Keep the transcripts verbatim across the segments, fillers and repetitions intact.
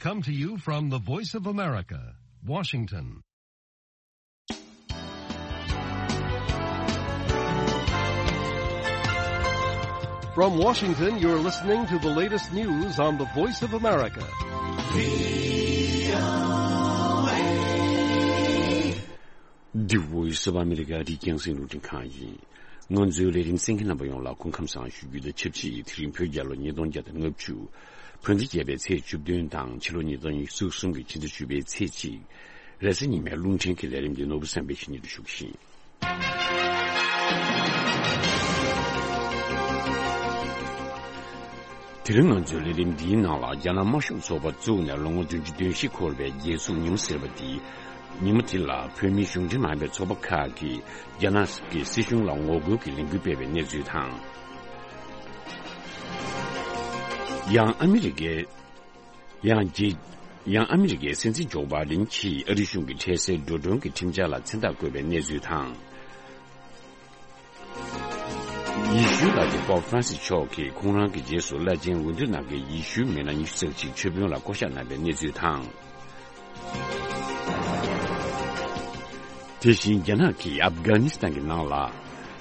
Come to you from the Voice of America, Washington. From Washington, you're listening to the latest news on the Voice of America. The Voice of America. འདི་རྒྱང་སྲིང་རླུང་འཕྲིན་ཁང་ཡིན། ང་ཚོའི་ལས་རིམ་གསན་མཁན་རྣམ་པ་ཡོངས་ལ་སྐུ་ཁམས་བཟང་ཞུ་རྒྱུ་དང་ཆབས་ཅིག་དེ་རིང་བོད་རྒྱལ་ལོ་ཉིས་སྟོང་བརྒྱ་དང་ལྔ་བཅུ། བོད་ཟླ་བརྒྱད་པའི་ཚེས་བཅུ་བདུན་དང་ཕྱི་ལོ་ཉིས་སྟོང་ཉི་ཤུ་རྩ་གསུམ་གྱི་ཕྱི་ཟླ་བཅུ་པའི་ཚེས་གཅིག་རེས་གཟའ་ཉི་མའི་རླུང་འཕྲིན་གྱི་ལས་རིམ་འདི་ནོར་བུ་བསམ་འཕེལ་གྱིས་སྙན་སྒྲོན་ཞུ་གི་ཡིན། དེ་རིང་ང་ཚོའི་ལས་རིམ་འདིའི་ནང་ལ། རྒྱ་ནག་དམར་ཤོག་ཚོགས་པ་བཙུགས་ནས་ལོ་ངོ་བདུན་ཅུ་དོན་བཞི་འཁོར་བའི་རྒྱལ་འཛོམས་ཉིན་མོ་ཟེར་བ་འདི། ཉིན་མོ་དེ་ལ་བོད་མིའི་གཞུང་འབྲེལ་མ་ཡིན་པའི་ཚོགས་པ་ཁག་གིས་རྒྱ་ནག་གི་སྲིད་གཞུང་ལ་ངོ་རྒོལ་གྱི་ལས་འགུལ་སྤེལ་བའི་གནས་ཚུལ་དང་། ཡང་ཨ་མི་རི་ཀའི། ཡང་རྗེས། ཡང་ཨ་མི་རི་ཀའི་སྲིད་འཛིན་ཇོ་བྷའི་ཌེན་གྱིས་ཨ་རིའི་གཞུང་གི་འཕྲལ་སེལ་འགྲོ་གྲོན་གྱི་ཁྲིམས་འཆར་ལ་མཚན་རྟགས་བཀོད་པའི་གནས་ཚུལ་དང་། ཡེ་ཤུའི་བླ་ཆེན་པོབ་ཧྥ་རན་སིས་མཆོག་གིས་ཁོང་རང་གི་རྗེས་སུ་བླ་ཆེན་འོས་བསྡུ་གནང་མཁན་ཡེ་ཤུའི་མི་སྣ་ཉི་ཤུ་རྩ་གཅིག་མཆོད་དཔོན་ལ་བསྐོ་གཞག་གནང་བའི་གནས་ཚུལ་དང་། དེ་བཞིན་རྒྱ་ནག་གིས་ཨབ་གྷ་ནི་སི་ཐན་གྱི་ནང་ལ་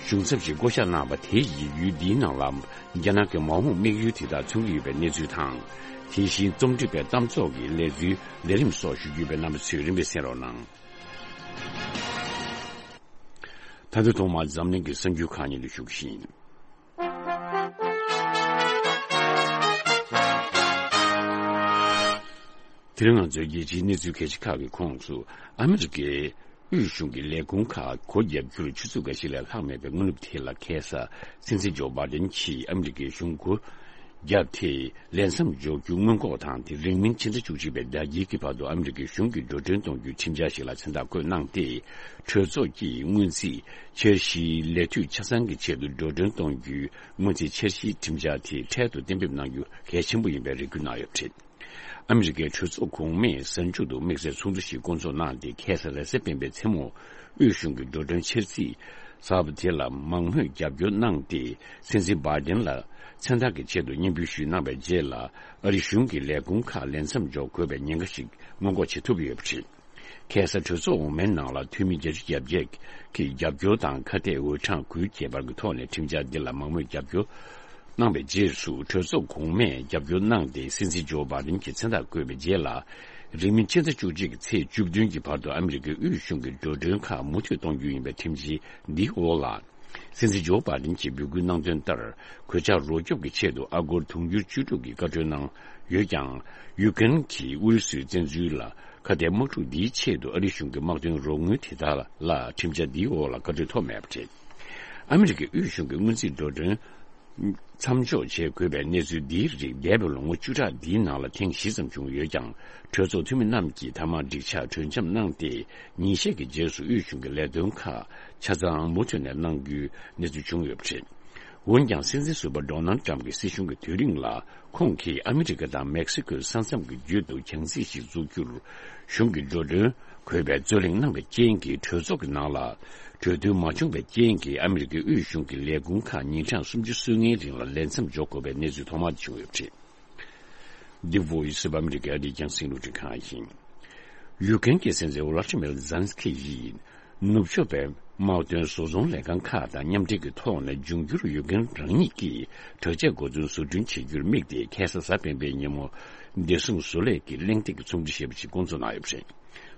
གཞུང་ཚབ་ཞིག་བསྐོ་གཞག་གནང་བ་དེ་ཡི་ཡུལ་འདིའི་ནང་ལ་རྒྱ་ནག་གི་མ་འོངས་དམིགས་ཡུལ་དེ་དག་མཚོན་གྱི་ཡོད་པའི་གནས་ཚུལ་དང་། དེ་བཞིན་རྩོམ་སྒྲིག་པའི་གཏམ་ཚོགས་ཀྱི་ལས་འཛུལ་ལས་རིམ་སོགས་ཞུ་རྒྱུ་ཡོད་པའི་རྣམ་པ་ཚོས་རིམ་པས་གསན་རོགས་གནང་། ད་དུང་ཐོག་མར་འཛམ་གླིང་གི་གསར་འགྱུར་ཁག་སྙན་སྒྲོན་ཞུ་གི་ཡིན། དེ་རིང་ང་ཚོའི་རྒྱལ་སྤྱིའི་གནས་ཚུལ་གལ་ཆེ་ཁག་གི་ཁོངས་སུ། ཨ་མི་རི་ཀའི་དབུས་གཞུང་གི་ལས་ཁུངས་ཁག་སྒོ་བརྒྱབ་རྒྱུར་ཆུ་ཚོད་འགའ་ཞིག་ལས་ལྷག་མེད་པའི་སྔ་ནུབ་དེ་ལ། ཁ་སང་སྲིད་འཛིན་ཇོ་བྷའི་ཌེན་གྱིས་ཨ་མི་རི་ཀའི་གཞུང་སྒོ་བརྒྱབ་སྟེ། ལས་མཚམས་འཇོག་རྒྱུའི་སྔོན་འགོག་དང་། དེ་རིང་མིན་ཕྱི་ཟླ་བཅུ་གཅིག་པའི་ཟླ་དཀྱིལ་གྱི་བར་དུ་ཨ་མི་རི་ཀའི་གཞུང་གིས་འགྲོ་གྲོན་གཏོང་རྒྱུའི་ཁྲིམས་འཆར་ཞིག་ལ་མཚན་རྟགས་བཀོད་གནང་སྟེ། གྲོས་ཚོགས་ཀྱིས་སྔོན་རྩིས་འཆར་གཞིའི་ལས་དུས་ཆ་ཚང་གི་ཆེད་དུ་འགྲོ་གྲོན་གཏོང་རྒྱུའི་སྔོན་རྩིས་འཆར་གཞིའི་ཁྲིམས་འཆར་དེ་འཕྲལ་དུ་གཏན་འབེབས་གནང་རྒྱུ་གལ་ཆེན་པོ་ཡིན་པའི་རེ་སྐུལ་གནང་ཡོད་པ་རེད། ཨ་མི་རི་ཀའི་གྲོས་ཚོགས་གོང་མས་གཟའ་མཇུག་ཏུ་དམིགས་བསལ་ཚོགས་འདུ་ཞིག་བསྐོང་ཚོགས་གནང་སྟེ། ཁ་སང་རེས་གཟའ་སྤེན་པའི་མཚན་མོ། དབུས་གཞུང་གི་འགྲོ་གྲོན་འཆར་རྩིས་གསར་པ་དེ་ལ་མང་མོས་རྒྱབ་སྐྱོར་གནང་སྟེ། སྲིད་འཛིན་བྷའི་ཌེན་ལ་མཚན་རྟགས་ཀྱི་ཆེད་དུ་སྙན་འབུལ་ཞུས་གནང་བའི་རྗེས་ལ། ཨ་རི་གཞུང་གི་ལས་ཁུངས་ཁག་ལས་མཚམས་འཇོག་དགོས་པའི་ཉེན་ཁ་ཞིག་སྔོན་འགོག་བྱེད་ཐུབ་ཡོད་པ་རེད། ཁ་སང་གྲོས་ཚོགས་འོག་མའི་ནང་ལ་འཐུས་མི་བརྒྱད་ཅུ་གྱ་བརྒྱད་ཀྱིས་རྒྱབ་སྐྱོར་དང་ཁ་གཏད་འོས་གྲངས་དགུའི་ཁྱད་པར་གྱི་ཐོག་ནས་ཁྲིམས་འཆར་འདི་ལ་མང་མོས་རྒྱབ་སྐྱོར་གནང་བའི་རྗེས་སུ། གྲོས་ཚོགས་གོང་མས་རྒྱབ་སྐྱོར་གནང་སྟེ། སྲིད་འཛིན་ཇོ་བྷའི་ཌེན་གྱིས་མཚན་རྟགས་བཀོད་པའི་རྗེས་ལ། རིང་མིན་ཕྱི་ཟླ་བཅུ་གཅིག་གི་ཚེས་བཅུ་བདུན་གྱི་བར་དུ་ཨ་མི་རི་ཀའི་དབུས་གཞུང་གི་འགྲོ་གྲོན་ཁག་མུ་མཐུད་གཏོང་རྒྱུ་ཡིན་པའི་ཁྲིམས་ཆད་འདིའི་འོག་ལ། སྲིད་འཛིན་ཇོ་བྷའི་ཌེན་གྱིས་འབོད་སྐུལ་གནང་དོན་ལྟར། གོད་ཆག་རོགས་སྐྱོབ་ཀྱི་ཆེད་དུ་ཨ་སྒོར་དུང་ཕྱུར་བཅུ་དྲུག་གི་བཀའ་འཁྲོལ་གནང་ཡོད་ཀྱང་། ཡུ་ཀེན་གྱིས་ཨུ་རུ་སུའི་བཙན་འཛུལ་ལ་ཁ་གཏད་དམག་འཁྲུག་འདིའི་ཆེད་དུ་ཨ་རི་གཞུང་གི་དམག་དོན་རོགས་དངུལ་དེ་དག་ལ་ཁྲིམས་འཆར་འདིའི་འོག་ལ་བཀའ་འཁྲོལ་ཐོབ་མེད་པ་རེད། ཨ་མི་རི་ཀའི་དབུས་གཞུང་གི་སྔོན་རྩིས་འགྲོ་གྲོན་མཚམས་འཇོག་བྱེད་དགོས་པའི་གནས་ཚུལ་འདིའི་རིགས་འདས་པའི་ལོ་ངོ་བཅུ་ཕྲག་འདིའི་ནང་ལ་ཐེངས་བཞི་ཙམ་བྱུང་ཡོད་ཀྱང་། གྲོས་ཚོགས་འཐུས་མི་རྣམས་ཀྱིས་མཐའ་མར་འགྲིག་ཆགས་གྲོས་འཆམ་གནང་སྟེ། ཉིན་ཤས་ཀྱི་རྗེས་སུ་དབུས་གཞུང་གི་ལས་དོན་ཁག་ཆ་ཚང་མུ་མཐུད་ནས་གནང་རྒྱུའི་གནས་ཚུལ་བྱུང་ཡོད་པ་རེད། འོན་ཀྱང་། སྲིད་འཛིན་ཟུར་པ་ཌོ་ནལ་ཌི་ཊརམ་ཕི་གྱི་སྲིད་གཞུང་གི་དུས་རིང་ལ། ཁོང་གིས་ཨ་མི་རི་ཀ་དང་མེག་སི་ཀོའི་ས་མཚམས་ཀྱི་རྒྱུད་དུ་གྱང་རྩིས་ཤིག་འཛུགས་རྒྱུར་གཞུང་གིས་འགྲོ་གྲོན་དགོས་པའི་རྩོད་གླེང་གནང་བའི་རྐྱེན་གྱིས། གྲོས་ཚོགས་ཀྱི་ནང་ལ་གྲོས་མཐུན་མ་བྱུང་བའི་རྐྱེན་གྱིས། ཨ་མི་རི་ཀའི་དབུས་གཞུང་གི་ལས་ཁུངས་ཁག་ཉིན་གྲངས་སུམ་ཅུ་སོན་མཁན་རིང་ལ་ལས་མཚམས་འཇོག་དགོས་པའི་གནས་ཚུལ་ཐོག་མར་བྱུང་ཡོད་པ་རེད། འདི་Voice of America ཨ་རིའི་རྒྱང་སྲིང་རླུང་འཕྲིན་ཁང་ཡིན། ཡུ་ཀེན་གྱི་སྲིད་འཛིན་ཝ་ལ་ཏི་མིར་ཛེ་ལན་སི་ཁི་ཡིས། ནུབ་ཕྱོགས་པའི་དམག་དོན་བཟོ་ཚོང་ལས་ཁང་ཁག་དང་མཉམ་འབྲེལ་གྱི་ཐོག་ནས། འབྱུང་འགྱུར་ཡུ་ཀེན་རང་ཉིད་ཀྱིས་དྲག་ཆས་གོ་མཚོན་བཟོ་སྐྲུན་བྱེད་རྒྱུར་དམིགས་ཏེ། ཁ་སང་གཟའ་སྤེན་པའི་ཉིན་མོ། བདེ་སྲུང་བཟོ་ལས་ཀྱི་གླེང་སྟེགས་ཀྱི་ཚོགས་འདུ་ཞེས་པ་ཞིག་བསྐོང་ཚོགས་གནང་ཡོད་པ་རེད།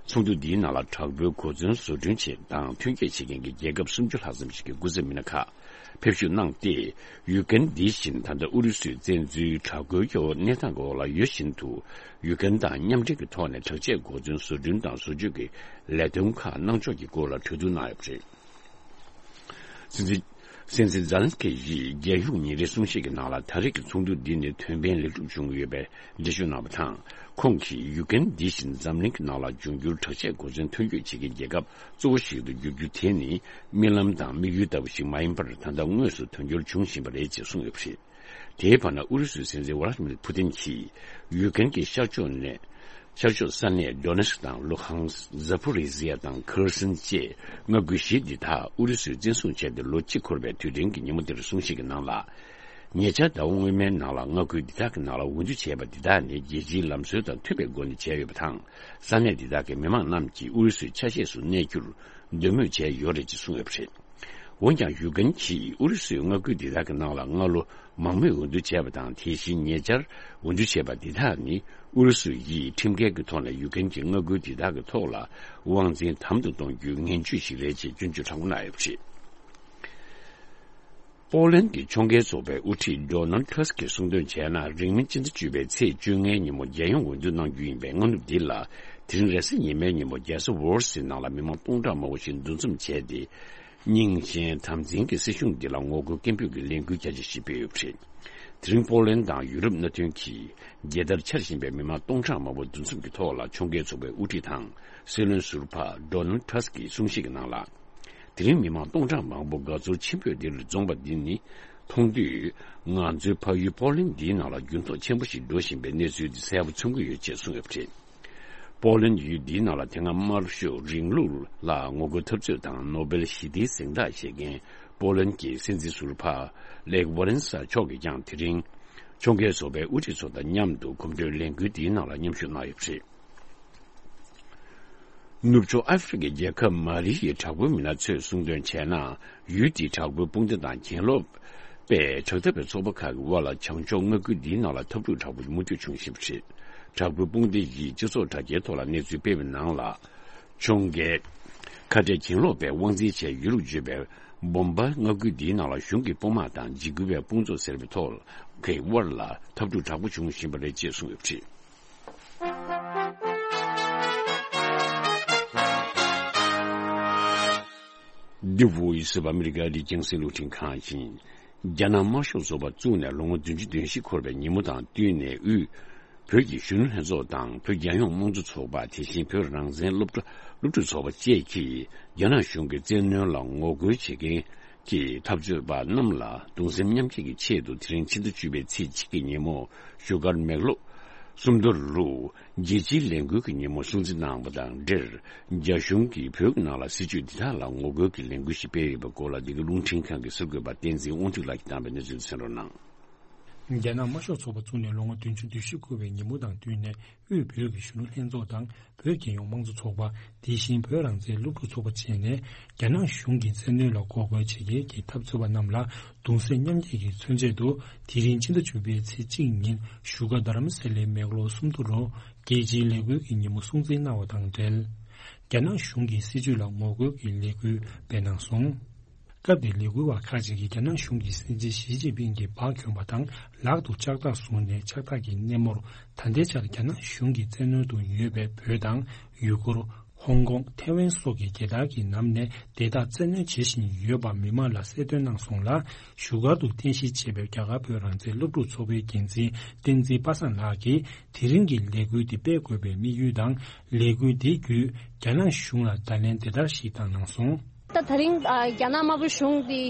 ཚོགས་འདུ་འདིའི་ནང་ལ། དྲག་པོའི་གོ་མཚོན་བཟོ་སྐྲུན་བྱེད་དང་ཐོན་སྐྱེད་བྱེད་མཁན་གྱི་རྒྱལ་ཁབ་སུམ་ཅུ་ལྷག་ཙམ་ཞིག་གི་སྐུ་ཚབ་མི་སྣ་ཁག་ཕེབས་བཞུགས་གནང་སྟེ། ཡུ་ཀེན་འདི་བཞིན་ད་ལྟ་ཨུ་རུ་སུའི་བཙན་འཛུལ་དྲག་རྒོལ་གྱི་འོག་གནས་སྟངས་ཀྱི་འོག་ལ་ཡོད་བཞིན་དུ། ཡུ་ཀེན་དང་མཉམ་འབྲེལ་གྱི་ཐོག་ནས་དྲག་ཆས་གོ་མཚོན་བཟོ་སྐྲུན་དང་བཟོ་བཅོས་ཀྱི་ལས་དོན་ཁག་གནང་ཕྱོགས་ཀྱི་སྐོར་ལ་གྲོས་བསྡུར་གནང་ཡོད་པ་རེད། སྲིད་འཛིན། སྲིད་འཛིན་ཛེ་ལན་སི་ཁི་ཡིས་རྒྱལ་ཡོངས་ཉིན་རེའི་གསུང་བཤད་ཀྱི་ནང་ལ། ད་རེས་ཀྱི་ཚོགས་འདུ་འདི་ནི་དོན་ཕན་ལེགས་གྲུབ་བྱུང་ཡོད་པའི་འགྲེལ་བརྗོད་གནང་བ་དང་། ཁོང་གིས་ཡུ་ཀེན་འདི་བཞིན་འཛམ་གླིང་གི་ནང་ལ་འབྱུང་འགྱུར་དྲག་ཆས་གོ་མཚོན་ཐོན་སྐྱེད་བྱེད་མཁན་རྒྱལ་ཁབ་གཙོ་བོ་ཞིག་ཏུ་འགྱུར་རྒྱུ་དེ་ནི། རྨི་ལམ་དང་དམིགས་ཡུལ་ལྟ་བུ་ཞིག་མ་ཡིན་པར། ད་ལྟ་དངོས་སུ་དོན་འཁྱོལ་བྱུང་བཞིན་པ་རེད་ཅེས་གསུངས་ཡོད་པ་རེད། དེའི་བར་ན། ཨུ་རུ་སུའི་སྲིད་འཛིན་ཝ་ལ་ཏི་མིར་ཕུ་ཏིན་གྱིས། ཡུ་ཀེན་གྱི་ཤར་ཕྱོགས་ནས། ཤར་ཕྱོགས་ས་གནས་ཌོ་ནེ་སི་ཀི་དང་ལུ་ཧང་སི། ཛ་པོ་རི་ཟི་ཡ་དང་ཁེར་སོན་བཅས་མངའ་ཁུལ་བཞི་འདི་དག་ཨུ་རུ་སུས་བཙན་བཟུང་བྱས་ཏེ་ལོ་གཅིག་འཁོར་བའི་དུས་དྲན་གྱི་ཉིན་མོ་འདིར་གསུང་བཤད་ཀྱི་ནང་ལ། ཉེ་ཆར་ཟླ་བ་སྔོན་མའི་ནང་ལ་མངའ་ཁུལ་འདི་དག་གི་ནང་ལ་འོས་བསྡུ་བྱས་པ་འདི་དག་ནི་རྒྱལ་སྤྱིའི་ལམ་སྲོལ་དང་མཐུན་པའི་སྒོ་ནས་བྱས་ཡོད་པ་དང་། ས་གནས་འདི་དག་གི་མི་མང་རྣམས་ཀྱིས་ཨུ་རུ་སུའི་ཆ་ཤས་སུ་གནས་རྒྱུར་འདོད་མོས་བྱས་ཡོད་རེད་ཅེས་གསུངས་ཡོད་པ་རེད། འོན་ཀྱང་ཡུ་ཀེན་གྱིས་ཨུ་རུ་སུའི་མངའ་ཁུལ་འདི་དག་གི་ནང་ལ་སྔ་ལོ་མང་མོས་འོས་བསྡུ་བྱས་པ་དང་། དེ་བཞིན་ཉེ་ཆར་འོས་བསྡུ་བྱས་པ་འདི་དག་ནི་ཨུ་རུ་སུ་ཡིས་ཁྲིམས་འགལ་གྱི་ཐོག་ནས་ཡུ་ཀེན་གྱི་མངའ་ཁུལ་འདི་དག་གི་ཐོག་ལ་དབང་འཛིན་དམ་དུ་གཏོང་རྒྱུའི་ངན་ཇུས་ཤིག་རེད་ཅེས་སྐྱོན་བརྗོད་གྲངས་འབོར་གནང་ཡོད་པ་རེད། པོ་ལན་གྱི་ཕྱོགས་འགལ་ཚོགས་པའི་དབུ་ཁྲིད་ཌོ་ནལ་ཊར་སི་ཀྱིས་གསུངས་དོན་བྱས་ན། རིང་མིན་སྤྱི་ཟླ་བཅུ་པའི་ཚེས་བཅོ་ལྔའི་ཉིན་མོ་རྒྱལ་ཡོངས་འོས་བསྡུ་གནང་རྒྱུ་ཡིན་པའི་སྔ་ནུབ་འདི་ལ། དེ་རིང་རེས་གཟའ་ཉི་མའི་ཉིན་མོ་རྒྱལ་ས་ཝོར་སི་ནང་ལ་མི་མང་སྟོང་ཕྲག་མང་པོ་ཞིག་འདུ་འཛོམས་བྱས་ཏེ། རྙིང་ཞེན་དམ་འཛིན་གྱི་སྲིད་གཞུང་འདི་ལ་ངོ་རྒོལ་སྐད་འབོད་ཀྱི་ལས་འགུལ་རྒྱ་ཆེ་ཞིག་སྤེལ་ཡོད་པ་རེད། དེ་རིང་པོ་ལན་དང་ཡུ་རོབ་མནའ་མཐུན་གྱིས་རྒྱལ་དར་འཕྱར་བཞིན་པའི་མི་མང་སྟོང་ཕྲག་མང་པོ་འདུ་འཛོམས་ཀྱི་ཐོག་ལ་ཕྱོགས་འགལ་ཚོགས་པའི་དབུ་ཁྲིད་དང་སྲིད་བློན་ཟུར་པ་ཌོ་ནལ་ཊར་སི་ཀྱིས་གསུང་བཤད་ཀྱི་ནང་ལ། དེ་རིང་མི་མང་སྟོང་ཕྲག་མང་པོ་དགའ་ཚོར་ཆེན་པོས་འདིར་འཛོམས་པ་འདི་ནི་མཐོང་དུས། ང་ཚོའི་ཕ་ཡུལ་པོ་ལན་འདིའི་ནང་ལ་འགྱུར་ལྡོག་ཆེན་པོ་ཞིག་འགྲོ་བཞིན་པའི་གནས་ཚུལ་འདི་གསལ་པོ་མཚོན་གྱི་ཡོད་ཅེས་གསུངས་ཡོད་པ་རེད། པོ་ལན་ཡུལ་འདིའི་ནང་ལ་དེ་སྔ་དམར་ཤོག་རིང་ལུགས་ལ་ངོ་རྒོལ་འཐབ་རྩོད་དང་ནོ་བེལ་ཞི་བདེའི་གཟེངས་རྟགས་བཞེས་མཁན་པོ་ལན་གྱི་སྲིད་འཛིན་ཟུར་པ་ལེག་ཝ་ལེན་ས་མཆོག་གིས་ཀྱང་དེ་རིང་ཕྱོགས་འགལ་ཚོགས་པའི་དབུ་ཁྲིད་ཚོ་དང་མཉམ་དུ་གོམ་བགྲོད་ལས་འགུལ་འདིའི་ནང་ལ་མཉམ་ཞུགས་གནང་ཡོད་པ་རེད། ནུབ་ཕྱོགས་ཨ་ཧྥེ་རི་ཁའི་རྒྱལ་ཁབ་མ་རི་ཡི་དྲག་པོའི་མི་སྣ་ཚོས་གསུངས་དོན་བྱས་ན། ཡུལ་དེའི་དྲག་པོའི་དཔུང་སྡེ་དང་གྱེན་ལོག་པས་དྲག་འཐབ་པའི་ཚོགས་པ་ཁག་གི་དབར་ལ་བྱང་ཕྱོགས་མངའ་ཁུལ་འདིའི་ནང་ལ་འཐབ་འཁྲུག་དྲག་པོ་མུ་མཐུད་བྱུང་བཞིན་པ་རེད། དྲག་པོའི་དཔུང་སྡེ་ཡིས་སྤྱི་ཚོགས་དྲ་རྒྱའི་ཐོག་ལ་གནས་ཚུལ་སྤེལ་བའི་ནང་ལ། ཕྱོགས་འགལ་ཁ་བྲལ་གྱེན་ལོག་པས་དབང་འཛིན་བྱས་ཡོད་ལུགས་བརྗོད་པའི་སྦོམ་པ་མངའ་ཁུལ་འདིའི་ནང་ལ་གཞུང་གི་དཔུང་དམག་དང་འཇིགས་སྐུལ་བའི་དཔུང་ཚོགས་ཟེར་བའི་ཐོག་གི་དབར་ལ་འཐབ་འཁྲུག་དྲག་པོ་བྱུང་བཞིན་པ་རེད་ཅེས་གསུངས་ཡོད་པ་རེད། འདི་བོད་ཡིག་གཟུགས་པ་ཨ་མི་རི་ཀ་རི་རྒྱང་སྲིང་རླུང་འཕྲིན་ཁང་ཡིན། རྒྱ་ནག་དམར་ཤོག་ཚོགས་པ་བཙུགས་ནས་ལོ་ངོ་བདུན་ཅུ་དོན་བཞི་འཁོར་བའི་ཉིན་མོ་དང་བསྟུན་ནས། དབུས་བོད་ཀྱི་གཞོན་ནུ་ལྷན་ཚོགས་དང་བོད་རྒྱལ་ཡོངས་དམངས་གཙོ་ཚོགས་པ། དེ་བཞིན་བོད་རང་བཙན་སློབ་ཕྲུག་སློབ་ཕྲུག་ཚོགས་པ་བཅས་ཀྱིས་རྒྱ་ནག་གཞུང་གི་བཙན་གནོན་ལ་ངོ་རྒོལ་བྱེད་མཁན་གྱི་འཐབ་རྩོད་པ་རྣམས་ལ་གདུང་སེམས་མཉམ་སྐྱེད་ཀྱི་ཆེད་དུ། དེ་རིང་ཕྱི་ཟླ་བཅུ་པའི་ཚེས་གཅིག་གི་ཉིན་མོ་བཞུགས་སྒར་མེག་ལོར་སུམ་མདོ་རུ་རྒྱལ་སྤྱིའི་ལས་འགུལ་གྱི་ཉིན་མོ་སྲུང་བརྩི་གནང་བ་དང་འབྲེལ། རྒྱ་གཞུང་གིས་བོད་ཀྱི་ནང་ལ་སྲིད་བྱུས་འདི་དག་ལ་ངོ་རྒོལ་གྱི་ལས་འགུལ་ཞིག་སྤེལ་ཡོད་པའི་སྐོར་ལ། འདི་ག་རླུང་འཕྲིན་ཁང་གི་གསར་འགོད་པ་བསྟན་འཛིན་དབང་འདུས་ལགས་ཀྱིས་བཏང་བའི་གནས་ཚུལ་གསན་རོགས་གནང་། རྒྱ་ནག་དམར་ཤོག་ཚོགས་པ་བཙུགས་ནས་ལོ་ངོ་བདུན་ཅུ་དོན་བཞི་འཁོར་བའི་ཉིན་མོ་དང་བསྟུན་ནས། དབུས་བོད་ཀྱི་གཞོན་ནུ་ལྷན་ཚོགས་དང་བོད་རྒྱལ་ཡོངས་དམངས་གཙོ་ཚོགས་པ། དེ་བཞིན་བོད་རང་བཙན་སློབ་ཕྲུག་ཚོགས་པ་བཅས་ནས། རྒྱ་ནག་གཞུང་གི་བཙན་གནོན་ལ་ངོ་རྒོལ་བྱེད་མཁན་གྱི་འཐབ་རྩོད་པ་རྣམས་ལ་གདུང་སེམས་མཉམ་སྐྱེད་ཀྱི་མཚོན་ཆེད་དུ། དེ་རིང་ཕྱི་ཟླ་བཅུ་པའི་ཚེས་གཅིག་ཉིན་བཞུགས་སྒར་རྡ་རམ་ས་ལའི་མེག་ལོར་སུམ་མདོ་རུ་རྒྱལ་སྤྱིའི་ལས་འགུལ་གྱི་ཉིན་མོ་སྲུང་བརྩི་གནང་བ་དང་འབྲེལ། རྒྱ་ནག་གཞུང་གི་སྲིད་བྱུས་ལ་ངོ་རྒོལ་གྱི་ལས་འགུལ་སྤེལ་གནང་སོང་། སྐབས་དེར་ལས་འགུལ་བ་ཁག་ཅིག་གིས་རྒྱ་ནག་གཞུང་གི་སྲིད་འཛིན་ཞི་ཅིན་ཕིང་གི་འབག་གྱོན་པ་དང་། ལག་ཏུ་ལྕགས་ཐག་བཟུང་ནས། ལྕགས་ཐག་གི་སྣེ་མོར་ད་ལྟའི་ཆར་རྒྱ་ནག་གཞུང་གི་བཙན་གནོན་དུ་ཡོད་པའི་བོད་དང་ཡུ་གུར། ཧོང་ཀོང་། ཐའེ་ཝན་སོགས་ཀྱི་རྒྱལ་དར་གྱིས་བསྣམས་ནས་དེ་དག་བཙན་གནོན་བྱེད་བཞིན་ཡོད་པ་མི་མང་ལ་གསལ་སྟོན་གནང་སོང་ལ། བཞུགས་སྒར་དུ་རྟེན་གཞི་བྱས་པའི་རྒྱ་གར་བོད་རང་བཙན་སློབ་ཕྲུག་ཚོགས་པའི་འགན་འཛིན་བསྟན་འཛིན་པ་སངས་ལགས་ཀྱིས། དེ་རིང་གི་ལས་འགུལ་འདི་སྤེལ་དགོས་པའི་དམིགས་ཡུལ་དང་། ལས་འགུལ་འདི་བརྒྱུད་རྒྱ་ནག་གཞུང་ལ་བརྡ་ལན་དེ་ལྟར་ཞིག་བཏང་གནང་སོང་། ད་ད་རིང་ཨ་རྒྱ་ནག་དམར་པོའི་གཞུང་འདི་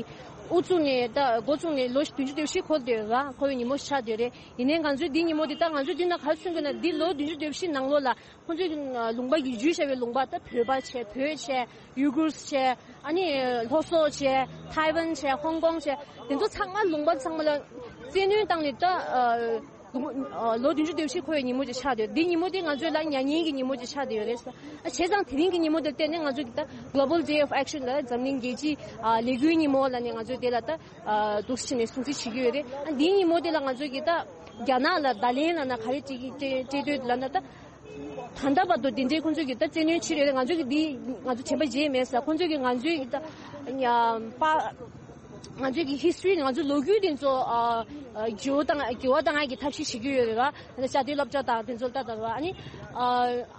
དབུ་བཙུགས་ནས། ད་འགོ་བཙུགས་ནས་ལོ་བདུན་ཅུ་དོན་བཞི་འཁོར་བསྡད་ཡོད་རེད་པ། འཁོར་བའི་ཉིན་མོ་ཆགས་བསྡད་ཡོད་རེད། ཡིན་ནའི་ང་ཚོའི་འདིའི་ཉིན་མོ་འདི། ད་ང་ཚོའི་འདི་ནང་ག་རེ་མཚོན་གྱི་ན། འདི་ལོ་བདུན་ཅུ་དོན་བཞི་ནང་ལོགས་ལ་ཁོང་ཚོའི་ཨ་ལུང་པ་གི་འཇུས་བཞག་པའི་ལུང་པ། ད་བོད་པ་བྱས། བོད་བྱས། ཡུ་གུར་བྱས། ཨ་ནི་ལྷོ་སོག་བྱས། ཐའེ་ཝན་བྱས། ཧོང་ཀོང་བྱས། དེ་ཚོ་ཚང་མ་ལུང་པ་ཚང་མ་ལ་བཙན་གནོན་བཏང་ནས། ད་ཨ་ལོ་བདུན་ཅུ་དོན་བཞི་འཁོར་བའི་ཉིན་མོ་ཅིག་ཆགས་བསྡད་ཡོད། འདི་ཉིན་མོ་དེ་ང་ཚོའི་ལ་མྱ་ངན་གྱི་ཉིན་མོ་ཅིག་ཆགས་བསྡད་ཡོད་རེད། ཨ་བྱས་ཙང་དེ་རིང་གི་ཉིན་མོ་དེ་བལྟས་ནས་ང་ཚོ་གི་ད་Global Day of Action ལ། འཛམ་གླིང་རྒྱལ་སྤྱིའི་ཨ་ལས་འགུལ་ཉིན་མོ་ལ་ནས་ང་ཚོས་དེ་ལ་ད་ཨ་འདུག་སེ་བྱས་ནས་སྲུང་བརྩི་བྱེད་ཀྱི་ཡོད་རེད། ཨ་འདིའི་ཉིན་མོ་དེ་ལ་ང་ཚོ་གི་ད་རྒྱ་ནག་ལ་བརྡ་ལན་ལབ་ན་ག་རེ་སྤྲད་ཀྱི། སྤྲད་སྤྲད་འདོད་ལབ་ན། ད་ད་ལྟ་བར་དུ་དེ་འདྲའི་ཁོང་ཚོས་གི་ད་བཙན་གནོན་བྱེད་ཡོད་རེད། ང་ཚོ་གི་འདི་ང་ཚོ་དྲན་པ་བརྗེད་མེད་ཟེར། ཁོང་ཚོས་གི་ང་ཚོའི་གི་ད་ཡ་པ། ང་ཚོའི་གི་ཧི་སི་ཊོ་རི། ང་ཚོའི་ལོ་རྒྱུས་དེ་ཚོ་ཨ་ཨ་འགྱུར་བ་བཏང་། འགྱུར་བ་བཏང་ཡག་གི་ཐབས་ཤེས་བྱེད་ཀྱི་ཡོད་རེད་པ། ད་ལྟ་ཞྭ་དོད་སློབ་གྲྭ་དང་དེ་ཚོ་ལྟ་ལྟ་བ། ཨ་ནི་ཨ་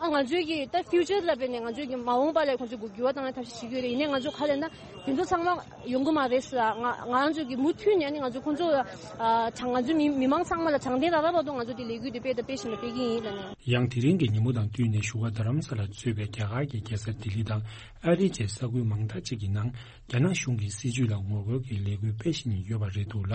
ཨ་ང་ཚོའི་གི་ད་ཕིའུ་ཅར་ལ་དཔེར་ན་ང་ཚོའི་གི་མ་འོངས་པ་ལ་ཁོང་ཚོས་འགྱུར་བ་བཏང་ཡག་ཐབས་ཤེས་བྱེད་ཀྱི་ཡོད་རེད། ཡིན་ནའི་ང་ཚོ་ག་རེ་ལབ་ན། དེ་ཚོ་ཚང་མ་ཡོང་གི་མ་རེད་ཟེར། ང་ང་རང་ཚོ་གི་མུ་མཐུད་ནས། ཨ་ནི་ང་ཚོ་ཁོང་ཚོ་ཨ་དྲང་། ང་ཚོ་མི་མི་མང་ཚང་མ་ལ་དྲང་བདེན་རག་རག་བར་དུ་ང་ཚོ་དེ་ལས་འགུལ་དེ་སྤེལ་དང་སྤེལ་བཞིན་པ་སྤེལ་གྱི་ཡིན་ལབ་ནས། ཡང་དེ་རིང་གི་ཉིན་མོ་དང་བསྟུན་ནས་བཞུགས་སྒར་རྡ་རམ་ས་ལར་གཙོས་པའི་རྒྱ་གར་གྱི་རྒྱལ་ས་ལྡི་ལི་དང་ཨ་རིའི་བཅས་ས་ཁུལ་མང་དག་ཅིག་གི་ནང་རྒྱ་ནག་གཞུང་གི་སྲིད་བྱུས་ལ་ངོ་རྒོལ་གྱི་ལས་འགུལ་སྤེལ་བཞིན་ཡོད་པ་རེད་འདུག་ལ།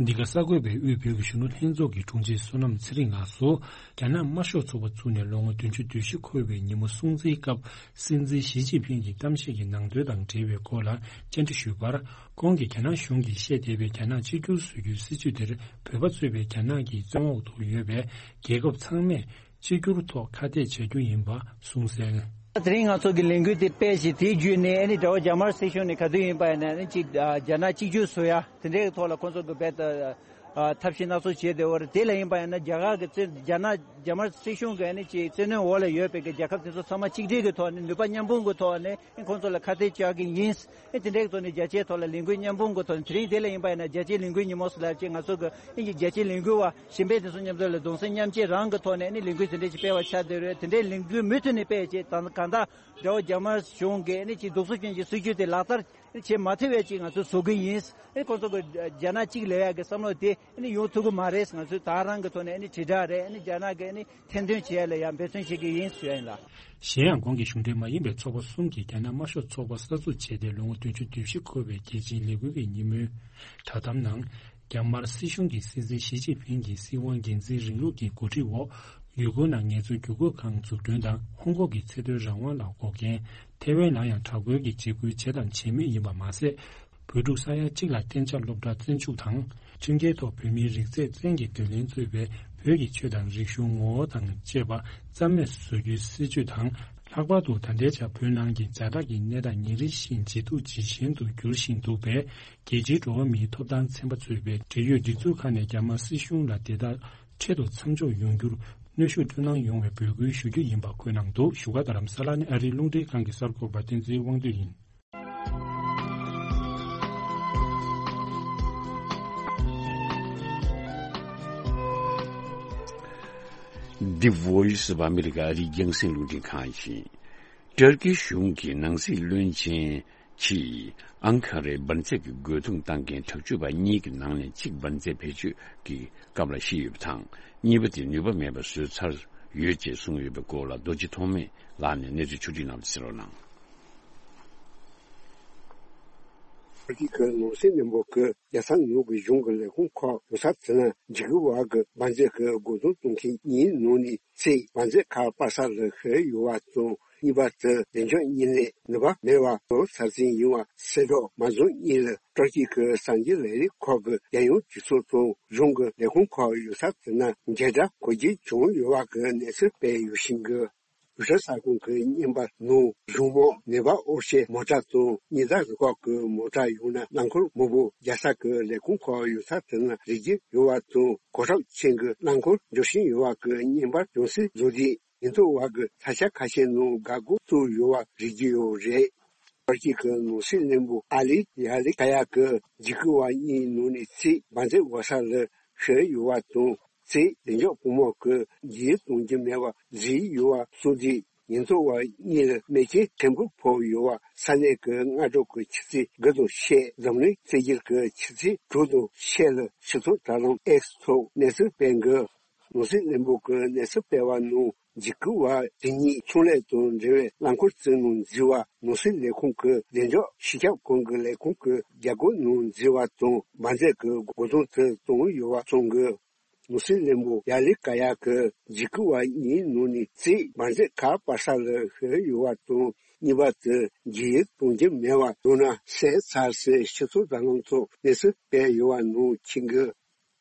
འདི་ག་ས་ཁུལ་ པའི་དབུས་བོད་ཀྱི་གཞོན་ནུ་ལྷན་ཚོགས་ཀྱི་དྲུང་ཆེ་བསོད་ནམས་ཚེ་རིང་ལགས་སུ། རྒྱ་ནག་དམར་ཤོག་ཚོགས་པ་བཙུགས་ནས་ལོ་ངོ་བདུན་ཅུ་དོན་བཞི་འཁོར་བའི་ཉིན་མོ་སྲུང་བརྩིའི་སྐབས། སྲིད་འཛིན་ཞི་ཅིན་ཕིང་གི་གཏམ་བཤད་ཀྱི་ནང་དོན་དང་འབྲེལ་བའི་སྐོར་ལ་བཅར་འདྲི་ཞུས་པར། ཁོང་གིས་རྒྱ་ནག་གཞུང་གིས་བཤད་བསྡད་པའི་རྒྱ་ནག་གཅིག་གྱུར་བཟོ་རྒྱུའི་སྲིད་བྱུས་དེར། བོད་པ་གཙོས་པའི་རྒྱ་ནག་གི་བཙོན་འོག་ཏུ་ཡོད་པའི་རྒྱལ་ཁབ་ཚང་མས་གཅིག་གྱུར་ཐོག་ཁ་གཏད་བྱ་རྒྱུ་ཡིན་པ་གསུངས་གསལ། དེ་རིང་ང་ཚོ་གི་ལས་འགུལ་དེ་སྤེལ་བཞིན། དེའི་བརྒྱུད་ནས་ཨ་ནི་དགྲ་བོ་རྒྱ་དམར་སྲིད་གཞུང་ནས་ག་དུས་ཡིན་པ་ཡིན་ན་ཨ་ནི་གཅིག་ཨ་རྒྱ་ནག་གཅིག་གྱུར་བཟོ་ཡ་དེ་འདྲའི་ཐོག་ལ་ཁོང་ཚོ་གི་རྦད་དེ་ཨ་ཐབས་ཤེས་སྣ་ཚོགས་བྱས་བསྡད་ཡོད་རེད། དེ་ལ་ཡིན་པ་ཡིན་ན་རྒྱ་གར་གྱི་བཙན་རྒྱ་ནག་རྒྱ་དམར་སྲིད་གཞུང་གི་ཨ་ནི་གཅིག་བཙན་གནོན་འོག་ལ་ཡོད་པའི་གི་རྒྱལ་ཁབ་དེ་ཚོ་ཚང་མ་གཅིག་སྒྲིལ་གྱི་ཐོག་ནས་ནུས་པ་མཉམ་སྤུངས་ཀྱི་ཐོག་ནས་ཁོང་ཚོ་ལ་ཁ་གཏད་གཅོག་གི་ཡིན། ཨེ་དེ་འདྲའི་ཐོག་ནས་རྒྱ་ཆེའི་ཐོག་ལ་ལས་འགུལ་མཉམ་སྤུངས་ཀྱི་ཐོག་ནས། དེ་རིང་དེ་ལ་ཡིན་པ་ཡིན་ན་རྒྱ་ཆེའི་ལས་འགུལ་ཉིན་མོ་སུ་ལབ་ཅིག་ང་ཚོ་གི་ཨིན་ཇི་རྒྱ་ཆེའི་ལས་འགུལ་བ་གཞན་པའི་དེ་ཚོ་མཉམ་དུ་ལ་གདུང་སེམས་མཉམ་སྐྱེད་རང་གི་ཐོག་ནས་ཨ་ནི་ལས་འགུལ་དེ་འདྲ་ཞིག་སྤེལ་བ་ཆགས་བསྡད་རེད། དེ་འདྲའི་ལས་འགུལ་མུ་མཐུད་ནས་སྤེལ་བྱས་དང་གང་ལྟར་དགྲ་བོ་རྒྱ་དམར་གཞུང་གིས་ཨ་ནི་ཅིག་སྡུག་སོ་ཅན་གྱི་སྲིད་བྱུས་དེ་ལག་བསྟར་བྱེད་མ་ཐུབ་པའི་ཅིག་ང་ཚོས་བཟོ་གི་ཡིན། ཨ་ནི་ཁོང་ཚོ་གི་རྒྱ་ནག་གཅིག་ལབ་ཡ་གི་བསམ་བློ་དེ་ཨ་ནི་ཡོང་ཐུབ་གི་མ་རེད། ང་ཚོས་ད་རང་གི་ཐོག་ནས་ཨ་ནི་དྲིལ་བསྒྲགས་རེད། ཨ་ནི་རྒྱ་ནག་གི་ཨ་ནི་ཐེར་འདོན་བྱེད་ཡ་ལ་ཡང་འབད་བརྩོན་བྱེད་ཀྱི་ཡིན་ཞུ་ཡ་ཡིན་ལགས། གཞན་ཡང་། གོང་གི་གཞུང་འབྲེལ་མ་ཡིན་པའི་ཚོགས་པ་གསུམ་གྱིས་རྒྱ་ནག་དམར་ཤོག་ཚོགས་པ་གསར་འཛུགས་བྱས་ཏེ་ལོ་ངོ་བདུན་ཅུ་དོན་བཞི་འཁོར་བའི་རྒྱལ་སྤྱིའི་ལས་འགུལ་གྱི་ཉིན་མོའི་བསྒྲགས་གཏམ་ནང་། རྒྱ་དམར་སྲིད་གཞུང་གིས་སྲིད་འཛིན་ཞི་ཅིན་ཕིང་གི་སྲིད་དབང་སྒེར་འཛིན་རིང་ལུགས་ཀྱི་འགོ་ཁྲིད་འོག་ཡུ་གུར་ནང་ངལ་རྩོལ་བསྒྱུར་བཀོད་ཁང་འཛུགས་སྐྲུན་དང་། ཧོང་ཀོང་གི་ཚད་མཐོའི་རང་དབང་ལ་འགོག་རྐྱེན། ཐེ་ཝན་ལ་ཡང་དྲག་རྒོལ་གྱི་འཇིགས་སྐུལ་བྱས་དང་བྱེད་མུས་ཡིན་པ་མ་ཟད། བོད་ཕྲུག་ས་ཡ་གཅིག་ལ་གཏན་འཇགས་སློབ་གྲྭ་བཙན་འཇུག་དང་། ཁྲིམས་འགལ་ཐོག་བོད་མིའི་རིགས་རྫས་བཙན་གྱིས་བསྡུ་ལེན་གཙོས་པའི་བོད་ཀྱི་ཆོས་དང་རིག་གཞུང་ངོ་བོ་དང་བཅས་པ་རྩ་མེད་བཟོ་རྒྱུའི་སྲིད་བྱུས་དང་། ལྷག་པར་དུ་ད་ལྟའི་ཆར་བོད་ནང་གི་ཛ་དྲག་གི་གནས་སྟངས་ཉིན་རེ་བཞིན་ཇེ་སྡུག་ཇེ་ཞན་དུ་འགྱུར་བཞིན་འདུག་པས། རྒྱལ་སྤྱིའི་འགྲོ་བ་མིའི་ཐོབ་ཐང་ཚན་པ་གཙོས་པའི་འབྲེལ་ཡོད་སྒྲིག་འཛུགས་ཁག་ནས་རྒྱ་དམར་སྲིད་གཞུང་ལ་དེ་དག་འཕྲལ་དུ་མཚམས་འཇོག་ཡོང་རྒྱུར་གནོན་ཤུགས་སྤྲོད་གནང་ཡོང་བའི་འབོད་སྐུལ་ཞུ་རྒྱུ་ཡིན་པ་འཁོད་གནང་འདུག་བཞུགས་སྒར་རྡ་རམ་ས་ལ་ནས་ཨ་རིའི་རླུང་འཕྲིན་ཁང་གི་གསར་འགོད་པ་བསྟན་འཛིན་དབང་འདུས་ཡིན། The Voice of America ཨ་རིའི་རྒྱང་སྲིང་རླུང་འཕྲིན་ཁང་ཡིན། ཏུར་ཀི་གཞུང་གི་ནང་སྲིད་བློན་ཆེན་གྱིས་ཨང་ཁ་རའི་འབར་རྫས་ཀྱི་རྒོལ་རྡུང་བཏང་མཁན་དྲག་སྤྱོད་པ་གཉིས་ཀྱི་ནང་ནས་གཅིག་འབར་རྫས་བེད་སྤྱོད་ཀྱི་སྐབས་ལ་ཤི་ཡོད་པ་དང་། གཉིས་པ་དེ་ནུས་པ་མེད་པ་བཟོས་ཚར་ཡོད་ཅེས་གསུངས་ཡོད་པའི་སྐོར་ལ་རྡོ་རྗེ་ཐོགས་མེད་ལགས་ནས་གནས་ཚུལ་ཕྱོགས་བསྒྲིགས་གནང་བ་གསན་རོགས་གནང་། ཨ་རིའི་ནང་སྲིད་བློན་པོ་གིས་རྒྱལ་ས་ནིའུ་ཡོག་གི་གཞུང་གི་ལས་ཁུངས་ཁག་ཡོད་ས་དེ་ན་འཇིགས་སྐུལ་བ་གི་འབར་རྫས་ཀྱི་རྒོལ་རྡུང་གཏོང་མཁན་གཉིས་ནང་ནས་གཅིག་འབར་རྫས་ཁ་སྤར་ས་ལ་ཤི་ཡོད་པ་དང་། གཉིས་པ་དེ་ལས་འཇོག་གཉིས་ལས་ནུས་པ་མེད་པ་བཟོ་ཚར་ཟིན་ཡོད་པ་གསལ་བསྒྲགས་མ་བྱུང་གཉིས་ལ་ཏུར་ཀི་གི་གསར་འགྱུར་ལས་རིགས་ཁག་གི་རྒྱལ་ཡོངས་གྲོས་ཚོགས་དང་གཞུང་གི་ལས་ཁུངས་ཁག་ཡོད་ས་དེ་ན་འགལ་ཟླ་གོ་རྒྱུ་བྱུང་ཡོད་པ་གི་གནས་ཚུལ་སྤེལ་ཡོད་བཞིན་གི། ཡུལ་ཤུལ་ས་ཁོངས་ཀྱི་བརྙན་པར་ནང་གཞུང་མང་ནད་པ་ཨོ་ཤས་མོ་ཊ་དང་གཉིས་ཟླ་རུ་ཁག་གི་མོ་ཊ་ཡང་ན་རླངས་འཁོར་མང་པོ་རྒྱག་ས་ཀྱི་ལས་ཁུངས་ཁག་ཡོད་ས་དེ་ན་རིག་རྒྱུ་ཡོད་པ་དང་། གོ་ཁྲབ་ཅན་གྱི་རླངས་འཁོར་འགྲོ་བཞིན་ཡོད་པ་གི་བརྙན་པར་ཡང་སྲིད་བཟོ་དུས་ཉེན་རྟོག་པ་གི་ས་ཆ་ཁ་ཤས་ནང་འགག་སྒོ་བཙུགས་ཡོད་པ་རིག་རྒྱུ་ཡོད་རེད། ཏུར་ཀི་གི་ནང་སྲིད་བློན་པོ་ཨ་ལི་ཡ་ལི་ཀ་ཡ་གིས་འཇིགས་སྐུལ་བ་གཉིས་ནང་ནས་གཅིག་འབར་རྫས་འོག་ས་ལ་ཤི་ཡོད་པ་དང་། གཅིག་ལས་འཇོག་དཔོན་དམག་གིས་རྒྱུས་ཡོད་གཏོང་རྒྱུ་མེད་པ་བཟོས་ཡོད་པ་སོགས་ཀྱིས་ཉེན་རྟོག་པ་གཉིས་ལ་རྨས་སྐྱོན་ཕྲན་བུ་ཕོག་ཡོད་པ་ས་གནས་ཀྱི་སྔ་དྲོ་གི་ཆུ་ཚོད་དགུ་དང་ཕྱེད། འཛམ་གླིང་དཔེ་སྒྱུར་གྱི་ཆུ་ཚོད་དྲུག་དང་ཕྱེད་ལ་སྤྱི་ཚོགས་དྲ་ལམ་ཨེགསི་ཐོག་གནས་ཚུལ་སྤེལ་འདུག་ནང་སྲིད་བློན་པོ་གིས་གནས་ཚུལ་སྤེལ་བ་ནང་། འཇིགས་སྐུལ་བ་དེ་གཉིས་ཚོང་ལས་དང་འབྲེལ་བའི་རླངས་འཁོར་བཙོན་ནང་འཛུལ་བ་ནང་སྲིད་ལས་ཁུངས་ཀྱི་བདེ་འཇགས་སྤྱི་ཁྱབ་ཁང་གི་ལས་ཁུངས་ཀྱི་རྒྱབ་སྒོ་ནང་འཛུལ་བ་དང་འབར་རྫས་ཀྱི་རྒོལ་རྡུང་དེ་བཏང་ཡོད་པ་གསུངས་འདུག་ནང་སྲིད་བློན་པོ་ཡ་ལི་ཀ་ཡ་གིས་འཇིགས་སྐུལ་བ་གཉིས་ནང་ནས་གཅིག་འབར་རྫས་ཁ་སྤར་ས་ལ་ཤི་ཡོད་པ་དང་། གཉིས་པ་དེ་རྒྱུས་ཡོད་གཏོང་རྒྱུ་མེད་པ་ཡང་ན་བསད་ཚར་ཟིན་སྤྱི་ཚོགས་དྲ་ལམ་ཐོག་གནས་ཚུལ་སྤེལ་ཡོད་པ་ནང་ཁྱབ་འདུག་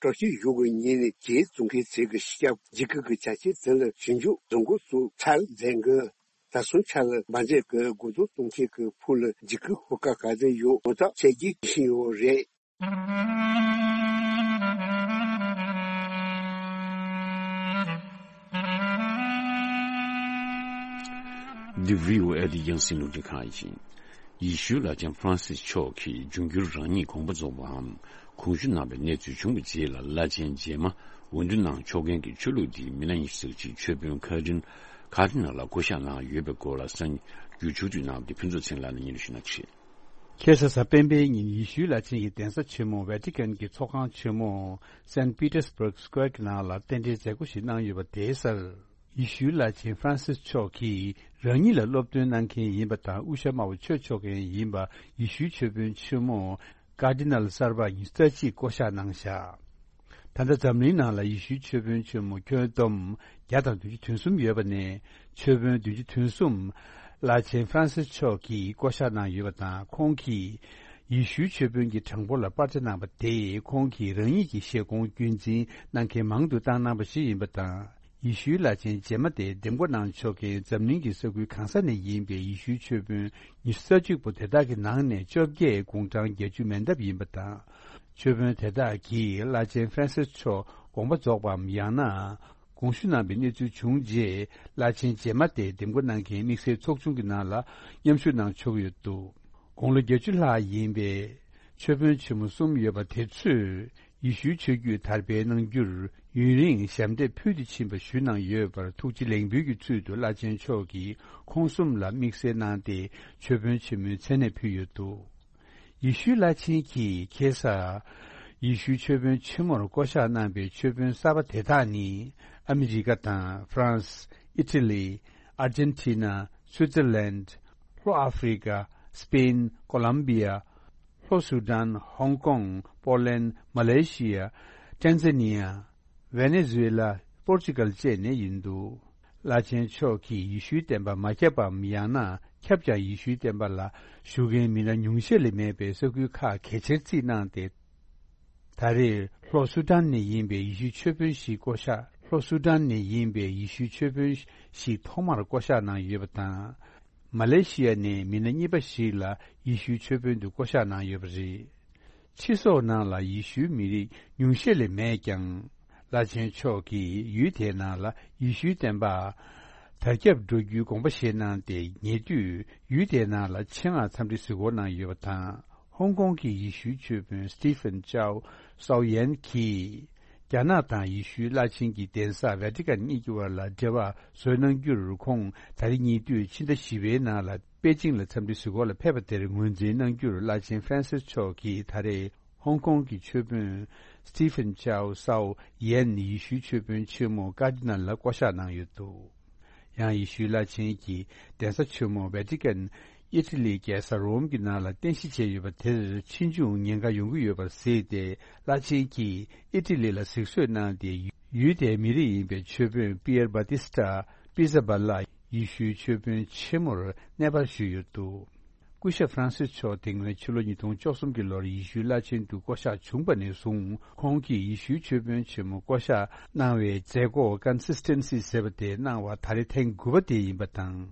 ཏུར་ཀི་གཞུང་གི་ངོས་ནས་རྒྱུས་ཡོད་གཏོང་མཁན་ཚོས་ཀྱི་སྤྱི་ཁྱབ་འཇིགས་སྐུལ་གྱི་བྱ་སྤྱོད་དེ་ལ་ཞིབ་འཇུག་བཟོ་འགོ་བཙུགས་ཚར་མཛད་འདུག་ད་སོང་ཆ་ལ་འབར་རྫས་ཀྱི་རྒོལ་རྡུང་གཏོང་མཁན་གྱི་ཕུག་ལ་འཇིགས་སྐུལ་ཤོག་ཁག་ག་ཚོད་ཡོད་ངོ་ཐག་བཅད་རྒྱུ་བྱེད་བཞིན་ཡོད་རེད། འདི་བྷི་ཨོ་ཨེ་ཨ་རིའི་རྒྱང་སྲིང་རླུང་འཕྲིན་ཁང་ཡིན། ཡེ་ཤུའི་བླ་ཆེན་ཧྥ་རན་སིས་མཆོག་གིས་འབྱུང་འགྱུར་རང་ཉིད་དགོངས་པ་རྫོགས་པའམ་དགོངས་ཞུ་གནང་བའི་གནས་ཚུལ་བྱུང་བའི་རྗེས་ལ། བླ་ཆེན་རྗེས་མ་འོས་བསྡུ་གནང་ཆོག་མཁན་གྱི་ཆོས་ལུགས་འདིའི་མི་སྣ་ཉི་ཤུ་རྩ་གཅིག་ཆོས་དཔོན་ཁ་ཌི་ནལ་ལ་བསྐོ་གཞག་གནང་ཡོད་པའི་སྐོར་ལ་གསར་འགྱུར་ཕྱོགས་བསྒྲིགས་གནང་བ་དེ་ཕུན་ཚོགས་ཚེ་རིང་ལགས་ནས་སྙན་སྒྲོན་ཞུ་གནང་གྱིས། ཁ་སང་གཟའ་སྤེན་པའི་ཉིན་ཡེ་ཤུའི་བླ་ཆེན་གྱི་གདན་ས་ཆེན་མོ་ཝེ་ཏི་ཀན་གྱི་ཚོགས་ཁང་ཆེན་མོ་Saint Petersburg Square གྱི་ནང་ལ་རྟེན་འབྲེལ་མཛད་སྒོ་ཞིག་གནང་ཡོད་པ་དེའི་སར། ཡེ་ཤུའི་བླ་ཆེན་ཧྥ་རན་སིས་མཆོག་གིས་རང་ཉིད་ལ་སློབ་སྟོན་གནང་མཁན་ཡིན་པ་དང་། དབུ་ཞྭ་དམར་པོ་མཆོད་ཆོག་མཁན་ཡིན་པ་ཡེ་ཤུའི་ཆོས་དཔོན་ཆེན་མོ་ཀར་ཌི་ནལ་གསར་པ་ཉི་ཤུ་རྩ་གཅིག་བསྐོ་གཞག་གནང་བཞག་ད་ལྟ་འཛམ་གླིང་ནང་ལ་ཡེ་ཤུའི་ཆོས་དཔོན་ཆེན་མོ་ཁྱོན་བསྡོམས་བརྒྱ་དང་བདུན་ཅུ་དོན་གསུམ་ཡོད་པ་ནས། ཆོས་དཔོན་བདུན་ཅུ་དོན་གསུམ་བླ་ཆེན་ཧྥ་རན་སིས་མཆོག་གིས་བསྐོ་བཞག་གནང་ཡོད་པ་དང་། ཁོང་གིས་ཡེ་ཤུའི་ཆོས་དཔོན་གྱི་གྲངས་འབོར་ལ་པར་ཆ་གནང་བ་དེ། ཁོང་གིས་རང་ཉིད་ཀྱི་བཞེད་དགོངས་རྒྱུན་འཛིན་གནང་མཁན་མང་དུ་བཏང་གནང་བ་ཞིག་ཡིན་པ་དང་། ཡེ་ཤུའི་བླ་ཆེན་རྗེས་མ་དེ་འདེམས་བསྐོ་གནང་ཆོག་མཁན་འཛམ་གླིང་གི་ས་ཁུལ་གང་ས་ནས་ཡིན་པའི་ཡེ་ཤུའི་ཆོས་དཔོན་ཉི་ཤུ་རྩ་གཅིག་པོ་དེ་དག་གི་ནང་ནས་བཅོ་བརྒྱད་དགུང་གྲངས་བརྒྱད་ཅུ་མན་འདབ་ཡིན་པ་དང་། ཆོས་དཔོན་དེ་དག་གིས་བླ་ཆེན་ཧྥ་རན་སིས་མཆོག་དགོངས་པ་རྫོགས་པའམ། ཡང་ན་དགོངས་ཞུ་གནང་པའི་གནས་ཚུལ་བྱུང་རྗེས། བླ་ཆེན་རྗེས་མ་དེ་འདེམས་བསྐོ་གནང་མཁན་དམིགས་བསལ་ཚོགས་ཆུང་གི་ནང་ལ་མཉམ་ཞུགས་གནང་ཆོག་གི་ཡོད་འདུག་དགུང་ལོ་བརྒྱད་ཅུ་ལྷག་ཡིན་པའི་ཆོས་དཔོན་ཆེན་མོ་གསུམ་ཡོད་པ་དེ་ཚོས་ཡེ་ཤུའི་ཆོས་བརྒྱུད་དར་སྤེལ་གནང་རྒྱུར་ཡུན་རིང་ཞབས་འདེགས་ཕུལ་ཏེ་ཕྱིན་པ་ཞུས་གནང་ཡོད་པར། ཐུགས་རྗེ་ལེགས་འབུལ་གྱི་ཚུལ་དུ་བླ་ཆེན་མཆོག་གིས་ཁོང་གསུམ་ལ་དམིགས་བསལ་གནང་སྟེ་ཆོས་དཔོན་ཆེན་མོའི་མཚན་གནས་ཕུལ་ཡོད་འདུག་ཡེ་ཤུའི་བླ་ཆེན་གྱིས་ཁ་སང་ཡེ་ཤུའི་ཆོས་དཔོན་ཆེན་མོར་བསྐོ་བཞག་གནང་པའི་ཆོས་དཔོན་གསར་པ་དེ་དག་ནི། ཨ་མི་རི་ཀ་དང་ཧྥ་རན་སི། ཨི་ཊ་ལི། ཨར་ཇེན་ཊི་ན། སུའི་ཙེར་ལན། ལྷོ་ཨ་ཧྥི་རི་ཀ། སྤེན། ཀོ་ལམ་བི་ཡ། ལྷོ་སུ་ཌན། ཧོང་ཀོང་། པོ་ལན། མ་ལེ་ཤི་ཡ། ཏན་ཛ་ནི་ཡ། ཝེ་ནེ་ཛུ་ཝེ་ལ། པོར་ཅུ་གལ་བཅས་ནས་ཡིན་འདུག་བླ་ཆེན་མཆོག་གིས་ཡེ་ཤུའི་བསྟན་པ་མ་ཁྱབ་པའམ། ཡང་ན་ཁྱབ་ཀྱང་ཡེ་ཤུའི་བསྟན་པ་ལ་ཞུགས་མཁན་མི་སྣ་ཉུང་ཤས་ལས་མེད་པའི་ས་ཁུལ་ཁག་གལ་ཆེར་བརྩིས་གནང་སྟེ། ད་རེས་ལྷོ་སུ་ཌན་ནས་ཡིན་པའི་ཡེ་ཤུའི་ཆོས་དཔོན་ཞིག་བསྐོ་བཞག་ལྷོ་སུ་ཌན་ནས་ཡིན་པའི་ཡེ་ཤུའི་ཆོས་དཔོན་ཞིག་ཐོག་མར་བསྐོ་བཞག་གནང་ཡོད་པ་དང་། མ་ལེ་ཤི་ཡ་ནས་མི་སྣ་གཉིས་པ་ཞིག་ལ་ཡེ་ཤུའི་ཆོས་དཔོན་དུ་བསྐོ་བཞག་གནང་ཡོད་པ་རེད། ཕྱི་སོག་ནང་ལ་ཡེ་ཤུའི་མི་རིགས་ཉུང་ཤས་ལས་མེད་ཀྱང་། བླ་ཆེན་མཆོག་གིས་ཡུལ་དེའི་ནང་ལ་ཡེ་ཤུའི་བསྟན་པ་དར་ཁྱབ་འགྲོ་རྒྱུའི་དགོངས་པ་བཞེས་གནང་སྟེ། ཉེ་དུས་ཡུལ་དེའི་ནང་ལ་ཆེད་མངགས་འཚམས་འདྲི་གཟིགས་སྐོར་གནང་ཡོད་པ་དང་། ཧོང་ཀོང་གི་ཡེ་ཤུའི་ཆོས་དཔོན་སི་ཏི་ཕན་ཅའོ་སའོ་ཡན་གྱིས། རྒྱ་ནག་དང་ཡེ་ཤུའི་བླ་ཆེན་གྱི་གདན་ས་ཝེ་ཏི་ཀན་གཉིས་ཀྱི་བར་ལ་འབྲེལ་བ་བཟོས་གནང་རྒྱུར། ཁོང་ད་རེས་ཉེ་དུས་ཕྱི་ཟླ་བཞི་པའི་ནང་ལ་པེ་ཅིང་ལ་འཚམས་འདྲི་གཟིགས་སྐོར་ལ་ཕེབས་པ་དེར་ངོས་འཛིན་གནང་རྒྱུར། བླ་ཆེན་ཧྥ་རན་སིས་མཆོག་གིས་ད་རེས་ཧོང་ཀོང་གི་ཆོས་དཔོན་སི་ཏི་ཕན་ཅའོ་སའོ་ཡན་ཡེ་ཤུའི་ཆོས་དཔོན་ཆེན་མོ་ཀར་ཌི་ནལ་ལ་བསྐོ་བཞག་གནང་ཡོད་འདུག་ཡང་ཡེ་ཤུའི་བླ་ཆེན་གྱི་གདན་ས་ཆེན་མོ་ཝེ་ཏི་ཀན། ཨི་ཊ་ལིའི་རྒྱལ་ས་རོམ་གྱི་ནང་ལ་རྟེན་གཞི་བྱས་ཡོད་པ་དེར་ཕྱིས་འབྱུང་ཉེན་ཁ་ཡོང་གི་ཡོད་པར་གཟིགས་ཏེ། བླ་ཆེན་གྱིས་ཨི་ཊ་ལི་ལ་གཟིགས་གསོལ་གནང་སྟེ། ཡུལ་དེའི་མི་རིགས་ཡིན་པའི་ཆོས་དཔོན་པི་ཡེར་བ་ཏི་སི་ཏྲ་པི་ཛ་བ་ལ་ཡེ་ཤུའི་ཆོས་དཔོན་ཆེན་མོར་གནས་སྤར་ཞུས་ཡོད་འདུག་སྐུ་ཞབས་ཧྥ་རན་སིས་མཆོག་དེ་སྔོན་ཕྱི་ལོ་ཉིས་སྟོང་བཅུ་གསུམ་གྱི་ལོར་ཡེ་ཤུའི་བླ་ཆེན་དུ་བསྐོ་བཞག་བྱུང་པ་ནས་བཟུང་། ཁོང་གིས་ཡེ་ཤུའི་ཆོས་དཔོན་ཆེན་མོ་བསྐོ་བཞག་གནང་བའི་མཛད་སྒོ་ཀོན་སིས་ཊེན་སི་ཟེར་བ་དེ་གནང་བ་ད་རེས་ཐེངས་དགུ་པ་དེ་ཡིན་པ་དང་།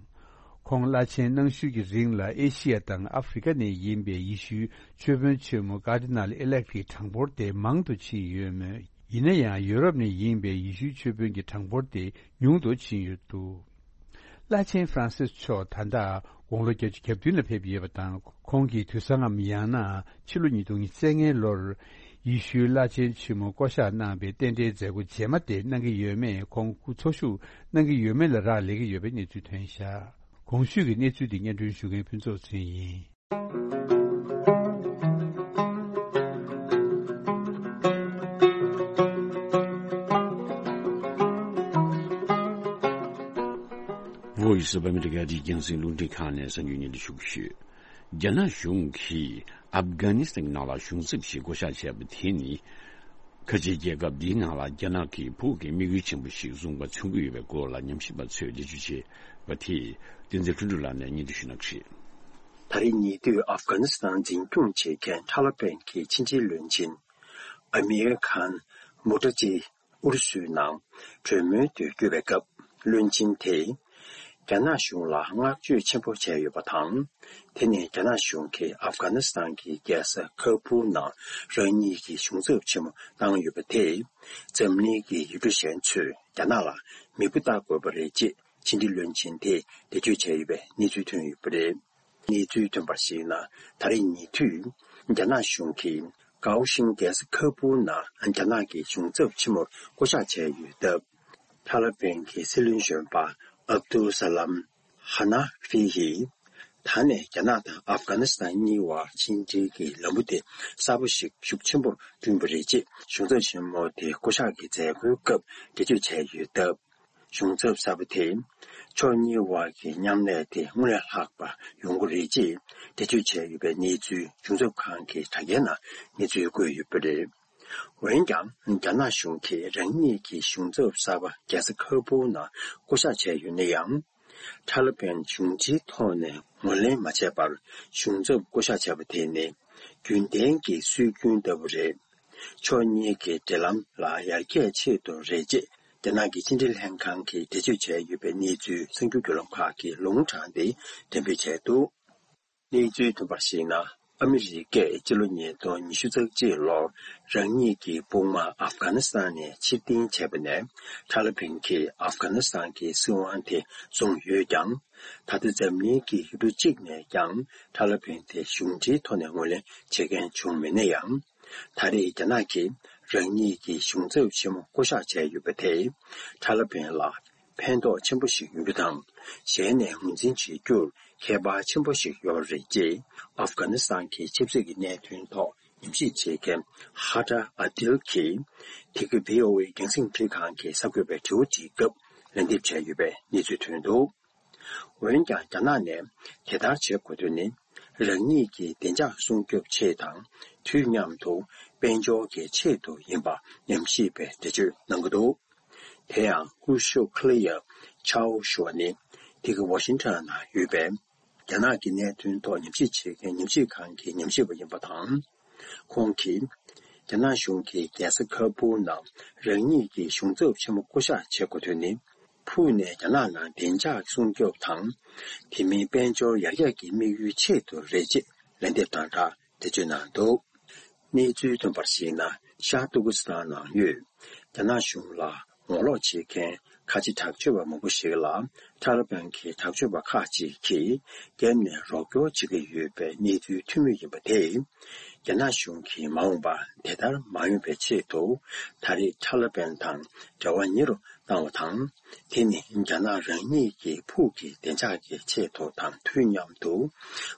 ཁོང་བླ་ཆེན་གནང་ཤུལ་གྱི་རིང་ལ་ཨེ་ཤི་ཡ་དང་ཨ་ཧྥི་རི་ཀ་ནས་ཡིན་པའི་ཡེ་ཤུའི་ཆོས་དཔོན་ཆེན་མོ་ཀར་ཌི་ནལ་ཨི་ལེག་ཊི་གྲངས་འབོར་དེ་མང་དུ་ཕྱིན་ཡོད་མོད། ཡིན་ན་ཡང་ཡུ་རོབ་ནས་ཡིན་པའི་ཡེ་ཤུའི་ཆོས་དཔོན་གྱི་གྲངས་འབོར་དེ་ཉུང་དུ་ཕྱིན་ཡོད་འདུག་བླ་ཆེན་ཧྥ་རན་སིས་མཆོག་ད་ལྟ་དགུང་ལོ་བརྒྱད་ཅུ་གྱ་བདུན་ལ་ཕེབས་ཡོད་པ་དང་། ཁོང་གིས་དུས་སང་ངམ། ཡང་ན་ཕྱི་ལོ་ཉིས་སྟོང་ཉི་ཤུ་རྩ་ལྔའི་ལོར་ཡེ་ཤུའི་བླ་ཆེན་ཆེན་མོ་བསྐོ་བཞག་གནང་པའི་རྟེན་འབྲེལ་མཛད་སྒོ་རྗེས་མ་དེ་གནང་གི་ཡོད་མེད། ཁོང་སྐུ་འཚོ་བཞུགས་གནང་གི་ཡོད་མེད་ལ་རག་ལས་ཀྱི་ཡོད་པའི་གནས་ཚུལ་ཐོན་བཞག་གོང་ཞུས་ཀྱི་གནས་ཚུལ་འདི་སྙན་སྒྲོན་ཞུ་མཁན་ཕུན་ཚོགས་ཚེ་རིང་ཡིན། Voice of America འདི་རྒྱང་སྲིང་རླུང་འཕྲིན་ཁང་ནས་གསར་འགྱུར་སྙན་སྒྲོན་ཞུ་གི་ཡོད། རྒྱ་ནག་གཞུང་གིས་ཨབ་གྷ་ནི་སི་ཐན་ནང་ལ་གཞུང་ཚབ་ཞིག་བསྐོ་གཞག་བྱས་པ་དེ་ནི། ཁ་ཆེའི་རྒྱལ་ཁབ་འདིའི་ནང་ལ་རྒྱ་ནག་གི་ཕྲུ་གུ་གི་དམིགས་ཡུལ་ཆེན་པོ་ཞིག་བཟུང་བ་མཚོན་གྱི་ཡོད་པའི་སྐོར་ལ་ཉམས་ཞིབ་པ་ཚོས་འགྲེལ་བརྗོད་བྱས་པ་དེ་བསྟན་འཛིན་ལྷུན་གྲུབ་ལགས་ནས་སྙན་སྒྲོན་ཞུ་གནང་གི་རེད། ད་རེས་ཉེ་དུས་ཨབ་གྷ་ནི་སི་ཐན་འཛིན་སྐྱོང་བྱེད་མཁན་ཐ་ལི་བན་གྱི་ཕྱི་འབྲེལ་བློན་ཆེན་ཨ་མིར་ཁཱན་མུ་ཏ་ཇི་ཨུ་རུ་སུའི་ནང་གྲོས་མོལ་དུ་བསྐྱོད་པའི་སྐབས། བློན་ཆེན་དེས་རྒྱ་ནག་གཞུང་ལ་བསྔགས་བརྗོད་ཆེན་པོ་བྱས་ཡོད་པ་དང་། དེ་ནི་རྒྱ་ནག་གཞུང་གིས་ཨབ་གྷ་ནི་སི་ཐན་གྱི་རྒྱལ་ས་ཁ་བུར་ནང་རང་ཉིད་ཀྱི་གཞུང་ཚབ་ཆེན་མོ་བཏང་ཡོད་པ་དེས། འཛམ་གླིང་གི་ཡུལ་གྲུ་གཞན་ཚོས་རྒྱ་ནག་ལ་མིག་དཔེ་ལྟ་དགོས་པ་རེད་ཅེས་ཕྱི་འབྲེལ་བློན་ཆེན་དེས་འགྲེལ་བརྗོད་བྱས་ཡོད་པའི་གནས་ཚུལ་ཐོན་ཡོད་པ་རེད། གནས་ཚུལ་ཐོན་པར་གཞིགས་ན། ད་རེས་ཉེ་དུས་རྒྱ་ནག་གཞུང་གིས་ཀའོ་ཤིང་རྒྱལ་ས་ཁ་བུར་ནང་རྒྱ་ནག་གི་གཞུང་ཚབ་ཆེན་མོར་བསྐོ་གཞག་བྱས་ཡོད་སྟབས། ཐ་ལི་བན་གྱི་སྲིད་བློན་གཞོན་པ་ཨབ་ཏུལ་ས་ལམ་ཧ་ན་ཧྥི་ཡིས། ད་ནས་རྒྱ་ནག་དང་ཨབ་གྷ་ནི་སི་ཐན་གཉིས་བར་ཕྱི་འབྲེལ་གྱི་ལམ་བུ་དེ་གསར་པ་ཞིག་ཤུགས་ཆེན་པོར་བསྐྲུན་པ་རེད་ཅེས་གཞུང་ཚབ་ཆེན་མོ་དེ་བསྐོ་གཞག་གི་མཛད་སྒོའི་སྐབས་འགྲེལ་བརྗོད་བྱས་ཡོད་སྟབས། གཞུང་ཚབ་གསར་པ་དེས་ཕྱོགས་གཉིས་དབར་གྱི་མཉམ་ལས་དེ་སྔར་ལས་ལྷག་པ་ཡོང་གི་རེད་ཅེས་འགྲེལ་བརྗོད་བྱས་ཡོད་པའི་གནས་ཚུལ་གཞུང་ཚབ་ཁང་གི་དྲ་རྒྱའི་ནང་གནས་ཚུལ་བཀོད་ཡོད་པ་རེད། འོན་ཀྱང་རྒྱ་ནག་གཞུང་གིས་རང་ཉིད་ཀྱི་གཞུང་ཚབ་གསར་པ་རྒྱལ་ས་ཁ་པུར་ནང་བསྐོ་གཞག་བྱས་ཡོད་ན་ཡང་། ཐ་ལི་བན་གཞུང་འབྲེལ་ཐོག་ནས་ངོས་ལེན་མ་བྱས་པར་གཞུང་ཚབ་བསྐོ་གཞག་བྱས་པ་དེ་ནི་རྒྱུན་ལྡན་གྱི་སྲོལ་རྒྱུན་ལྟ་བུ་རེད། ཕྱོགས་གཉིས་ཀྱི་འབྲེལ་ལམ་ལ་ཡར་རྒྱས་ཆེད་དུ་རེད་ཅེས་རྒྱ་ནག་གི་ཕྱི་འབྲེལ་ལྷན་ཁང་གིས་འགྲེལ་བརྗོད་བྱས་ཡོད་པའི་གནས་ཚུལ་གསར་འགྱུར་བརྒྱུད་ལམ་ཁག་གིས་ལུང་དྲངས་ཏེ་འགྲེམས་སྤེལ་བྱས་འདུག་གནས་ཚུལ་ཐོན་པར་གཞིགས་ན། ཨ་མི་རི་ཀས་སྤྱི་ལོ་ཉིས་སྟོང་ཉི་ཤུ་རྩ་གཅིག་ལོར་རང་ཉིད་ཀྱི་དཔུང་དམག་ཨབ་གྷ་ནི་སི་ཐན་ནས་ཕྱིར་འཐེན་བྱས་པ་ནས། ཐ་ལི་བན་གྱིས་ཨབ་གྷ་ནི་སི་ཐན་གྱི་སྲིད་དབང་དེ་བཟུང་ཡོད་ཀྱང་། ད་ལྟ་འཛམ་གླིང་གི་ཡུལ་གྲུ་གཅིག་ནས་ཀྱང་ཐ་ལི་བན་དེ་གཞུང་འབྲེལ་ཐོག་ནས་ངོས་ལེན་བྱེད་མཁན་བྱུང་མེད་ན་ཡང་། ད་རེས་རྒྱ་ནག་གིས་རང་ཉིད་ཀྱི་གཞུང་ཚབ་ཆེན་མོ་བསྐོ་གཞག་བྱས་ཡོད་པ་དེས། ཐ་ལི་བན་ལ་ཕན་ཐོགས་ཆེན་པོ་ཞིག་ཡོང་རྒྱུ་དང་། གཞན་ནས་ངོས་འཛིན་བྱེད་རྒྱུར་ཁྱད་པར་ཆེན་པོ་ཞིག་ཡོད་པ་རེད་ཅེས། ཨབ་གྷ་ནི་སི་ཐན་གྱི་ཆབ་སྲིད་ཀྱི་གནད་དོན་ཐོག་ཉམས་ཞིབ་བྱེད་མཁན་ཧ་ཏྲ་ཨ་ཏིལ་གྱིས། དེ་གའི་བྷི་ཨོ་ཨེ་རྒྱང་སྲིང་འཕྲིན་ཁང་གི་གསར་འགོད་པའི་དྲི་བ་དྲིས་སྐབས་ལན་འདེབས་བྱས་ཡོད་པའི་གནས་ཚུལ་ཐོན་འདུག་འོན་ཀྱང་། རྒྱ་ནག་ནས་དེ་ལྟར་བྱེད་དགོས་དོན་ནི། རང་ཉིད་ཀྱི་བདེ་འཇགས་སྲུང་སྐྱོབ་ཆེད་དང་། དུས་མཉམ་དུ་དཔལ་འབྱོར་གྱི་ཆེད་དུ་ཡིན་པ་ཉམས་ཞིབ་པས་འགྲེལ་བརྗོད་གནང་གི་འདུག་དེ་ཡང་སྐུ་ཞབས་ཁི་ལི་ཡ་ཆའོ་ཞུ་བ་ནི། དེ་གའི་ཝ་ཤིང་ཊོན་ནང་ཡོད་པའི་རྒྱ་ནག་གི་གནད་དོན་ཐོག་ཉམས་ཞིབ་བྱེད་མཁན་ཉམས་ཞིབ་པ་ཡིན་པ་དང་། ཁོང་གིས། རྒྱ་ནག་གཞུང་གིས་རྒྱལ་ས་ཁ་པུར་ནང་རང་ཉིད་ཀྱི་གཞུང་ཚབ་ཆེན་མོ་བསྐོ་གཞག་བྱེད་དགོས་དོན་ནི། ཕུགས་ནས་རྒྱ་ནག་ནང་བདེ་འཇགས་སྲུང་སྐྱོབ་དང་། དེ་མིན་དཔལ་འབྱོར་ཡར་རྒྱས་ཀྱི་དམིགས་ཡུལ་ཆེད་དུ་རེད་ཅེས་ལན་འདེབས་དང་སྦྲགས་འགྲེལ་བརྗོད་གནང་འདུག་གནས་ཚུལ་ཐོན་པར་གཞིགས་ན། ཤར་ཏུར་ཀི་སི་ཐན་ནང་ཡོད་རྒྱ་ནག་གཞུང་ལ་ངོ་ལོག་བྱེད་མཁན་ཁ་ཆེ་དྲག་སྤྱོད་པ་མང་པོ་ཞིག་ལ། ཐ་ལི་བན་གྱི་དྲག་སྤྱོད་པ་ཁག་ཅིག་གིས་རྒྱབ་ནས་རོགས་སྐྱོར་བྱེད་ཀྱི་ཡོད་པའི་གནས་ཚུལ་ཐོན་མུས་ཡིན་པ་དེས། རྒྱ་ནག་གཞུང་གིས་མ་འོངས་པར་དེ་ལྟར་མ་ཡོང་བའི་ཆེད་དུ། ད་རེས་ཐ་ལི་བན་དང་འབྲེལ་བ་ཉེ་རུ་བཏང་བ་དང་། དེ་ནི་རྒྱ་ནག་རང་ཉིད་ཀྱི་ཕུགས་ཀྱི་བདེ་འཇགས་ཀྱི་ཆེད་དུ་དང་དུས་མཉམ་དུ།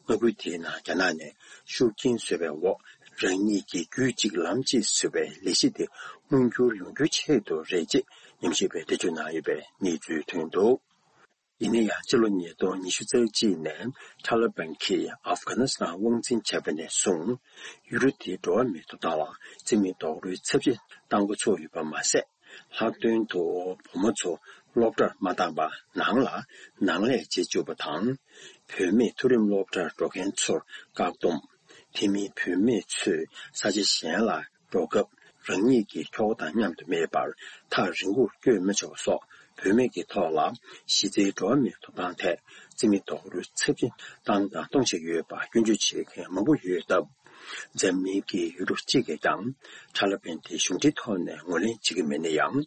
མངའ་ཁུལ་དེའི་ནང་རྒྱ་ནག་ནས་ཤུགས་རྐྱེན་བཟོས་པའི་འོག་རང་ཉིད་ཀྱི་རྒྱུད་གཅིག་ལམ་གཅིག་ཟེར་བའི་ལས་གཞི་དེ་མངོན་འགྱུར་ཡོང་རྒྱུའི་ཆེད་དུ་རེད་ཅེས་ཉམས་ཞིབ་པས་འགྲེལ་བརྗོད་གནང་ཡོད་པའི་གནས་ཚུལ་ཐོན་འདུག་ཡིན་ན་ཡང་། སྤྱི་ལོ་ཉིས་སྟོང་ཉི་ཤུ་རྩ་གཅིག་ནས་ཐ་ལི་བན་གྱིས་ཨབ་གྷ་ནི་སི་ཐན་དབང་འཛིན་བྱས་པ་ནས་བཟུང་། ཡུལ་གྲུ་དེའི་འགྲོ་བ་མིའི་ཐོབ་ཐང་ལ་བརྩི་མེད་རྡོག་རོལ་ཚབས་ཆེ་བཏང་འགོ་ཚུགས་ཡོད་པ་མ་ཟད། ལྷག་དོན་དུ་བུ་མོ་ཚོ་སློབ་གྲྭར་མ་བཏང་བར་ནང་ལ་ནང་ལས་བྱེད་བཅུག་པ་དང་། བུད་མེད་མཐོ་རིམ་སློབ་གྲྭར་འགྲོ་མཁན་ཚོར་བཀག་སྡོམ། དེ་མིན་བུད་མེད་ཚོས་ས་ཆ་གཞན་ལ་འགྲོ་སྐབས་རང་ཉིད་ཀྱི་ཁྱོ་ག་དང་མཉམ་དུ་མེད་པར་ཐག་རིང་པོར་བསྐྱོད་མི་ཆོག་པ་སོགས་བུད་མེད་ཀྱི་ཐོག་ལ་གཞི་རྩའི་འགྲོ་བ་མིའི་ཐོབ་ཐང་ཐད་བརྩི་མེད་རྡོག་རོལ་ཚབས་ཆེན་བཏང་དང་གཏོང་བཞིན་ཡོད་པ་སྐྱོན་བརྗོད་བྱེད་མཁན་མང་པོ་ཡོད་སྟབས། འཛམ་གླིང་གི་ཡུལ་གྲུ་གཅིག་གིས་ཀྱང་ཐ་ལི་བན་དེ་གཞུང་འབྲེལ་ཐོག་ནས་ངོས་ལེན་བྱེད་ཀྱི་མེད་ན་ཡང་།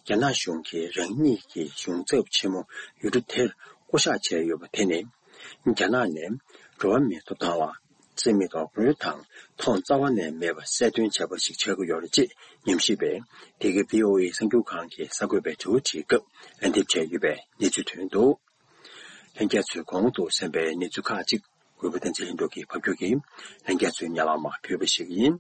རྒྱ་ནག་གཞུང་གིས་རང་ཉིད་ཀྱི་གཞུང་ཚབ་ཆེན་མོ་ཡུལ་གྲུ་དེར་བསྐོ་གཞག་བྱས་ཡོད་པ་དེ་ནི། རྒྱ་ནག་ནས་འགྲོ་བ་མིའི་ཐོབ་ཐང་ལ་བརྩི་མེད་རྡོག་རོལ་དང་མཐོང་རྩ་བ་ནས་མེད་པ་གསལ་སྟོན་བྱས་པ་ཞིག་ཆགས་ཀྱི་ཡོད་རེད་ཅེས་ཉམས་ཞིབ་པས་དེ་གའི་བྷི་ཨོ་ཨེ་གསར་འགྱུར་ཁང་གི་གསར་འགོད་པའི་དྲི་བ་དྲིས་སྐབས་ལན་འདེབས་བྱས་ཡོད་པའི་གནས་ཚུལ་ཐོན་འདུག་ལྷན་རྒྱས་ཚོས་གོང་དུ་གསན་པའི་གནས་ཚུལ་ཁག་ཅིག་གུས་པ་བསྟན་འཛིན་ལྷུན་གྲུབ་ཀྱིས་ཕབ་སྒྱུར་གྱིས་ལྷན་རྒྱས་ཚོའི་སྙན་ལམ་མར་ཕུལ་བ་ཞིག་ཡིན།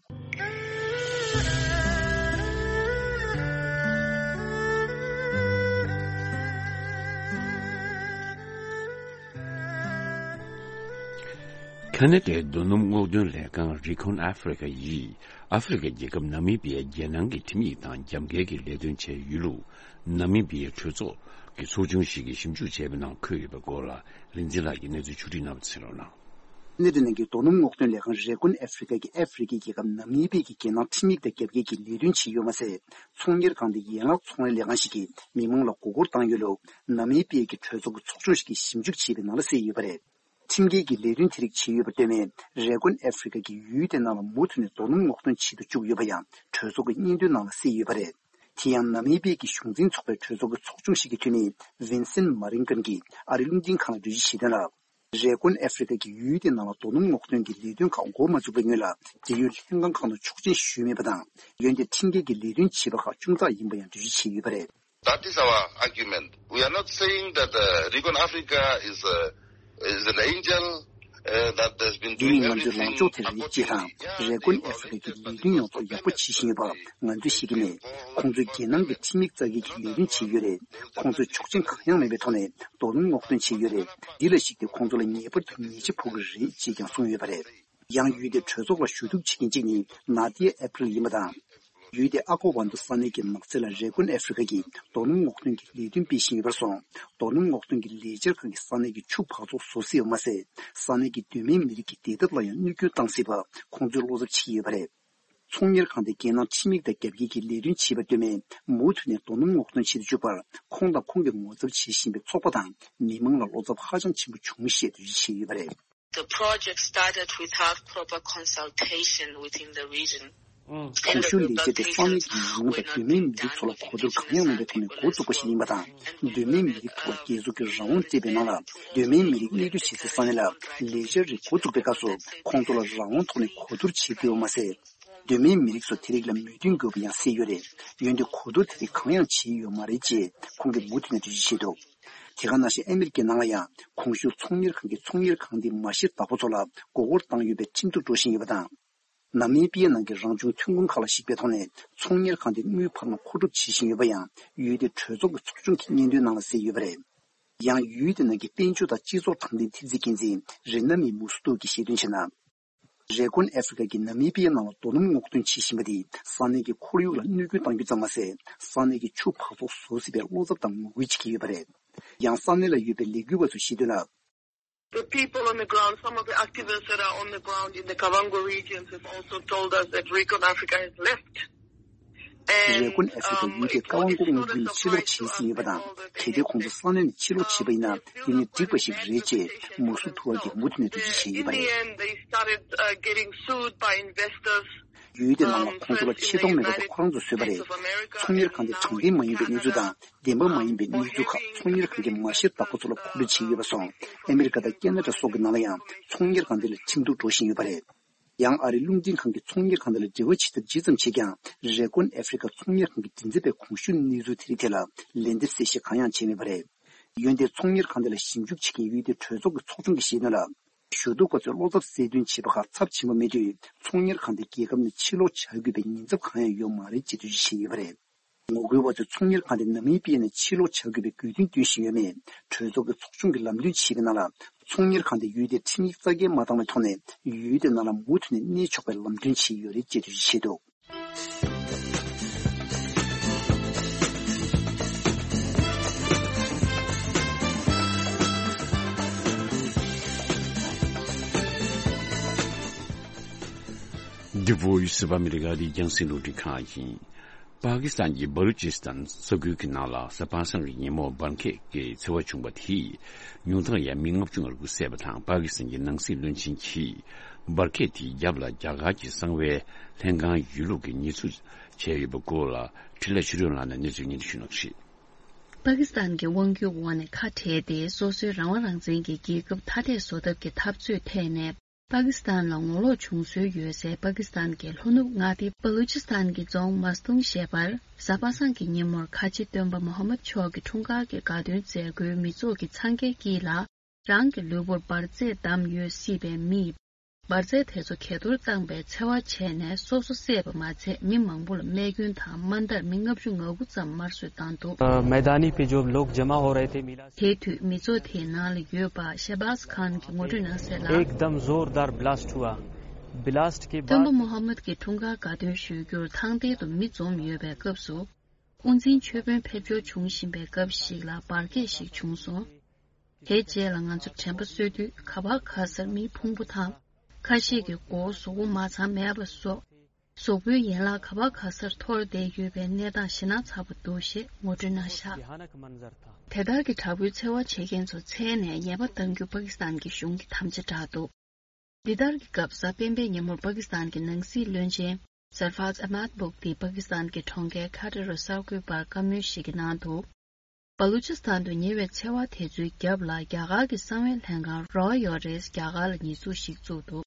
ཁ་ན་ཌའི་རྡོ་སྣུམ་སྔོག་འདོན་ལས་ཁང་Recon Africa ཡིས་ཨ་ཧྥེ་རི་ཁ་རྒྱལ་ཁབ་ནཱ་མི་བི་ཡའི་རྒྱལ་ནང་གི་ཁྲིམས་ཡིག་དང་རྒྱབ་འགལ་གྱི་ལས་དོན་བྱས་ཡོད་ལུགས། ནཱ་མི་བི་ཡའི་གྲོས་ཚོགས་ཀྱི་ཚོགས་ཆུང་ཞིག་གིས་ཞིབ་འཇུག་བྱས་པའི་ནང་འཁོད་ཡོད་པའི་སྐོར་ལ་རིག་འཛིན་ལགས་ཀྱིས་གནས་ཚུལ་ཕྱོགས་སྒྲིག་གནང་བ་གསན་རོགས་གནང་། ནེ་ཐར་ལེན་གྱི་རྡོ་སྣུམ་སྔོག་འདོན་ལས་ཁང་Recon Africa གིས་ཨ་ཧྥེ་རི་ཁའི་རྒྱལ་ཁབ་ནཱ་མི་བི་ཡའི་རྒྱལ་ནང་ཁྲིམས་ཡིག་དང་རྒྱབ་འགལ་གྱི་ལས་དོན་བྱས་ཡོད་མ་ཟད། ཚོང་གཉེར་ཁང་དང་ཡན་ལག་ཚོང་ལས་ལས་ཁང་ཞིག་གིས་མི་མང་ལ་མགོ་སྐོར་བཏང་ཡོད་ལུགས་ནཱ་མི་བི་ཡའི་གྲོས་ཚོགས་ཀྱི་ཚོགས་ཆུང་ཞིག་གིས་ཞིབ་འཇུག་བྱས་པའི་ནང་ལ་གསལ་ཡོད་པ་རེད། ཁྲིམས་འགལ་གྱི་ལས་དོན་དེ་རིགས་བྱས་ཡོད་པར་ལྟོས་ནས་Recon Africa གིས་ཡུལ་དེའི་ནང་ལ་མུ་མཐུད་ནས་རྡོ་སྣུམ་སྔོག་འདོན་བྱེད་དུ་བཅུག་ཡོད་པ་ཡང་གྲོས་ཚོགས་ཀྱི་སྙན་ཐོའི་ནང་ལ་གསལ་ཡོད་པ་རེད། དེ་ཡང་ནཱ་མི་བི་ཡའི་གཞུང་འཛིན་ཚོགས་པའི་གྲོས་ཚོགས་ཀྱི་ཚོགས་ཆུང་ཞིག་གིས་འཐུས་མི་Vincent Maringkan གྱིས་ཨ་རིའི་རླུང་འཕྲིན་ཁང་ལ་འགྲེལ་བརྗོད་བྱས་དོན་ལ། Recon Africa གིས་ཡུལ་དེའི་ནང་ལ་རྡོ་སྣུམ་སྔོག་འདོན་གྱི་ལས་དོན་ཁག་འགོ་མ་བཙུགས་པའི་སྔོན་ལ་འབྲེལ་ཡོད་ལྷན་ཁང་ཁག་ནང་ཆོག་མཆན་ཞུས་མེད་པ་དང་། འོན་ཏེ་ཁྲིམས་འགལ་གྱི་ལས་དོན་བྱས་པ་ཁག་ཅུང་ཙག་ཡིན་པ་ཡང་འགྲེལ་བརྗོད་བྱས་ཡོད་པ་རེད། That is our argument. We are not saying that uh, Recon Africa is, uh, is an angel uh, that has been འདི་doing ནི་ང་ཚོའི་everything ལངས་ཕྱོགས་དེ་རེད་ཅེས་དང་། accordingly. Yeah, Recon they Africa གིས་ལས་དོན་ཡོངས་རྫོགས་ཡག་པོ་བྱེད་བཞིན་ཡོད་པ་ང་ཚོས་ཤེས་ཀྱི་མེད། ཁོང་ཚོས་རྒྱལ་ནང་གི་ཁྲིམས་ཡིག་རྩ་འགལ་གྱི་ལས་དོན་བྱས་ཡོད་རེད། ཁོང་ཚོས་ཆོག་མཆན་གང་ཡང་མེད་པའི་ཐོག་ནས་རྡོ་སྣུམ་སྔོག་འདོན་བྱས་ཡོད་རེད། འདི་ལ་གཞིགས་ཏེ་ཁོང་ཚོ་ལ་ངེས་པར་དུ་ཉེས་ཆད་ཕོག་གི་རེད་ཅེས་ཀྱང་གསུངས་ཡོད་པ་རེད། ཡང་ཡུལ་དེའི་གྲོས་ཚོགས་ལ་ཞུ་གཏུག་བྱེད་མཁན་གཅིག་ནི་Nadia April ཡིན་པ་དང་། ཡུལ་དེའི་ཨ་ཀོ་ཝན་ཏོ་ས་གནས་ཀྱི་ནགས་ཚལ་ལ་རེ་ཀོན་ཨེ་ཧྥི་རི་ཀ་གི་རྡོ་སྣུམ་སྔོག་འདོན་གྱི་ལས་དོན་སྤེལ་བཞིན་ཡོད་པར་སོང་། རྡོ་སྣུམ་སྔོག་འདོན་གྱི་ལས་འཆར་ཁང་གིས་ས་གནས་ཀྱི་ཆུ་འབག་བཙོག་བཟོ་སྲིད་པ་མ་ཟད། ས་གནས་ཀྱི་གདོད་མའི་མི་རིགས་ཀྱི་བདེ་ཐབས་ལ་ཡང་གནོད་སྐྱོན་བཏང་སྲིད་པ་ཁོང་ཚོས་བློ་འཚབ་བྱེད་ཀྱི་ཡོད་པ་རེད། ཚོང་གཉེར་ཁང་དེ་རྒྱལ་ནང་ཁྲིམས་ཡིག་དང་རྒྱབ་འགལ་གྱི་ལས་དོན་བྱས་པར་ལྟོས་མེད། མུ་མཐུད་ནས་རྡོ་སྣུམ་སྔོག་འདོན་བྱེད་དུ་འཇུག་པར་ཁོང་དང་ཁོང་གི་ངོ་ཚབ་བྱེད་བཞིན་པའི་ཚོགས་པ་དང་མི་མང་ལ་བློ་འཚབ་ཧ་ཅང་ཆེན་པོ་བྱུང་ཞེས་འགྲེལ་བརྗོད་བྱས་ཡོད་པ་རེད། The project started without proper consultation within the region. གོང་ཞུས་ལས་འཆར་དེ་ས་གནས་ཀྱི་མི་མང་དང་གདོད་མའི་མི་རིགས་ཚོ་ལ་གོ་བསྡུར་གང་ཡང་མེད་པའི་ཐོག་ནས་འགོ་བཙུགས་པ་ཞིག་ཡིན་པ་དང་། གདོད་མའི་མི་རིགས་ཚོ་ལ་རྒྱལ་ཚོགས་ཀྱི་རང་དབང་སྤྲད་པའི་ནང་ལ། གདོད་མའི་མི་རིགས་གནས་སྡོད་བྱེད་སའི་ས་གནས་ལ་ལས་འཆར་རེ་འགོ་བཙུགས་པའི་སྐབས་སུ་ཁོང་ཚོ་ལ་རང་དབང་ཐོག་ནས་གོ་བསྡུར་བྱེད་དགོས་པ་མ་ཟད། གདོད་མའི་མི་རིགས་ཚོ་དེ་རིགས་ལ་མོས་མཐུན་དགོས་པ་ཡང་གསལ་ཡོད་རེད། འོན་ཏེ་གོ་བསྡུར་དེ་རིགས་གང་ཡང་བྱས་ཡོད་མ་རེད་ཅེས་ཁོང་གིས་མུ་མཐུད་ནས་འགྲེལ་བརྗོད་བྱས་འདུག་དེ་ག་ནང་བཞིན་ཨ་མི་རི་ཀའི་ནང་ལ་ཡང་གོང་ཞུས་ཚོང་གཉེར་ཁང་གིས་ཚོང་གཉེར་ཁང་དེའི་མ་གཞིར་བདག་པོ་ཚོ་ལ་མགོ་སྐོར་བཏང་ཡོད་པའི་ཁྲིམས་གཏུག་འགྲོ་བཞིན་ཡོད་པ་དང་། ནམ་མི་པི་ཡ་ནང་གི་རང་བྱུང་ཐོན་ཁུངས་ཁག་ལ་གཞིགས་པའི་ཐོག་ནས་ཚོང་གཉེར་ཁང་དེ་དངུལ་འཕར་ལ་མཁོ་སྒྲུབ་བྱེད་བཞིན་ཡོད་པ་ཡང་ཡུལ་དེའི་གྲོས་ཚོགས་ཀྱི་ཚོགས་ཆུང་གི་སྙན་ཐོའི་ནང་ལ་གསལ་ཡོད་པ་རེད། ཡང་ཡུལ་དེ་ནང་གི་དཔལ་འབྱོར་དང་སྤྱི་ཚོགས་དྲང་བདེན་ཐེབས་རྩའི་འགན་འཛིན་རི་ན་མི་མུ་སུ་ཏོ་གིས་བཤད་དོན་བྱས་ན། རེ་ཀོན་ཨེ་ཧྥི་རི་ཀ་གི་ནམ་མི་པི་ཡ་ནང་ལ་རྡོ་སྣུམ་སྔོག་འདོན་བྱེད་བཞིན་པ་དེས་ས་གནས་ཀྱི་ཁོར་ཡུག་ལ་གནོད་སྐྱོན་གཏང་རྒྱུ་ཙམ་མ་ཟད། ས་གནས་ཀྱི་ཆུ་འབག་བཙོག་བཟོ་སྲིད་པའི་བློ་འཚབ་དང་ངོ་རྒོལ་བྱེད་ཀྱི་ཡོད་པ་རེད། ཡང་ས་གནས་ལ་ཡོད་པའི་ལས་འགུལ་བ་ཚོས་བཤད་དོན་ལ། The people on the ground, some of the activists that are on the ground in the Kavango regions have also told us that Recon Africa has left. རེ་ཀོན་ཨེ་ཧྥི་རི་ཀ་ཡུལ་དེའི་ཀ་ཝང་ཀོ་སྔོན་རྒྱུད་ནས་ཕྱིར་ལོག་བྱས་ཟིན་ཡོད་པ་དང་། གལ་ཏེ་ཁོང་ཚོ་ས་གནས་ནས་ཕྱིར་ལོག་བྱས་པ་ཡིན་ན་དེ་ནི་འགྲིག་པ་ཞིག་རེད་ཅེས་མུ་སུ་ཐུ་ཝ་གིས་མུ་མཐུད་ནས་འགྲེལ་བརྗོད་བྱས་ཡོད་པ་རེད། They started, uh, getting sued by investors. ཡུལ་དེ་ནང་ལ་ཁོང་ཚོ་ལ་ཆེ་མཐོང་མེད་པ་དེ་ཁོ་རང་ཚོས་བཟོས་པ་རེད། ཚོང་གཉེར་ཁང་དེ་དྲང་བདེན་མ་ཡིན་པའི་གནས་ཚུལ་དང་བདེན་པ་མ་ཡིན་པའི་གནས་ཚུལ་ཁག་ཚོང་གཉེར་ཁང་གི་མ་གཞིར་བདག་པོ་ཚོ་ལ་མཁོ་སྤྲོད་བྱས་ཡོད་པ་སོང་། ཨ་མི་རི་ཀ་དང་ཁེ་ན་ཌ་སོགས་ཀྱི་ནང་ལ་ཡང་ཚོང་གཉེར་ཁང་དེ་ལ་ཁྲིམས་གཏུག་འགྲོ་བཞིན་ཡོད་པ་རེད། ཡང་ཨ་རིའི་རླུང་འཕྲིན་ཁང་གིས་ཚོང་གཉེར་ཁང་དེ་ལ་འབྲེལ་བ་བྱེད་ཐབས་ཇི་ཙམ་བྱས་ཀྱང་། རེ་ཀོན་ཨེ་ཧྥི་རི་ཀ་ཚོང་གཉེར་ཁང་གི་མགྲིན་ཚབ་པས་གོང་ཞུས་གནས་ཚུལ་དེ་རིགས་ཐད་ལ་ལན་འདེབས་གསལ་བཤད་གང་ཡང་བྱས་མེད་པ་རེད། འོན་ཏེ་ཚོང་གཉེར་ཁང་དེ་ལ་ཞིབ་འཇུག་བྱེད་མཁན་ཡུལ་དེའི་གྲོས་ཚོགས་ཀྱི་ཚོགས་ཆུང་གིས་བཤད་དོན་ལ། ཞུ་གཏུག་པ་ཚོས་བློ་འཚབ་གསལ་སྟོན་བྱས་པ་ཁག་ཚབས་ཆེན་པོ་མེད་དུས། ཚོང་གཉེར་ཁང་དེ་རྒྱལ་ཁབ་ནས་ཕྱིར་ལོག་བྱ་དགོས་པའི་ཉེན་ཚབས་གང་ཡང་ཡོད་མ་རེད་ཅེས་འགྲེལ་བརྗོད་བྱས་ཡོད་པ་རེད། ངོ་རྒོལ་བ་ཚོས་ཚོང་གཉེར་ཁང་དེ་ནམ་ཡིན་པའི་ནས་ཕྱིར་ལོག་བྱ་དགོས་པའི་དགོས་འདུན་བཏོན་བཞིན་ཡོད་མེད། གྲོས་ཚོགས་ཀྱི་ཚོགས་ཆུང་གིས་ལམ་སྟོན་བྱས་པའི་ནང་ལ། ཚོང་གཉེར་ཁང་དེ་ཡུལ་དེའི་ཁྲིམས་ཡིག་རྩ་འགེངས་མ་བཏང་བའི་ཐོག་ནས་ཡུལ་དེའི་ནང་ལ་མུ་མཐུད་ནས་གནས་ཆོག་པའི་ལམ་སྟོན་བྱས་ཡོད་རེད་ཅེས་འགྲེལ་བརྗོད་བྱས་འདུག The Voice of America འདི་རྒྱང་སྲིང་རླུང་འཕྲིན་ཁང་ཡིན། པ་ཀི་སི་ཐན་གྱི་སྦ་ལུ་ཅི་སི་ཐན་ས་ཁུལ་གྱི་ནང་ལ་གཟའ་པ་སངས་ཀྱི་ཉིན་མོ་འབར་ཁད་ཀྱི་འཚེ་བ་བྱུང་བ་དེས་ཉུང་མཐར་ཡང་མི་ལྔ་བཅུ་ང་དགུ་བསད་པ་དང་། པ་ཀི་སི་ཐན་གྱི་ནང་སྲིད་བློན་ཆེན་གྱིས་འབར་ཁད་དེའི་རྒྱབ་ལ་རྒྱ་གར་གྱི་གསང་བའི་ལྷན་ཁང་ཡོད་ལུགས་ཀྱི་ཉེས་འཛུགས་བྱས་ཡོད་པའི་སྐོར་ལ་འཕྲིན་ལས་ཆོས་སྒྲོན་ལགས་ནས་གནས་ཚུལ་སྙན་སྒྲོན་ཞུ་གནང་ཞིག་པ་ཀི་སི་ཐན་གྱི་དབང་སྒྱུར་འོག་ནས་ཁ་བྲལ་ཏེ། སོ་སོའི་རང་དབང་རང་བཙན་གྱི་རྒྱལ་ཁབ་ཐ་དད་བཟོ་ཐབས་ཀྱི་འཐབ་རྩོད་ཐད་ནས། པ་ཀི་སི་ཐན་ལ་ངོ་ལོག་བྱུང་སྲོལ་ཡོད་སའི་པ་ཀི་སི་ཐན་གྱི་ལྷོ་ནུབ་མངའ་སྡེ་བ་ལུ་ཅི་སི་ཐན་གྱི་རྫོང་མཱ་སི་ཏུང་ཞེས་པར་གཟའ་པ་སངས་ཀྱི་ཉིན་མོར་ཁ་ཆེ་སྟོན་པ་མོ་ཧམ་མད་མཆོག་གི་འཁྲུངས་སྐར་གྱི་དགའ་སྟོན་མཛད་སྒོའི་མི་ཚོགས་ཀྱི་འཚང་ཁའི་དཀྱིལ་ལ། རང་གི་ལུས་པོར་འབར་རྫས་བསྡམས་ཡོད་སྲིད་པའི་མིས། འབར་རྫས་དེ་ཚོ་གས་གཏོར་བཏང་བའི་འཚེ་བ་བྱས་ནས་སོ་སོ་བསད་པ་མ་ཚད། མི་མང་པོ་ལ་རྨས་སྐྱོན་དང་། མ་མཐར་མི་ལྔ་བཅུ་ང་དགུ་ཙམ་དམར་གསོད་བཏང་འདུག་ཨ، मैदानी पे जो लोग जमा हो रहे थे, मीलाद དེའི་དུས་མི་ཚོགས་དེའི་ནང་ལ་ཡོད་པ་ཤེ་བཱས་ཁཱན་གྱིས་ངོ་སྤྲོད་གནང་གསལ་ལ། एकदम जोरदार ब्लास्ट हुआ। ब्लास्ट के बाद སྟོན་པ་མོ་ཧམ་མད་ཀྱི་འཁྲུངས་སྐར་དགའ་སྟོན་ཞུ་རྒྱུར་ཐང་སྟེང་དུ་མི་འཛོམས་ཡོད་པའི་སྐབས་སུ། དབུ་འཛིན་ཆོས་དཔོན་ཕེབས་འབྱོར་བྱུང་བཞིན་པའི་སྐབས་ཤིག་ལ་འབར་གས་ཤིག་བྱུང་སོང་། དེའི་རྗེས་ལ་ང་ཚོ་དྲན་པ་གསོས་དུས། ག་པར་ག་སར་མིའི་ཕུང་པོ་དང་། ཁ་ཤས་ཀྱི་མགོ་བོ་གཟུགས་པོ་མ་ཚང་མེད་པ་སོགས། གཟུགས་པོའི་ཡན་ལག་ག་པར་ག་སར་འཐོར་བསྡད་ཡོད་པའི་གནས་སྟངས་ཞེད་སྣང་ཚ་པོ་འདུག་ཞེས་ངོ་སྤྲོད་གནང་བཞག་དེ་ལྟར་གྱི་དྲག་པོའི་འཚེ་བ་བྱེད་མཁན་ཚོ་འཚོལ་ནས་ཉེས་པ་གཏང་རྒྱུ་པ་ཀི་སི་ཐན་གྱི་གཞུང་གི་དམ་བཅའ་བསྒྲགས་འདུག་འདི་ལྟར་གྱི་སྐབས། གཟའ་སྤེན་པའི་ཉིན་མོར་པ་ཀི་སི་ཐན་གྱི་ནང་སྲིད་བློན་ཆེན་སར་ཕཱརྫ་ཨ་མཱད་བུག་ཏིས་པ་ཀི་སི་ཐན་གྱི་གྲོང་ཁྱེར་ཁ་ཏ་རུ་གསར་འགོད་པར་བཀའ་མོལ་ཞིག་གི་ནང་དུ། བ་ལུ་ཅི་སི་ཐན་དུ་ཉེ་བའི་འཚེ་བ་དེ་ཚོའི་རྒྱབ་ལ་རྒྱ་གར་གྱི་གསང་བའི་ལྷན་ཁང་རོ་ཡོ་རེས་རྒྱ་གར་ལ་ཉེས་འཛུགས་ཤིག་བཙུགས་འདུག་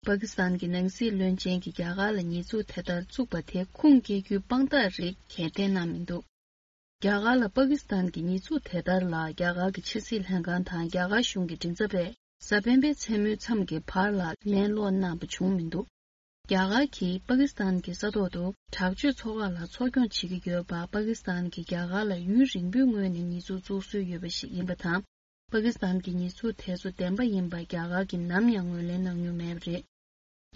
པ་ཀི་སི་ཐན་གྱི་ནང་སྲིད་བློན་ཆེན་གྱིས་རྒྱ་གར་ལ་ཉེས་འཛུགས་དེ་ལྟར་བཙུགས་པ་དེ་ཁུངས་སྐྱེལ་རྒྱུའི་དཔང་རྟགས་རིགས་གས་བསྟན་གནང་མི་འདུག་རྒྱ་གར་ལ་པ་ཀི་སི་ཐན་གྱི་ཉེས་འཛུགས་དེ་ལྟར་ལ། རྒྱ་གར་གྱི་ཕྱི་སྲིད་ལྷན་ཁང་དང་རྒྱ་གར་གཞུང་གི་མགྲིན་ཚབ་པས། གཟའ་སྤེན་པའི་མཚན་མོའི་མཚམས་ཀྱི་བར་ལ་ལན་སློག་གནང་པ་བྱུང་མི་འདུག་རྒྱ་གར་གྱིས་པ་ཀི་སི་ཐན་གྱི་ས་ཐོག་ཏུ་དྲག་སྤྱོད་ཚོགས་ཁག་ལ་འཚོ་སྐྱོང་བྱེད་ཀྱི་ཡོད་པ། པ་ཀི་སི་ཐན་གྱིས་རྒྱ་གར་ལ་ཡུན་རིང་པོའི་སྔོན་ནས་ཉེས་འཛུགས་བཙུགས་སྲོལ་ཡོད་པ་ཞིག་ཡིན་པ་དང་། པ་ཀི་སི་ཐན་གྱི་ཉེས་འཛུགས་དེ་ཚོ་བདེན་པ་ཡིན་པ་རྒྱ་གར་གྱིས་ནམ་ཡང་ངོས་ལེན་གནང་མྱོང་མེད་པ་རེད།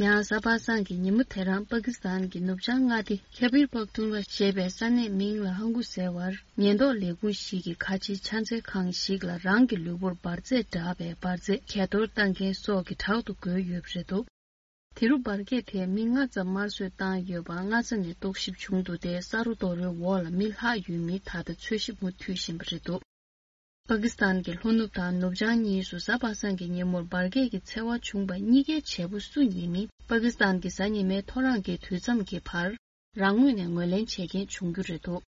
ཡང་གཟའ་པ་སངས་ཀྱི་ཉིན་མོ་དེ་རང་པ་ཀི་སི་ཐན་གྱི་ནུབ་བྱང་མངའ་སྡེ་ཁེ་བིར་པག་ཏུང་ཝ་ཞེས་པའི་ས་གནས་མིང་ལ་ཧང་གུ་ཟེར་བར་ཉེན་རྟོག་ལས་ཁུངས་ཤིག་གིས་ཁ་ཆེའི་ཕྱག་འཚལ་ཁང་ཞིག་ལ་རང་གི་ལུས་པོར་འབར་རྫས་འདྲ་བའི་འབར་རྫས་གས་གཏོར་བཏང་མཁན་སོགས་ཀྱིས་དྲག་ཏུ་བགོས་ཡོད་པ་རེད་འདུག། དེ་རུ་འབར་གས་དེས་མི་ལྔ་ཙམ་དམར་གསོད་བཏང་ཡོད་པ་སྔ་ས་ནས་རྟོག་ཞིབ་བྱུང་འདུག་སྟེ། ས་རོ་རྡོ་རོའི་འོག་ལ་མི་ལྷག་ཡོད་མིན་ད་ལྟ་འཚོལ་ཞིབ་མུ་མཐུད་བཞིན་པ་རེད་འདུག། པ་ཀི་སི་ཐན་གྱི་ལྷོ་ནུབ་དང་ནུབ་བྱང་གཉིས་སུ་གཟའ་པ་སངས་ཀྱི་ཉིན་མོར་འབར་གས་ཀྱི་འཚེ་བ་བྱུང་པ་གཉིས་ཀའི་བྱེད་པོ་སུ་ཡིན་མིན་པ་ཀི་སི་ཐན་གྱི་གཟའ་ཉི་མའི་ཐོ་རངས་ཀྱི་དུས་མཚམས་ཀྱི་བར་རང་ངོས་ནས་ངོས་ལེན་བྱེད་མཁན་བྱུང་རྒྱུ་རེད་འདུག།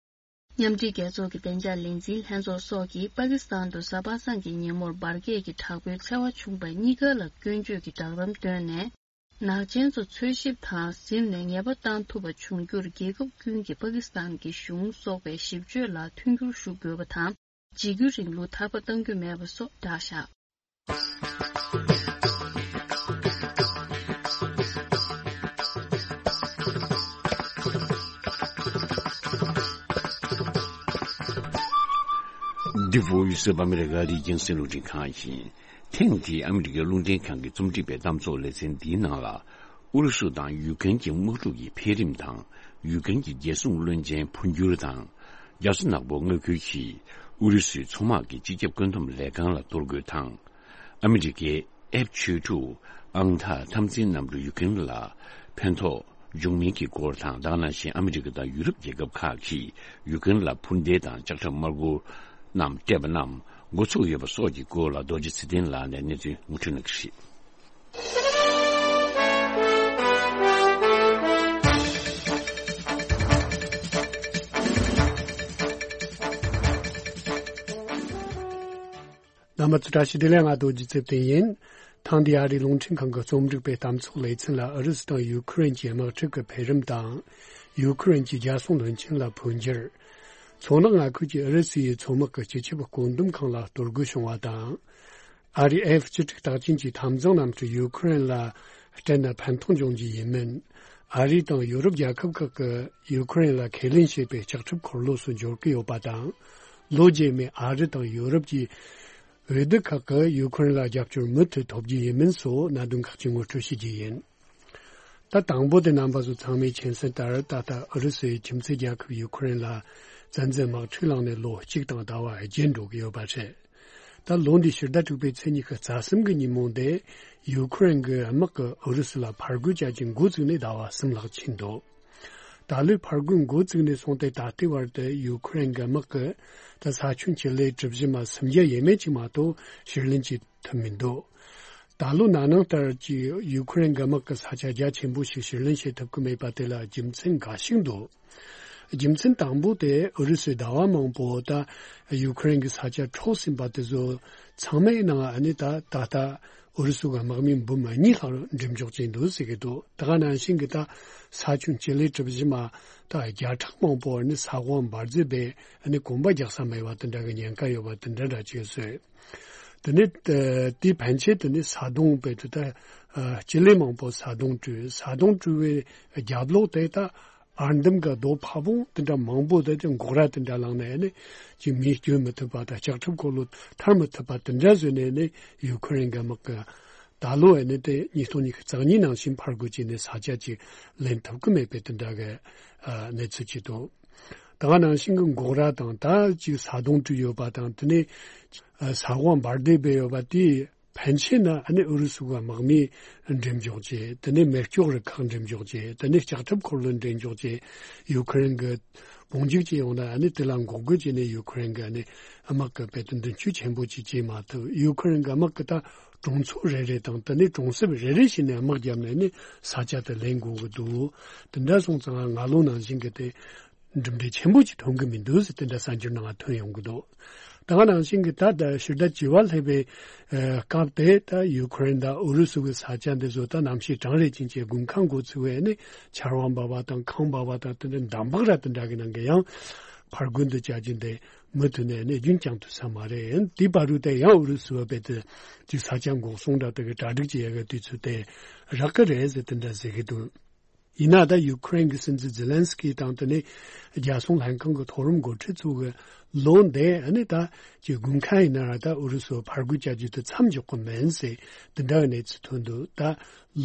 མཉམ་འབྲེལ་རྒྱལ་ཚོགས་ཀྱི་བདེ་འཇགས་ལས་འཛིན་ལྷན་ཚོགས་སོགས་ཀྱིས་པ་ཀི་སི་ཐན་དུ་གཟའ་པ་སངས་ཀྱི་ཉིན་མོར་འབར་གས་ཀྱི་དྲག་པོའི་འཚེ་བ་བྱུང་པ་གཉིས་ཀ་ལ་སྐྱོན་བརྗོད་ཀྱི་བསྒྲགས་གཏམ་བཏོན་ནས། ནག་ཅན་ཚོ་འཚོལ་ཞིབ་དང་ཟིན་ནས་ཉེས་པ་བཏང་ཐུབ་པ་བྱུང་རྒྱུར་རྒྱལ་ཁབ་ཀུན་གྱིས་པ་ཀི་སི་ཐན་གྱི་གཞུང་སོགས་པའི་ཞིབ་དཔྱོད་ལ་མཐུན་འགྱུར་ཞུ་དགོས་པ་དང་། འཇིགས་སྐུལ་རིང་ལུགས་ཐར་པ་གཏང་རྒྱུ་མེད་པ་སོགས་བསྒྲགས་བཞག། འདི་བོད་ཡུལ་སྲིད་པ་ཨ་མི་རི་ཀ་རིགས་རྒྱང་སྲིང་རླུང་འཕྲིན་ཁང་ཡིན། ཐེངས་འདིའི་ཨ་མི་རི་ཀའི་རླུང་འཕྲིན་ཁང་གི་རྩོམ་སྒྲིག་པའི་གཏམ་ཚོགས་ལེ་ཚན་འདིའི་ནང་ལ། ཨུ་རུ་སུ་དང་ཡུཀ་རེན་གྱི་དམག་འཁྲུག་གི་འཕེལ་རིམ་དང་། ཡུཀ་རེན་གྱི་རྒྱལ་སྲུང་བློན་ཆེན་འཕོ་འགྱུར་དང་། རྒྱ་མཚོ་ནག་པོ་མངའ་ཁུལ་གྱི་ཨུ་རུ་སུའི་མཚོ་དམག་གི་སྤྱི་ཁྱབ་བཀོད་འདོམས་ལས་ཁང་ལ་གཏོར་རྒོལ་དང་། ཨ་མི་རི་ཀའི་ཨེཕ་ཆོས་དྲུག་ཨང་རྟགས་འཐབ་འཛིང་གནམ་གྲུ་ཡུཀ་རེན་ལ་ཕན་ཐོགས་འབྱུང་མིན་གྱི་སྐོར་དང་། དེ་ག་ནང་བཞིན་ཨ་མི་རི་ཀ་དང་ཡུ་རོབ་རྒྱལ་ཁབ་ཁག་གིས་ཡུཀ་རེན་ལ་འཕུར་མདེལ་དང་ལྕགས་ཁྲབ་དམར་གུར་རྣམས་སྤྲད་པ་རྣམས་འགོ་ཚུགས་ཡོད་པ་སོགས་ཀྱི་སྐོར་ལ་རྡོ་རྗེ་ཚེ་བརྟན་ལགས་ནས་གནས་ཚུལ་ངོ་སྤྲོད་གནང་གི་རེད། རྣམ་པ་ཚོ་བཀྲ་ཤིས་བདེ་ལེགས། ང་རྡོ་རྗེ་ཚེ་བརྟན་ཡིན། ཐེངས་འདིའི་ཨ་རིའི་རླུང་འཕྲིན་ཁང་གི་རྩོམ་སྒྲིག་པའི་གཏམ་ཚོགས་ལེ་ཚན་ལ་ཨུ་རུ་སུ་དང་ཡུ་ཁུ་རེན་གྱི་དམག་འཁྲུག་གི་འཕེལ་རིམ་དང་། ཡུ་ཁུ་རེན་གྱི་རྒྱལ་སྲུང་བློན་ཆེན་ལ་འཕོ་འགྱུར། མཚོ་ནག་མངའ་ཁུལ་གྱི་ཨུ་རུ་སུའི་མཚོ་དམག་གི་སྤྱི་ཁྱབ་བཀོད་འདོམས་ཁང་ལ་གཏོར་རྒོལ་བྱུང་བ་དང་། ཨ་རིའི་ཨེཕ་བཅུ་དྲུག་རྟགས་ཅན་གྱི་འཐབ་འཛིང་གནམ་གྲུ་ཡུ་ཁུ་རེན་ལ་སྤྲད་ན་ཕན་ཐོགས་འབྱུང་རྒྱུ་ཡིན་མིན། ཨ་རི་དང་ཡུ་རོབ་རྒྱལ་ཁབ་ཁག་གིས་ཡུ་ཁུ་རེན་ལ་ཁས་ལེན་བྱས་པའི་ལྕགས་ཁྲབ་འཁོར་ལོ་སོགས་འབྱོར་གྱི་ཡོད་པ་དང་། ལོ་རྗེས་མའི་ཨ་རི་དང་ཡུ་རོབ་ཀྱི་འོས་བསྡུ་ཁག་གིས་ཡུ་ཁུ་རེན་ལ་རྒྱབ་སྐྱོར་མུ་མཐུད་ཐོབ་རྒྱུ་ཡིན་མིན་སོགས་གནད་དོན་ཁག་ཅིག་ངོ་སྤྲོད་བྱེད་རྒྱུ་ཡིན། ད་དང་པོ་དེ་རྣམ་པ་ཚོ་ཚང་མས་མཁྱེན་གསལ་ལྟར། ད་ལྟ་ཨུ་རུ་སུའི་ཁྱིམ་མཚེས་རྒྱལ་ཁབ་ཡུ་ཁུ་རེན་ལ་བཙན་འཛུལ་དམག་འཁྲུག་བསླངས་ནས་ལོ་གཅིག་དང་ཟླ་བ་བརྒྱད་འགྲོ་གི་ཡོད་པ་རེད། ད་ལོ་འདིའི་ཕྱི་ཟླ་དྲུག་པའི་ཚེས་ཉི་ཤུ་རྩ་གསུམ་གྱི་ཉིན་མོ་འདི་ཡུ་ཁུ་རེན་གྱི་དམག་གིས་ཨུ་རུ་སུ་ལ་ཕར་རྒོལ་བྱ་རྒྱུ་འགོ་བཙུགས་ནས་ཟླ་བ་གསུམ་ལྷག་ཕྱིན་འདུག། ད་ལོའི་ཕར་རྒོལ་འགོ་བཙུགས་ནས་བཟུང་སྟེ་ད་ལྟའི་བར་དུ་ཡུ་ཁུ་རེན་གྱི་དམག་གིས་ད་ས་ཁྱོན་ཆེད་ལས་གྲུ་བཞི་མ་སུམ་བརྒྱ་ཡས་མས་ཅིག་མ་གཏོགས་ཕྱིར་ལེན་བྱེད་ཐུབ་མི་འདུག། ད་ལོ་ན་ནིང་ལྟར་གྱི་ཡུ་ཁུ་རེན་གྱི་དམག་གིས་ས་ཆ་རྒྱ་ཆེན་པོ་ཞིག་ཕྱིར་ལེན་བྱེད་ཐུབ་ཀྱི་མེད་པ་དེ་ལ་རྒྱུ་མཚན་འགའ་ཞིག་འདུག། རྒྱུ་མཚན་དང་པོ་དེ་ཨུ་རུ་སུས་ཟླ་བ་མང་པོ་ད་ཡུ་ཁུ་རེན་གྱི་ས་ཆ་འཕྲོག་ཟིན་པ་དེ་ཚོ་ཚང་མའི་ནང་ཨ་ནི་ད་ད་ལྟ་ཨུ་རུ་སུ་གི་དམག་མི་འབུམ་གཉིས་ལྷག་འགྲེམས་འཇོག་བྱས་འདུག་ཟེར་གྱི་འདུག། ད་ག་ནང་བཞིན་གྱི་ད་ས་ཁྱོན་ཆེད་ལས་གྲུ་བཞི་མ་ད་བརྒྱ་ཕྲག་མང་པོ་ཨ་ནི་ས་འོག་འབར་རྫས་སྦས་ཨ་ནི་གོམ་པ་རྒྱག་ས་མེད་པ་དེ་འདྲ་གི་ཉེན་ཁ་ཡོད་པ་དེ་འདྲ་འདྲ་ཅིག་བཟོས། དེ་ནས་ཨ་དེའི་ཕན་ཆད་དེ་ནས་ས་དོང་དཔེ་དེ་ད་ཨ་སྤྱི་ལེ་མང་པོ་ས་དོང་བྲུས། ས་དོང་བྲུས་པའི་རྒྱབ་ལོགས་དེ་ད་ཨར་འདམ་གྱི་རྡོ་ཕ་བོང་དེ་འདྲ་མང་པོ་དེ་དེ་འགོག་ར་དེ་འདྲ་བསླངས་ནས་ཨ་ནི་ཅིག་མི་སྐྱོད་མི་ཐུབ་པ་དང་ལྕགས་ཁྲབ་འཁོར་ལོ་འཐར་མི་ཐུབ་པ་དེ་འདྲ་བཟོས་ནས་ཨ་ནི་ཡུ་ཁུ་རེན་གྱི་དམག་གིས་ད་ལོ་ཨ་ནི་དེ་ཉིས་སྟོང་ཉི་ཤུ་རྩ་གཉིས་ནང་བཞིན་ཕར་རྒོལ་བྱས་ནས་ས་ཆ་ཅིག་ལེན་ཐུབ་ཀྱི་མེད་པའི་དེ་འདྲ་གི་ཨ་གནས་ཚུལ་ཅིག་འདུག། ད་ག་ནང་བཞིན་གྱི་འགོག་ར་དང་ད་ཅིག་ས་དོང་བྲུས་ཡོད་པ་དང་དེ་ནས་ས་འོག་འབར་མདེལ་སྦས་ཡོད་པ་དེའི་ཕན་ཆད་ན་ཨ་ནི་ཨུ་རུ་སུ་གི་དམག་མི་འགྲེམས་འཇོག་བྱས། དེ་ནས་མེ་སྒྱོགས་རུ་ཁག་འགྲེམས་འཇོག་བྱས། དེ་ནས་ལྕགས་ཁྲབ་འཁོར་ལོ་འགྲེམས་འཇོག་བྱས། ཡུ་ཁུ་རེན་གྱི་དཔུང་འཇུག་ཅིག་ཡོང་ན་ཨ་ནི་དེ་ལ་འགོག་རྒོལ་བྱས་ནས་ཡུ་ཁུ་རེན་གྱི་ཨ་ནི་དམག་གི་དཔེ་དེ་མདུན་སྐྱོད་ཆེན་པོ་ཅིག་བྱེད་མ་ཐུབ། ཡུ་ཁུ་རེན་གྱི་དམག་གིས་ད་གྲོང་ཚོ་རེ་རེ་དང་དེ་ནས་གྲོང་གསེབ་རེ་རེ་བཞིན་ནས་དམག་བརྒྱབ་ནས་ནི་ས་ཆ་དེ་ལེན་དགོས་ཀྱི་འདུག། དེ་འདྲ་སོང་ཙང་ང་ལོ་ནང་བཞིན་གྱི་དེ་གྲུབ་འབྲས་ཆེན་པོ་ཅིག་ཐོན་གྱི་མི་འདུག་ཟེར་དེ་འདྲ་གསར་འགྱུར་ནང་ཐོན་ཡོང་གི་འདུག། ད་ག་ནང་བཞིན་གྱི་ད་ད་ཕྱི་ཟླ་བཅུ་པ་སླེབས་པའི་ཨ་སྐབས་དེ་ད་ཡུ་ཁུ་རེན་དང་ཨུ་རུ་སུ་གི་ས་ཆ་འདི་ཚོ་ད་གནམ་གཤིས་གྲང་རེད་ཅིང་ཆེ་དགུན་ཁ་འགོ་ཚུགས་པའི་ནི་ཆར་པ་འབབ་པ་དང་ཁངས་འབབ་པ་དང་དེ་འདྲ་འདམ་བག་ར་དེ་འདྲ་གི་ནང་གི་ཡང་ཕར་རྒོལ་འདི་བྱ་རྒྱུ་འདི་མུ་མཐུད་ནས་ནི་རྒྱུན་བསྐྱང་ཐུབ་ས་མ་རེད། དེའི་བར་དུ་དེ་ཡང་ཨུ་རུ་སུ་བ་བེད་དུ་ཅིག་ས་ཆ་འགོག་སྲུང་འདྲ་དེ་གི་གྲ་སྒྲིག་བྱེད་ཡ་གི་དུས་ཚོད་དེ་རག་གི་རེད་ཟེར་དེ་འདྲ་ཟེར་གི་འདུག། ཡིན་ན་ད་ཡུ་ཁུ་རེན་གྱི་སྲིད་འཛིན་ཛེ་ལན་སི་ཀི་དང་དེ་ནས་རྒྱལ་སྲུང་ལྷན་ཁང་གི་མཐོ་རིམ་འགོ་ཁྲིད་ཚོ་གི་ ལོ་འདི་ཨ་ནི་ད་ཀྱི་དགུན་ཁ་ཡིན་ན་ར་ད་ཨུ་རུ་སུ་ཕར་རྒོལ་བྱ་རྒྱུ་དེ་མཚམས་འཇོག་གི་མིན་ཟེར་དེ་འདྲ་གི་གནས་ཚུལ་ཐོན་འདུག་ད་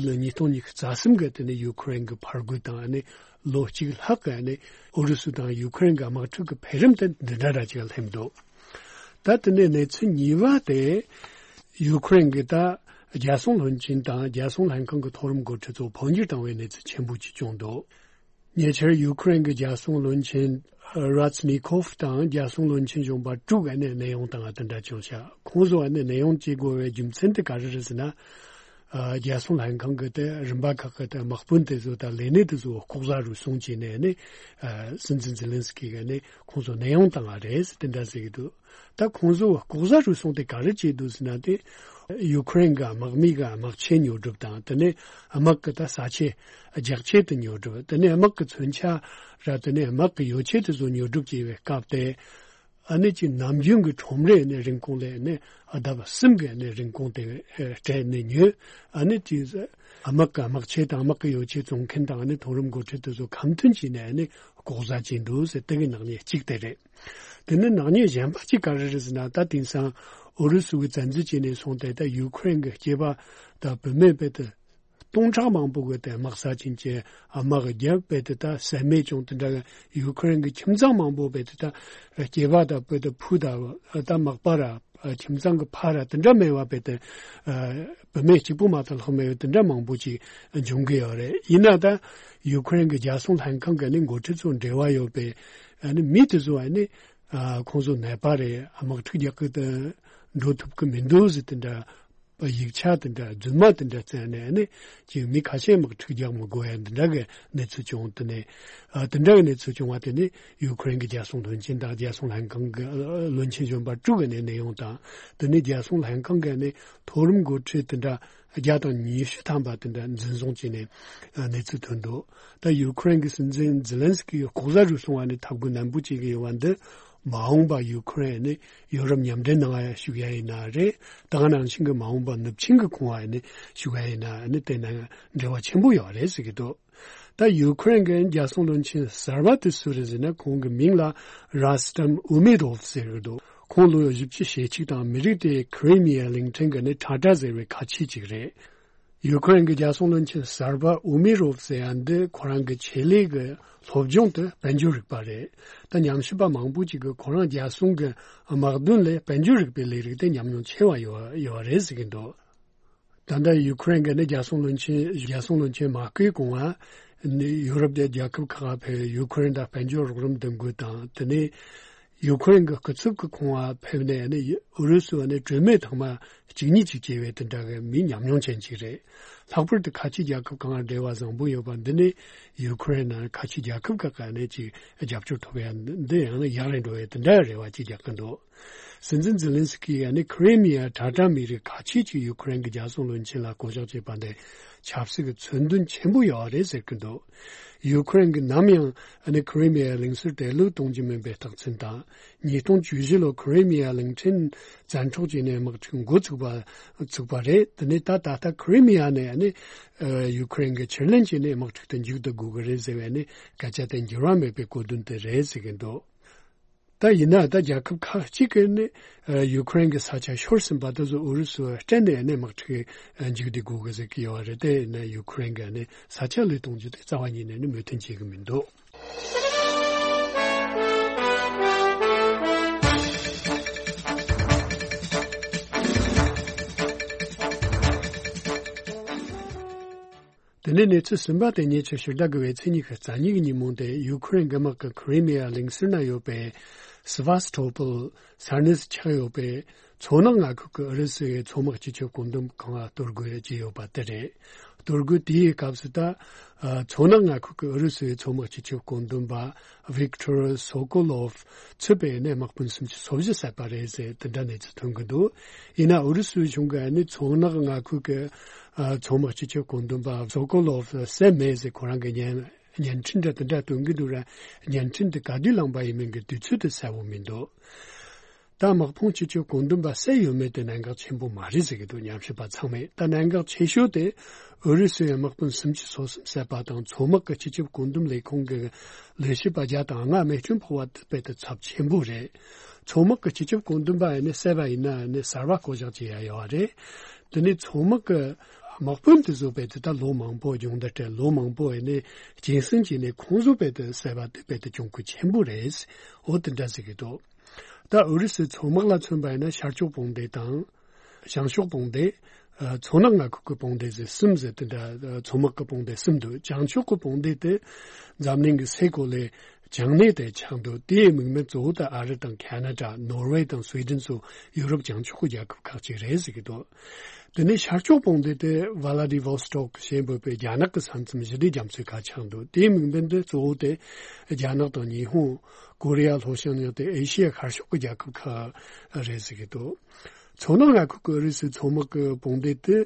ལོ་ཉིས་སྟོང་ཉི་ཤུ་རྩ་གསུམ་གི་དེ་ནི་ཡུ་ཁུ་རེན་གི་ཕར་རྒོལ་དང་ཨ་ནི་ལོ་གཅིག་ལྷག་གི་ཨ་ནི་ཨུ་རུ་སུ་དང་ཡུ་ཁུ་རེན་གི་དམག་འཁྲུག་གི་འཕེལ་རིམ་དེ་འདི་འདྲ་ར་ཅིག་སླེབས་འདུག་ད་དེ་ནས་གནས་ཚུལ་གཉིས་པ་དེ་ཡུ་ཁུ་རེན་གྱི་ད་རྒྱལ་སྲུང་བློན་ཆེན་དང་རྒྱལ་སྲུང་ལྷན་ཁང་གི་མཐོ་རིམ་འགོ་ཁྲིད་ཚོ་འཕོ་འགྱུར་བཏང་བའི་གནས་ཚུལ་ཆེན་པོ་ཅིག་བྱུང་འདུག་ཉེ་ཆར་ཡུ་ཁུ་རེན་གྱི་རྒྱལ་སྲུང་བློན་ཆེན་ར་ཙི་ནི་ཁོབ་དང་རྒྱལ་སྲུང་བློན་ཆེན་གཞོན་པ་དྲུག་གནས་གནས་དབྱུང་བཏང་བ་དེ་འདྲ་བྱུང་ཤག་ཁོང་ཚོ་གནས་གནས་དབྱུང་བྱེད་དགོས་པའི་རྒྱུ་མཚན་དེ་ག་རེ་རེད་ཟེར་ན། རྒྱལ་སྲུང་ལྷན་ཁང་གི་དེ་རིམ་པ་ཁག་གི་དེ་དམག་དཔོན་དེ་ཚོ་དང་ལས་སྣེ་དེ་ཚོ་ལྐོག་ཟ་རུལ་སུངས་བྱས་ནས་ནི་སྲིད་འཛིན་ཛེ་ལན་སི་ཀི་གིས་ནི་ཁོང་ཚོ་གནས་དབྱུང་བཏང་བ་རེད་ཟེར་དེ་འདྲ་ཟེར་གྱི་འདུག་ད་ཁོང་ཚོ་ལྐོག་ཟ་རུལ་སུངས་དེ་ག་རེ་བྱས་འདུག་ཟེར་ན་དེ་ཡུ་ཁུ་རེན་གྱི་དམག་མི་གི་དམག་ཆས་ཉོ་སྒྲུབ་དང་དེ་ནས་དམག་གི་ད་ས་ཆས་རྒྱག་ཆས་དེ་ཉོ་སྒྲུབ་དེ་ནས་དམག་གི་མཚོན་ཆ་ར་དེ་ནས་དམག་གི་ཡོ་ཆས་དེ་ཚོ་ཉོ་སྒྲུབ་བྱས་པའི་སྐབས་དེ། ཨ་ནི་ཅིག་ནམ་རྒྱུན་གྱི་ཁྲོམ་རའི་ནི་རིན་གོང་ལས་ནི་ལྡབ་གསུམ་གྱི་ནི་རིན་གོང་དེ་སྤྲད་ནས་ཉོས། ཨ་ནི་ཅིག་དམག་གི་དམག་ཆས་དང་དམག་གི་ཡོ་ཆས་བཙོང་མཁན་དང་ནི་མཐོ་རིམ་འགོ་ཁྲིད་དེ་ཚོ་ཁ་མཐུན་བྱས་ནས་ནི་ལྐོག་ཟ་བྱས་འདུག་ཟེར་དེ་གི་ནག་ཉེས་གཅིག་དེ་རེད། དེ་ནི་ནག་ཉེས་གཞན་པ་གཅིག་ག་རེ་རེད་ཟེར་ན་ད་དེང་སང་ཨུ་རུ་སུ་གི་བཙན་འཛུལ་བྱས་ནས་སོང་སྟེ་ད་ཡུ་ཁུ་རེན་གྱི་སྐྱེས་པ་དང་བུད་མེད་དཔེ་དེ། སྟོང་ཕྲག་མང་པོ་གི་དེ་དམག་ས་ཆེན་གྱི་དམག་རྒྱབ་པའི་དེ་ད་ཟ་མེད་བྱུང་དེ་འདྲ་གི་ཡུ་ཁུ་རེན་གྱི་ཁྱིམ་ཚང་མང་པོ་པའི་དེ་ད་སྐྱེས་པ་དང་བུ་དང་བུ་དང་ད་མག་པ་ར་ཁྱིམ་ཚང་གི་ཕ་ར་དེ་འདྲ་མེད་པ་པའི་དེ་བུད་མེད་གཅིག་པུ་མ་གཏོགས་ལྷག་མེད་པའི་དེ་འདྲ་མང་པོ་ཅིག་འབྱུང་གི་ཡོད་རེད། ཡིན་ན་ད་ཡུ་ཁུ་རེན་གྱི་རྒྱལ་སྲུང་ལྷན་ཁང་གི་ནི་འགོ་ཁྲིད་ཚོ་འབྲེལ་བ་ཡོད་པའི་ནི་མི་དེ་ཚོ་ནི་ཁོང་ཚོ་ནད་པ་རེད། དམག་འཁྲུག་རྒྱག་གི་དེ་འགྲོ་ཐུབ་གི་མི་འདུག་ཟེར་དེ་འདྲ། ཡིག་ཆ་དེ་འདྲ་རྫུན་མ་དེ་འདྲ་བཙལ་ནས་ནི་ཅིག་མི་ཁ་ཤས་དམག་འཁྲུག་རྒྱག་མི་དགོས་ཡ་འདི་འདྲ་གི་གནས་ཚུལ་བྱུང་། དེ་ནས་ཨ་དེ་འདྲ་གི་གནས་ཚུལ་བྱུང་བ་དེ་ནི་ཡུ་ཁུ་རེན་གྱི་རྒྱལ་སྲུང་བློན་ཆེན་དང་རྒྱལ་སྲུང་ལྷན་ཁང་གི་ཨ་བློན་ཆེན་གཞོན་པ་དྲུག་གི་ནས་གནས་དབྱུང་དང་། དེ་ནས་རྒྱལ་སྲུང་ལྷན་ཁང་གི་ནས་མཐོ་རིམ་འགོ་ཁྲིད་དེ་འདྲ་བརྒྱ་དང་ཉི་ཤུ་ཐམ་པ་དེ་འདྲ་འཛིན་བཟུང་བྱས་ནས་ཨ་གནས་ཚུལ་ཐོན་འདུག་ད་ཡུ་ཁུ་རེན་གྱི་སྲིད་འཛིན་ཛེ་ལན་སི་ཀི་ལྐོག་ཟ་རུལ་སུངས་པ་ནི་ཐབས་བཀོད་ནན་པོ་བྱེད་ཀྱི་ཡོད་པ་འདི། མ་འོངས་པ་ཡུ་ཁུ་རེན་ནི་ཡོ་རོབ་མཉམ་འབྲེལ་ནང་ལ་ཞུགས་ཡ་ཡིན་ན་རེད། ད་ག་ནང་བཞིན་གྱི་མ་འོངས་པ་ནུབ་ཆིངས་ཀྱི་ཁོངས་ལ་ནི་ཞུགས་ཡ་ཡིན་ན་ནི་དེ་ན་འབྲེལ་བ་ཆེན་པོ་ཡོད་རེད་ཟེར་གྱི་འདུག་ད་ཡུ་ཁུ་རེན་གྱི་རྒྱལ་སྲུང་བློན་ཆེན་གསར་པ་དེ་སུ་རེད་ཟེར་ན་ཁོང་གི་མིང་ལ་ར་སི་ཏམ་ཨུ་མི་རོབ་ཟེར་གྱི་འདུག་ཁོང་ལོ་བཞི་བཅུ་ཞེ་གཅིག་དང་མི་རིགས་དེ་ཁི་རི་མི་ཡ་གླིང་ཕྲན་གྱི་ནི་ཁྲ་ཁྲ་ཟེར་བའི་ཁ་ཆེ་གཅིག་རེད། ཡུ་ཁུ་རེན་གྱི་རྒྱལ་སྲུང་བློན་ཆེན་གསར་པ་ཨུ་མི་རོབ་ཟེར་ཡ་འདི་ཁོ་རང་གི་ཆེད་ལས་ཀྱི་སློབ་སྦྱོང་དེ་དཔལ་འབྱོར་རིག་པ་རེད། ད་ཉམས་ཞིབ་པ་མང་པོ་ཅིག་གིས་ཁོ་རང་རྒྱལ་སྲུང་གི་དམག་དོན་ལས་དཔལ་འབྱོར་རིག་པའི་ལས་རིགས་དེ་ཉམས་མྱོང་ཆེ་བ་ཡོད་ཡོད་རེད་ཟེར་གྱི་འདུག་ད་ལྟ་ཡུ་ཁུ་རེན་གྱི་ནི་རྒྱལ་སྲུང་བློན་ཆེན་རྒྱལ་སྲུང་བློན་ཆེན་མ་བསྐོས་གོང་ལ་ནི་ཡུ་རོབ་ཀྱི་རྒྱལ་ཁབ་ཁག་ཕེབས་ཡུ་ཁུ་རེན་དང་དཔལ་འབྱོར་རོགས་རམ་འདིང་དགོས་དང་དེ་ནས། ཡུ་ཁུ་རེན་གྱི་སྐུ་ཚབ་ཀྱི་ཁོངས་ལ་ཕེབས་ནས་ནི་ཨུ་རུ་སུ་ནི་གྲོས་མོལ་ཐོག་མ་གཅིག་གཉིས་ཀྱིས་བྱས་པའི་དེ་འདྲ་གི་མི་ཉམས་མྱོང་ཅན་ཅིག་རེད། ལྷག་པར་དུ་ཁ་ཆེ་རྒྱལ་ཁབ་ཁག་འབྲེལ་བ་བཟང་པོ་ཡོད་པ་འདི་ནི་ཡུ་ཁུ་རེན་ནང་ཁ་ཆེ་རྒྱལ་ཁབ་ཁག་གི་ནི་ཅིག་རྒྱབ་སྐྱོར་ཐོབ་ཡ་འདི་ཡང་ནི་ཡག་རེད་འགྲོ་བའི་དེ་འདྲ་རེ་བ་ཅིག་རྒྱག་གི་འདུག་སྲིད་འཛིན་ཛེ་ལན་སི་ཀི་ཡ་ནི་ཁི་རི་མི་ཡ་དྲ་གྲམ་མི་རིགས་ཁ་ཆེ་ཅིག་ཡུ་ཁུ་རེན་གྱི་རྒྱལ་སྲུང་བློན་ཆེན་ལ་བསྐོ་གཞག་བྱས་པ་འདི་ཆབ་སྲིད་ཀྱི་མཚོན་དོན་ཆེན་པོ་ཡོད་རེད་ཟེར་གྱི་འདུག་ཡུ་ཁུ་རེན་གྱིས་ནམ་ཡང་ཨ་ནི་ཁི་རི་མི་ཡའི་གླིང་ཟུར་དེ་བློས་གཏོང་རྒྱུ་མིན་པའི་རྟགས་མཚན་དང་། ཉིས་སྟོང་བཅུ་བཞི་ལོ་ཁི་རི་མི་ཡ་གླིང་ཕྲན་བཙན་འཕྲོག་བྱས་ནས་དམག་འཁྲུག་འགོ་ཚུགས་པ་ཚུགས་པ་རེད། དེ་ནས་ད་ད་ལྟ་ཁི་རི་མི་ཡ་ནས་ཨ་ནི་ཡུ་ཁུ་རེན་གྱིས་ཕྱིར་ལེན་བྱས་ནས་དམག་འཁྲུག་དེ་མཇུག་བསྡུ་དགོས་ཀྱི་རེད་ཟེར་བའི་ནི་སྐད་ཆ་དེ་འགྱུར་བ་མེད་པའི་གོ་དོན་དེ་རེད་ཟེར་གྱི་འདུག་ད་ཡིན་ན་ད་རྒྱལ་ཁབ་ཁག་ཅིག་གིས་ནི་ཡུ་ཁུ་རེན་གྱི་ས་ཆ་ཤོར་ཟིན་པ་དེ་ཚོ་ཨུ་རུ་སུར་སྤྲད་ནས་ནི་དམག་འཁྲུག་མཇུག་བསྡུ་དགོས་ཀྱི་ཟེར་གྱི་ཡོད་རེད། དེ་ནི་ཡུ་ཁུ་རེན་གྱིས་ནི་ས་ཆ་བློས་གཏོང་རྒྱུ་དེ་རྩ་བ་ཉིད་ནས་ནི་མོས་མཐུན་བྱེད་ཀྱི་མི་འདུག་དེ་ནས་གནས་ཚུལ་གསུམ་པ་དེ་ཉེ་ཆར་ཕྱི་ཟླ་དགུ་པའི་ཚེས་ཉི་ཤུ་རྩ་གཉིས་ཀྱི་ཉིན་མོ་དེ་ཡུ་ཁུ་རེན་གྱི་དམག་གིས་ཁི་རི་མི་ཡ་གླིང་ཟུར་ན་ཡོད་པའི་སི་ཝཱ་སི་ཐོ་པོལ་ས་གནས་སུ་ཆགས་ཡོད་པའི་མཚོ་ནག་མངའ་ཁུལ་གྱི་ཨུ་རུ་སུའི་མཚོ་དམག་སྤྱི་ཁྱབ་བཀོད་འདོམས་ཁང་ལ་གཏོར་རྒོལ་བྱས་ཡོད་པ་དེ་རེད། གཏོར་རྒོལ་དེའི་སྐབས་སུ་ད་མཚོ་ནག་མངའ་ཁུལ་གྱི་ཨུ་རུ་སུའི་མཚོ་དམག་སྤྱི་ཁྱབ་བཀོད་འདོམས་པ་ཝིག་ཐོར་སོ་ཀོ་ལོབ་ཚུད་པའི་ནས་དམག་དཔོན་སུམ་ཅུ་སོ་བཞི་བསད་པ་རེད་ཟེར་དེ་འདྲ་གནས་ཚུལ་ཐོན་གྱི་འདུག་ཡིན་ན་ཨུ་རུ་སུའི་གཞུང་གིས་ནི་མཚོ་ནག་མངའ་ཁུལ་གྱི་མཚོ་དམག་སྤྱི་ཁྱབ་བཀོད་འདོམས་པ་སོ་ཀོ་ལོབ་བསད་མེད་ཟེར་ཁོ་རང་གི་བརྙན་བརྙན་འཕྲིན་འདྲ་དེ་འདྲ་སྟོན་གྱི་འདུག་ར། བརྙན་འཕྲིན་དེ་ག་དུས་བླངས་པ་ཡིན་མིན་གྱི་དུས་ཚོད་དེ་གསལ་པོ་མི་འདུག་ད་དམག་དཔུང་སྤྱི་ཁྱབ་བཀོད་འདོམས་པ་བསད་ཡོད་མེད་དེ་གནད་འགག་ཆེན་པོ་མ་རེད་ཟེར་གི་འདུག་ཉམས་ཞིབ་པ་ཚང་མས། ད་གནད་འགག་ཆེ་ཤོས་དེ་ཨུ་རུ་སུའི་དམག་དཔོན་སུམ་ཅུ་སོ་གསུམ་བསད་པ་དང་མཚོ་དམག་གི་སྤྱི་ཁྱབ་བཀོད་འདོམས་ལས་ཁུངས་ཀྱི་ལས་བྱེད་པ་བརྒྱ་དང་ལྔ་རྨས་སྐྱོན་ཕོག་པ་དེ་དཔེ་དེ་ཚབས་ཆེན་པོ་རེད། མཚོ་དམག་གི་སྤྱི་ཁྱབ་བཀོད་འདོམས་པ་ཡིན་ན་བསད་པ་ཡིན་ན་གསར་པ་བསྐོ་གཞག་བྱེད་ཡ་ཡོད་རེད། དེ་ནས་མཚོ་དམག་གི་དམག་དཔོན་དེ་ཚོ་དཔེ་དེ་ད་ལོ་མང་པོ་སྦྱོང་བརྡར་སྤྲད། ལོ་མང་པོ་ཡིན་ནས་གཅན་གཟན་བྱས་ནས་ཁོང་ཚོ་དཔེ་དེ་བསད་པ་དེ་དཔེ་དེ་གྱོང་གུད་ཆེན་པོ་རེད། འོ་དེ་འདྲ་ཟེར་གི་འདུག་ད་ཨུ་རུ་སུའི་མཚོ་དམག་ལ་མཚོན་པ་ཡིན་ན་ཤར་ཕྱོགས་དཔུང་སྡེ་དང་། བྱང་ཕྱོགས་དཔུང་སྡེ། ཨ། མཚོ་ནག་མངའ་ཁུལ་གྱི་དཔུང་སྡེ་ཟེར་གསུམ་ཟེར་དེ་འདྲ། ཨ། མཚོ་དམག་གི་དཔུང་སྡེ་གསུམ་འདུག་བྱང་ཕྱོགས་ཀྱི་དཔུང་སྡེ་དེ་འཛམ་གླིང་གི་སའི་གོ་ལའི་བྱང་སྣེ་དེ་ཆགས་འདུག་དེའི་དམིགས་འབེན་གཙོ་བོ་དེ་ཨ་རི་དང་ཁ་ན་ཌ། ནོར་ཝེ་དང་སུའེ་ཌེན་སོགས་ཡུ་རོབ་བྱང་ཕྱོགས་ཀྱི་རྒྱལ་ཁབ་ཁག་ཅིག་རེད་ཟེར་གྱི་འདུག་དེ་ནས་ཤར་ཕྱོགས་དཔུང་སྡེ་དེ་ཝ་ལ་དི་ཝོ་སི་ཊོག་ཞེས་འབོད་པའི་རྒྱ་ནག་གི་ས་མཚམས་ཞི་བདེ་རྒྱ་མཚོའི་ཁ་ཆགས་འདུག་དེའི་དམིགས་འབེན་དེ་གཙོ་བོ་དེ་རྒྱ་ནག་དང་ཉི་ཧོང་། ཀོ་རི་ཡ་ལྷོ་བྱང་མཉམ་དུ་ཨེ་ཤི་ཡ་ཤར་ཕྱོགས་ཀྱི་རྒྱལ་ཁབ་ཁག་རེད་ཟེར་གྱི་འདུག་མཚོ་ནག་མངའ་ཁུལ་གྱི་ཨུ་རུ་སུའི་མཚོ་དམག་གི་དཔུང་སྡེ་དེ་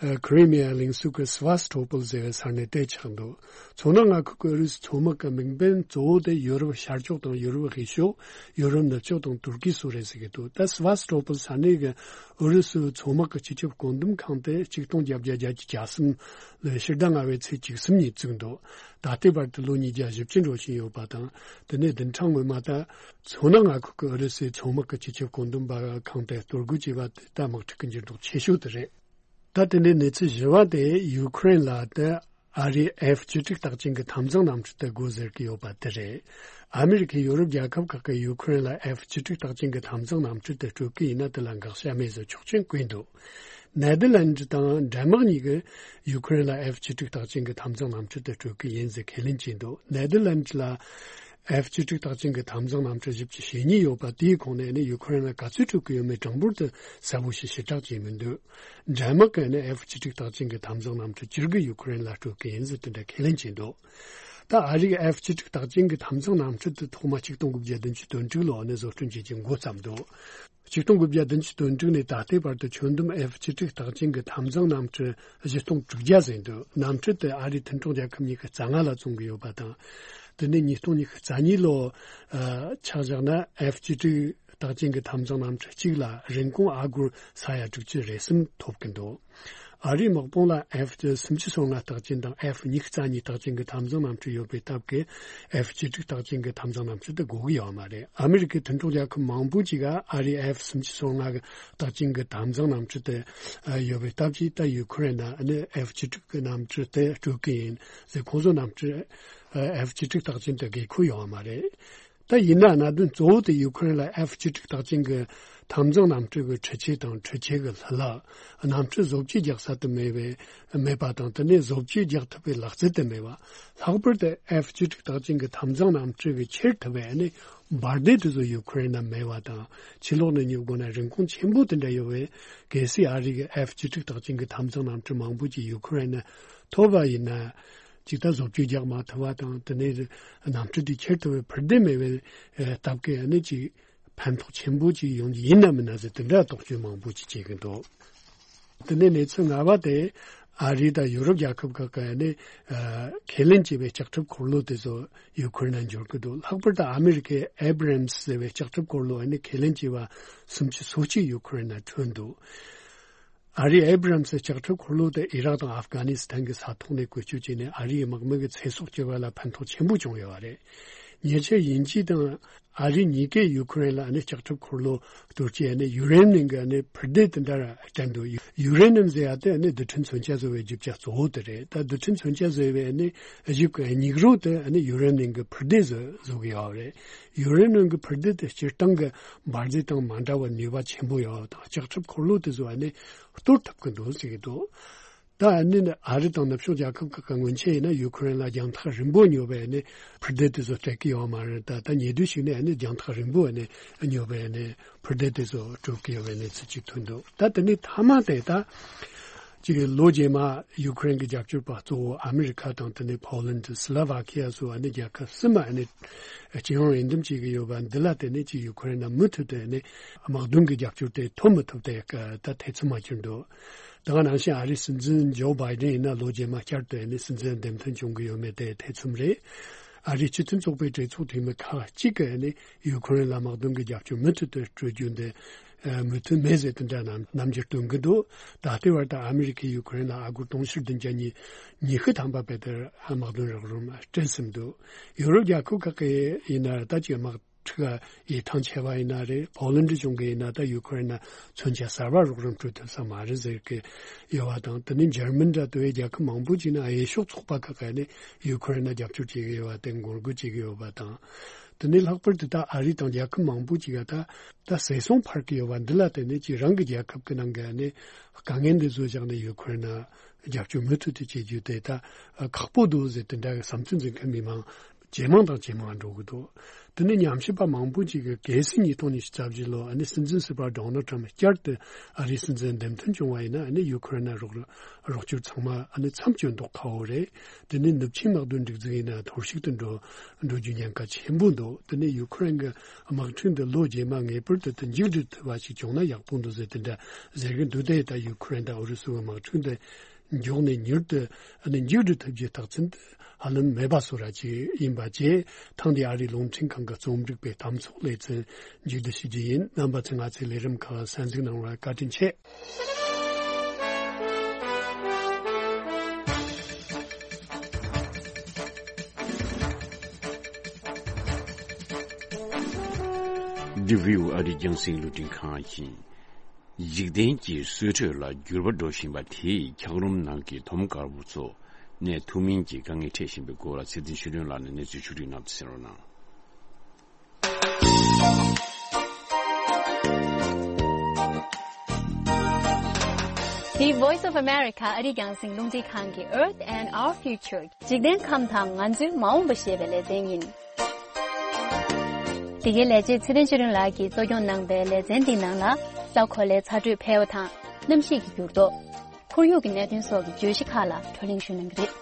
ཨ། ཁི་རི་མི་ཡ་གླིང་ཟུར་གྱི་སི་ཝ་སི་ཊོ་པོལ་ཟེར་བའི་ས་གནས་དེ་ཆགས་འདུག་མཚོ་ནག་མངའ་ཁུལ་གྱི་ཨུ་རུ་སུའི་མཚོ་དམག་གི་དམིགས་འབེན་གཙོ་བོ་དེ་ཡུ་རོབ་ཤར་ཕྱོགས་དང་ཡུ་རོབ་དབུས་ཕྱོགས། ཡུ་རོབ་ནུབ་ཕྱོགས་དང་ཏུར་ཀི་སོགས་རེད་ཟེར་གྱི་འདུག་ད་སི་ཝ་སི་ཊོ་པོལ་ས་གནས་ཀྱི་ཨུ་རུ་སུའི་མཚོ་དམག་གི་སྤྱི་ཁྱབ་བཀོད་འདོམས་ཁང་དེ་ཆིག་སྟོང་བརྒྱད་བརྒྱ་གྱ་གསུམ་ལོའི་ཕྱི་ཟླ་ལྔ་པའི་ཚེས་བཅུ་གསུམ་ཉིན་བཙུགས་འདུག་ད་ལྟའི་བར་དུ་ལོ་ཉིས་བརྒྱ་བཞི་བཅུ་འགྲོ་བཞིན་ཡོད་པ་དང་། དེ་ནས་བདུན་ཕྲག་སྔོན་མ་ད་མཚོ་ནག་མངའ་ཁུལ་གྱི་ཨུ་རུ་སུའི་མཚོ་དམག་གི་སྤྱི་ཁྱབ་བཀོད་འདོམས་པ་ཁང་དེ་གཏོར་རྒོལ་བྱས་པ་དེ་ད་དམག་འཁྲུག་གི་འགྱུར་ལྡོག་ཆེ་ཤོས་དེ་རེད། ད་དེ་ནས་གནས་ཚུལ་བཞི་པ་དེ་ཡུ་ཁུ་རེན་ལ་དེ་ཨ་རིའི་ཨེཕ་བཅུ་དྲུག་རྟགས་ཅན་གྱི་འཐབ་འཛིང་གནམ་གྲུ་དེ་དགོས་ཟེར་གྱི་ཡོད་པ་དེ་རེད། ཨ་མི་རི་ཀས་ཡུ་རོབ་རྒྱལ་ཁབ་ཁག་གིས་ཡུ་ཁུ་རེན་ལ་ཨེཕ་བཅུ་དྲུག་རྟགས་ཅན་གྱི་འཐབ་འཛིང་གནམ་གྲུ་དེ་སྤྲོད་ཀྱི་ཡིན་ན་དེ་ལ་འགག་བྱ་མེད་ཟེར་ཆོག་མཆན་བཀོད་འདུག་ནེ་དར་ལན་ཌི་དང་ཌེན་མག་གཉིས་ཀྱིས་ཡུ་ཁུ་རེན་ལ་ཨེཕ་བཅུ་དྲུག་རྟགས་ཅན་གྱི་འཐབ་འཛིང་གནམ་གྲུ་དེ་སྤྲོད་ཀྱི་ཡིན་ཟེར་ཁས་ལེན་བྱས་འདུག་ནེ་དར་ལན་ཌི་ལ་ཨེཕ་བཅུ་དྲུག་རྟགས་ཅན་གྱི་འཐབ་འཛིང་གནམ་གྲུ་བཞི་བཅུ་ཞེ་གཉིས་ཡོད་པ་དེའི་ཁོངས་ནས་ནི་ཡུ་ཁུ་རེན་ལ་ག་ཚོད་སྤྲོད་ཀྱི་ཡོད་མེད་གྲངས་འབོར་དེ་གསལ་པོ་ཞིག་ཞེ་དྲག་བྱས་མི་འདུག་ཌེན་མག་གིས་ནི་ཨེཕ་བཅུ་དྲུག་རྟགས་ཅན་གྱི་འཐབ་འཛིང་གནམ་གྲུ་བཅུ་དགུ་ཡུ་ཁུ་རེན་ལ་སྤྲོད་ཀྱི་ཡིན་ཟེར་དེ་འདྲ་ཁས་ལེན་བྱས་འདུག་ད་ཨ་རིའི་ཨེཕ་བཅུ་དྲུག་རྟགས་ཅན་གྱི་འཐབ་འཛིང་གནམ་གྲུ་དེ་ཐོག་མ་ཆིག་སྟོང་དགུ་བརྒྱ་བདུན་ཅུ་དོན་དྲུག་ལོ་ནས་བཟོ་སྐྲུན་བྱེད་ཀྱི་འགོ་བརྩམས་འདུག་ཆིག་སྟོང་དགུ་བརྒྱ་བདུན་ཅུ་དོན་དྲུག་ནས་ད་ལྟའི་བར་དུ་ཁྱོན་བསྡོམས་ཨེཕ་བཅུ་དྲུག་རྟགས་ཅན་གྱི་འཐབ་འཛིང་གནམ་གྲུ་བཞི་སྟོང་དྲུག་བརྒྱ་ཟིན་འདུག་གནམ་གྲུ་དེ་ཨ་རིའི་མཐུན་གྲོགས་རྒྱལ་ཁབ་གཉིས་ཀྱིས་རྩ་སྔ་ལ་བཙོང་གི་ཡོད་པ་དང་། དེ་ནས་ཉིས་སྟོང་ཉི་ཤུ་རྩ་གཉིས་ལོ་ཆ་བཞག་ན་ཨེཕ་བཅུ་དྲུག་རྟགས་ཅན་གྱི་འཐབ་འཛིང་གནམ་གྲུ་གཅིག་ལ་རིན་གོང་ཨ་སྒོར་ས་ཡ་དྲུག་ཅུ་རེ་གསུམ་ཐོབ་ཀྱི་འདུག་ཨ་རིའི་དམག་དཔུང་ལ་ཨེཕ་སུམ་ཅུ་སོ་ལྔ་རྟགས་ཅན་དང་ཨེཕ་ཉི་ཤུ་རྩ་གཉིས་རྟགས་ཅན་གྱི་འཐབ་འཛིང་གནམ་གྲུ་ཡོད་པའི་སྟབས་ཀྱིས་ཨེཕ་བཅུ་དྲུག་རྟགས་ཅན་གྱི་འཐབ་འཛིང་གནམ་གྲུ་དེ་དགོས་ཀྱི་ཡོད་མ་རེད། ཨ་མི་རི་ཀའི་མཐུན་གྲོགས་རྒྱལ་ཁབ་མང་པོ་ཅིག་ག་ཨ་རིའི་ཨེཕ་སུམ་ཅུ་སོ་ལྔ་གི་རྟགས་ཅན་གྱི་འཐབ་འཛིང་གནམ་གྲུ་དེ་ཡོད་པའི་སྟབས་ཀྱིས་ད་ཡུ་ཁུ་རེན་ལ་ནི་ཨེཕ་བཅུ་དྲུག་གི་གནམ་གྲུ་དེ་སྤྲོད་ཀྱི་ཡིན་ཟེར། ཁོང་ཚོ་གནམ་གྲུ་ཨེཕ་བཅུ་དྲུག་རྟགས་ཅན་དེ་དགོས་མཁོ་ཡོད་མ་རེད། ད་ཡིན་ན་གནད་དོན་གཙོ་བོ་དེ་ཡུ་ཁུ་རེན་ལ་ཨེཕ་བཅུ་དྲུག་རྟགས་ཅན་གྱི་འཐབ་འཛིང་གནམ་གྲུ་གི་འཕྲུལ་ཆས་དང་འཕྲུལ་ཆས་ཀྱི་ལྷུ་ལག་གནམ་གྲུ་བཟོ་བཅོས་རྒྱག་ས་དེ་མེད་པའི་མེད་པ་དང་། དེ་ནས་བཟོ་བཅོས་རྒྱག་ཐུབ་པའི་ལག་རྩལ་དེ་མེད་པ། ལྷག་པར་དུ་ཨེཕ་བཅུ་དྲུག་རྟགས་ཅན་གྱི་འཐབ་འཛིང་གནམ་གྲུ་གི་འཁྱེར་ཐུབ་པའི་ནི་འབར་མདེལ་དེ་ཚོ་ཡུ་ཁུ་རེན་ལ་མེད་པ་དང་། ཕྱི་ལོགས་ནས་ཉོ་དགོས་ན་རིན་གོང་ཆེན་པོ་དེ་འདྲ་ཡོད་པས། གལ་སྲིད་ཨ་རི་གི་ཨེཕ་བཅུ་དྲུག་རྟགས་ཅན་གྱི་འཐབ་འཛིང་གནམ་གྲུ་མང་པོ་ཅིག་ཡུ་ཁུ་རེན་ནས་ཐོབ་པ་ཡིན་ན། ཅིག་ད་བཟོ་བཅོས་རྒྱག་མ་ཐུབ་པ་དང་། དེ་ནས་གནམ་གྲུ་དེ་འཁྱེར་ཐུབ་པའི་འཕུར་མདེལ་མེད་པའི་སྟབས་ཀྱིས་ནི་ཅིག་ཕན་ཐོགས་ཆེན་པོ་ཅིག་ཡོང་རྒྱུ་ཡིན་ནམ་མིན་ན་ཟེར་དེ་འདྲ་དོགས་གཅོད་མང་པོ་ཅིག་བྱེད་ཀྱི་འདུག་དེ་ནས་གནས་ཚུལ་ལྔ་པ་དེ་ཨ་རི་དང་ཡུ་རོབ་རྒྱལ་ཁབ་ཁག་གིས་ནི་ཁས་ལེན་བྱས་པའི་ལྕགས་ཁྲབ་འཁོར་ལོ་དེ་ཚོ་ཡུ་ཁུ་རེན་ལ་འབྱོར་གྱི་འདུག་ལྷག་པར་དུ་ཨ་མི་རི་ཀའི་ཨེབ་རམ་སི་ཟེར་བའི་ལྕགས་ཁྲབ་འཁོར་ལོ་ནི་ཁས་ལེན་བྱས་པ་སུམ་ཅུ་སོ་གཅིག་ཡུ་ཁུ་རེན་ལ་ཐོན་འདུག་ཨ་རིའི་ཨེབ་རམ་སི་ལྕགས་ཁྲབ་འཁོར་ལོ་དེ་ཨི་རག་དང་ཨབ་གྷ་ནི་སི་ཐན་གྱི་ས་ཐོག་ནས་བཀོལ་སྤྱོད་བྱས་ནས་ཨ་རིའི་དམག་མི་གི་ཚེ་སྲོག་སྐྱོབ་པ་ལ་ཕན་ཐོགས་ཆེན་པོ་བྱུང་ཡོད་པ་རེད། ཉེ་ཆར་དབྱིན་ཇི་དང་ཨ་རི་གཉིས་ཀས་ཡུ་ཁུ་རེན་ལ་ནི་ལྕགས་ཁྲབ་འཁོར་ལོ་གཏོར་སྐྱེལ་ནི་ཡུ་རེ་ནིམ་གྱི་ནི་འཕུར་མདེལ་དེ་འདྲ་སྤྲད་འདུག་ཡུ་རེ་ནིམ་ཟེར་ཡ་དེ་ནི་རྡུལ་ཕྲན་མཚོན་ཆ་བཟོ་བའི་རྒྱུ་ཆ་གཙོ་བོ་དེ་རེད། ད་རྡུལ་ཕྲན་མཚོན་ཆ་བཟོ་བའི་ནི་གཞི་གི་སྙིགས་རོ་དེ་ནི་ཡུ་རེ་ནིམ་གྱི་འཕུར་མདེལ་བཟོ་བཟོ་གི་ཡོད་རེད། ཡུ་རེ་ནིམ་གྱི་འཕུར་མདེལ་དེ་སྤྱིར་བཏང་གི་འབར་རྫས་དང་མ་འདྲ་བར་ནུས་པ་ཆེན་པོ་ཡོད་པ་དང་། ལྕགས་ཁྲབ་འཁོར་ལོ་དེ་ཚོ་ནི་གཏོར་ཐུབ་ཀྱི་འདུག་ཟེར་གྱི་འདུག་ད་ཨ་ནི་ནི་ཨ་རི་དང་ནུབ་ཕྱོགས་རྒྱལ་ཁབ་ཁག་གི་སྔོན་ཆད་ཡིན་ན་ཡུ་ཁུ་རེན་ལ་རྒྱང་ཐག་རིང་པོ་ཉོ་བའི་ནི་འཕུར་མདེལ་དེ་ཚོ་སྤྲད་ཀྱི་ཡོད་མ་རེད། ད་ད་ཉེ་དུས་ཤིག་ནས་ནི་རྒྱང་ཐག་རིང་པོ་ནི་ཉོ་བའི་ནི་འཕུར་མདེལ་དེ་ཚོ་སྤྲོད་ཀྱི་ཡོད་པའི་གནས་ཚུལ་ཅིག་ཐོན་འདུག་ད་དེ་ནི་མཐའ་མ་དེ་ད་ཅིག་ལོ་རྗེས་མ་ཡུ་ཁུ་རེན་གྱི་རྒྱབ་སྐྱོར་པ་གཙོ་བོ་ཨ་མི་རི་ཁ་དང་། དེ་ནི་ཕོ་ལན་ཌི། སི་ལོ་ཝ་ཁི་ཡ་སོགས་ཨ་ནི་རྒྱལ་ཁབ་གསུམ་ཨ་ནི་སྤྱི་ཡོངས་འོས་འདེམས་བྱེད་ཀྱི་ཡོད་པ་འདི་ལ་དེ་ནི་ཅིག་ཡུ་ཁུ་རེན་ལ་མུ་མཐུད་དུ་ནི་དམག་དོན་གྱི་རྒྱབ་སྐྱོར་དེ་ཐོབ་མི་ཐུབ་དེ་ད་ཐེ་ཚོམ་མ་གྱུར་འདུག་ད་ག་ནང་བཞིན་ཨ་རིའི་སྲིད་འཛིན་ཇོ་བྷའི་ཌེན་ཡིན་ན་ལོ་རྗེས་མ་བསྐྱར་དུ་ནི་སྲིད་འཛིན་འདེམས་ཐོན་བྱུང་གི་ཡོད་མེད་དེ་ཐེ་ཚོམ་རེད། ཨ་རིའི་སྤྱི་མཐུན་ཚོགས་པའི་གྲོས་ཚོགས་འཐུས་མི་ཁག་ཅིག་གིས་ནི་ཡུ་ཁུ་རེན་ལ་དམག་དོན་གྱི་རྒྱབ་སྐྱོར་མུ་མཐུད་དུ་སྤྲོད་རྒྱུ་འདི་མོས་མཐུན་མེད་ཟེར་དེ་འདྲ་རྣམས་རྣམ་འགྱུར་སྟོན་གྱི་འདུག་ད་ལྟའི་བར་དུ་ཨ་མི་རི་ཀས་ཡུ་ཁུ་རེན་ལ་ཨ་སྒོར་དུང་ཕྱུར་བདུན་བརྒྱ་ཉི་ཤུ་ཐམ་པ་བེད་དར་དམག་དོན་རོགས་རམ་སྤྲད་ཟིན་འདུག་ཡུ་རོབ་རྒྱལ་ཁབ་ཁག་གི་ཡིན་ན་ད་ཅིག་དམག་འཁྲུག་ཡི་ཐང་ཆད་པ་ཡིན་ན་རེད། ཕོ་ལན་ཌི་གཞུང་གིས་ཡིན་ན་ད་ཡུ་ཁུ་རེན་ལ་མཚོན་ཆ་གསར་པ་རོགས་རམ་སྤྲོད་ཐུབ་ས་མ་རེད་ཟེར་གི་ཡོད་པ་དང་། དེ་ནས་འཇར་མན་འདྲ་དེ་བའི་རྒྱལ་ཁབ་མང་པོ་ཅིག་ནས་འོས་ཤོག་ཚོགས་པ་ཁག་གིས་ནི་ཡུ་ཁུ་རེན་ལ་རྒྱབ་སྐྱོར་བྱེད་ཀྱི་ཡོད་པ་དེ་ངོ་རྒོལ་བྱེད་ཀྱི་ཡོད་པ་དང་། དེ་ནས་ལྷག་པར་དུ་ད་ཨ་རི་དང་རྒྱལ་ཁབ་མང་པོ་ཅིག་ག་ད་ད་ཟས་སོང་འཕར་གྱི་ཡོད་པ་འདི་ལ་བརྟེན་ནས་ཅིག་རང་གི་རྒྱལ་ཁབ་ཀྱི་ནང་གི་ནི་དཀའ་ངལ་འདི་བཟོ་བཞག་ནས་ཡུ་ཁུ་རེན་ལ་རྒྱབ་སྐྱོར་མུ་མཐུད་དུ་བྱེད་རྒྱུ་དེ་ད་ཁག་པོ་འདུག་ཟེར་དེ་འདྲ་གི་བསམ་ཚུལ་འཛིན་མཁན་མི་མང་ཇེ་མང་དང་ཇེ་མང་འགྲོ་གི་འདུག་དེ་ནས་ཉམས་ཞིབ་པ་མང་པོ་ཅིག་གིས་གལ་སྲིད་ཉིས་སྟོང་ཉི་ཤུ་རྩ་བཞི་ལོ་ཨ་ནི་སྲིད་འཛིན་ཟུར་པ་ཌོ་ནལ་ཊམ་བསྐྱར་དུ་ཨ་རིའི་སྲིད་འཛིན་འདེམས་ཐོན་བྱུང་བ་ཡིན་ན་ཨ་ནི་ཡུ་ཁུ་རེན་ལ་རོགས་རོགས་སྐྱོར་ཚང་མ་ཨ་ནི་མཚམས་གཅོད་མདོག་ཁ་པོ་རེད། དེ་ནས་ནུབ་ཆིངས་དམག་དོན་སྒྲིག་འཛུགས་ཡིན་ན་ཐོར་ཞིག་ཏུ་འགྲོ་འགྲོ་རྒྱུ་ཉེན་ཁ་ཆེན་པོ་འདུག་དེ་ནས་ཡུ་ཁུ་རེན་གྱི་དམག་འཁྲུག་འདི་ལོ་རྗེས་མ་ངེས་པར་དུ་དེ་མཇུག་སྒྲིལ་ཐུབ་པ་ཞིག་བྱུང་ན་ཡག་པོ་འདུག་ཟེར་དེ་འདྲ་ཟེར་གྱི་འདུག་དེ་ད་ཡུ་ཁུ་རེན་དང་ཨུ་རུ་སུ་གི་དམག་འཁྲུག་འདི་མགྱོགས་ནས་མྱུར་དུ་ཨ་ནི་མཇུག་སྒྲིལ་ཐུབ་རྒྱུའི་རྟགས་མཚན་དེ་ཧ་ལམ་མེད་པ་བཟོ་འདྲ་ཅིག་ཡིན་པ་བཅས། ཐེངས་འདིའི་ཨ་རིའི་རླུང་འཕྲིན་ཁང་གི་རྩོམ་སྒྲིག་པའི་གཏམ་ཚོགས་ལེ་ཚན་མཇུག་བསྡུ་ཞུ་རྒྱུ་ཡིན། རྣམ་པ་ཚོས་ང་ཚོའི་ལས་རིམ་ཁག་གསན་གཟིགས་གནང་བར་བཀའ་དྲིན་ཆེ། འདི་བྷི་ཨོ་ཨེ་ཨ་རིའི་རྒྱང་སྲིང་རླུང་འཕྲིན་ཁང་ཡིན། འཇིག་རྟེན་གྱི་གསོལ་ཁྲོད་ལ་འགྱུར་བ་འགྲོ་བཞིན་པ་དེས་འཁྱགས་རོམ་ནང་གི་དོམ་དཀར་པོ་ཚོ་གནས་ཐུབ་མིན་གྱི་དཀའ་ངལ་འཕྲད་བཞིན་པའི་སྐོར་ལ་ཚེ་བརྟན་ཆོས་སྒྲོན་ལགས་ནས་གནས་ཚུལ་ཕྱོགས་བསྒྲིགས་གནང་དུ་གསན་རོགས་གནང་། The Voice of America ཨ་རིའི་རྒྱང་སྲིང་རླུང་འཕྲིན་ཁང་གི Earth and Our Future འཇིག་རྟེན་ཁམས་དང་ང་ཚོའི་མ་འོངས་པ་ཞེས་པའི་ལེ་ཚན་ཡིན། འདི་གའི་ལས་བྱེད་ཚེ་བརྟན་ཆོས་སྒྲོན་ལགས་ཀྱིས་གཙོ་སྐྱོང་གནང་པའི་ལེ་ཚན་འདིའི་ནང་ལ་ས་གོ་ལའི་ཚ་དྲོད་འཕེལ་བ་དང་གནམ་གཤིས་ཀྱི་འགྱུར་ལྡོག་ཁོར་ཡུག་གི་གནད་དོན་སོགས་ཀྱི་བརྗོད་གཞི་ཁག་ལ་བགྲོ་གླེང་ཞུ་གནང་གི་རེད།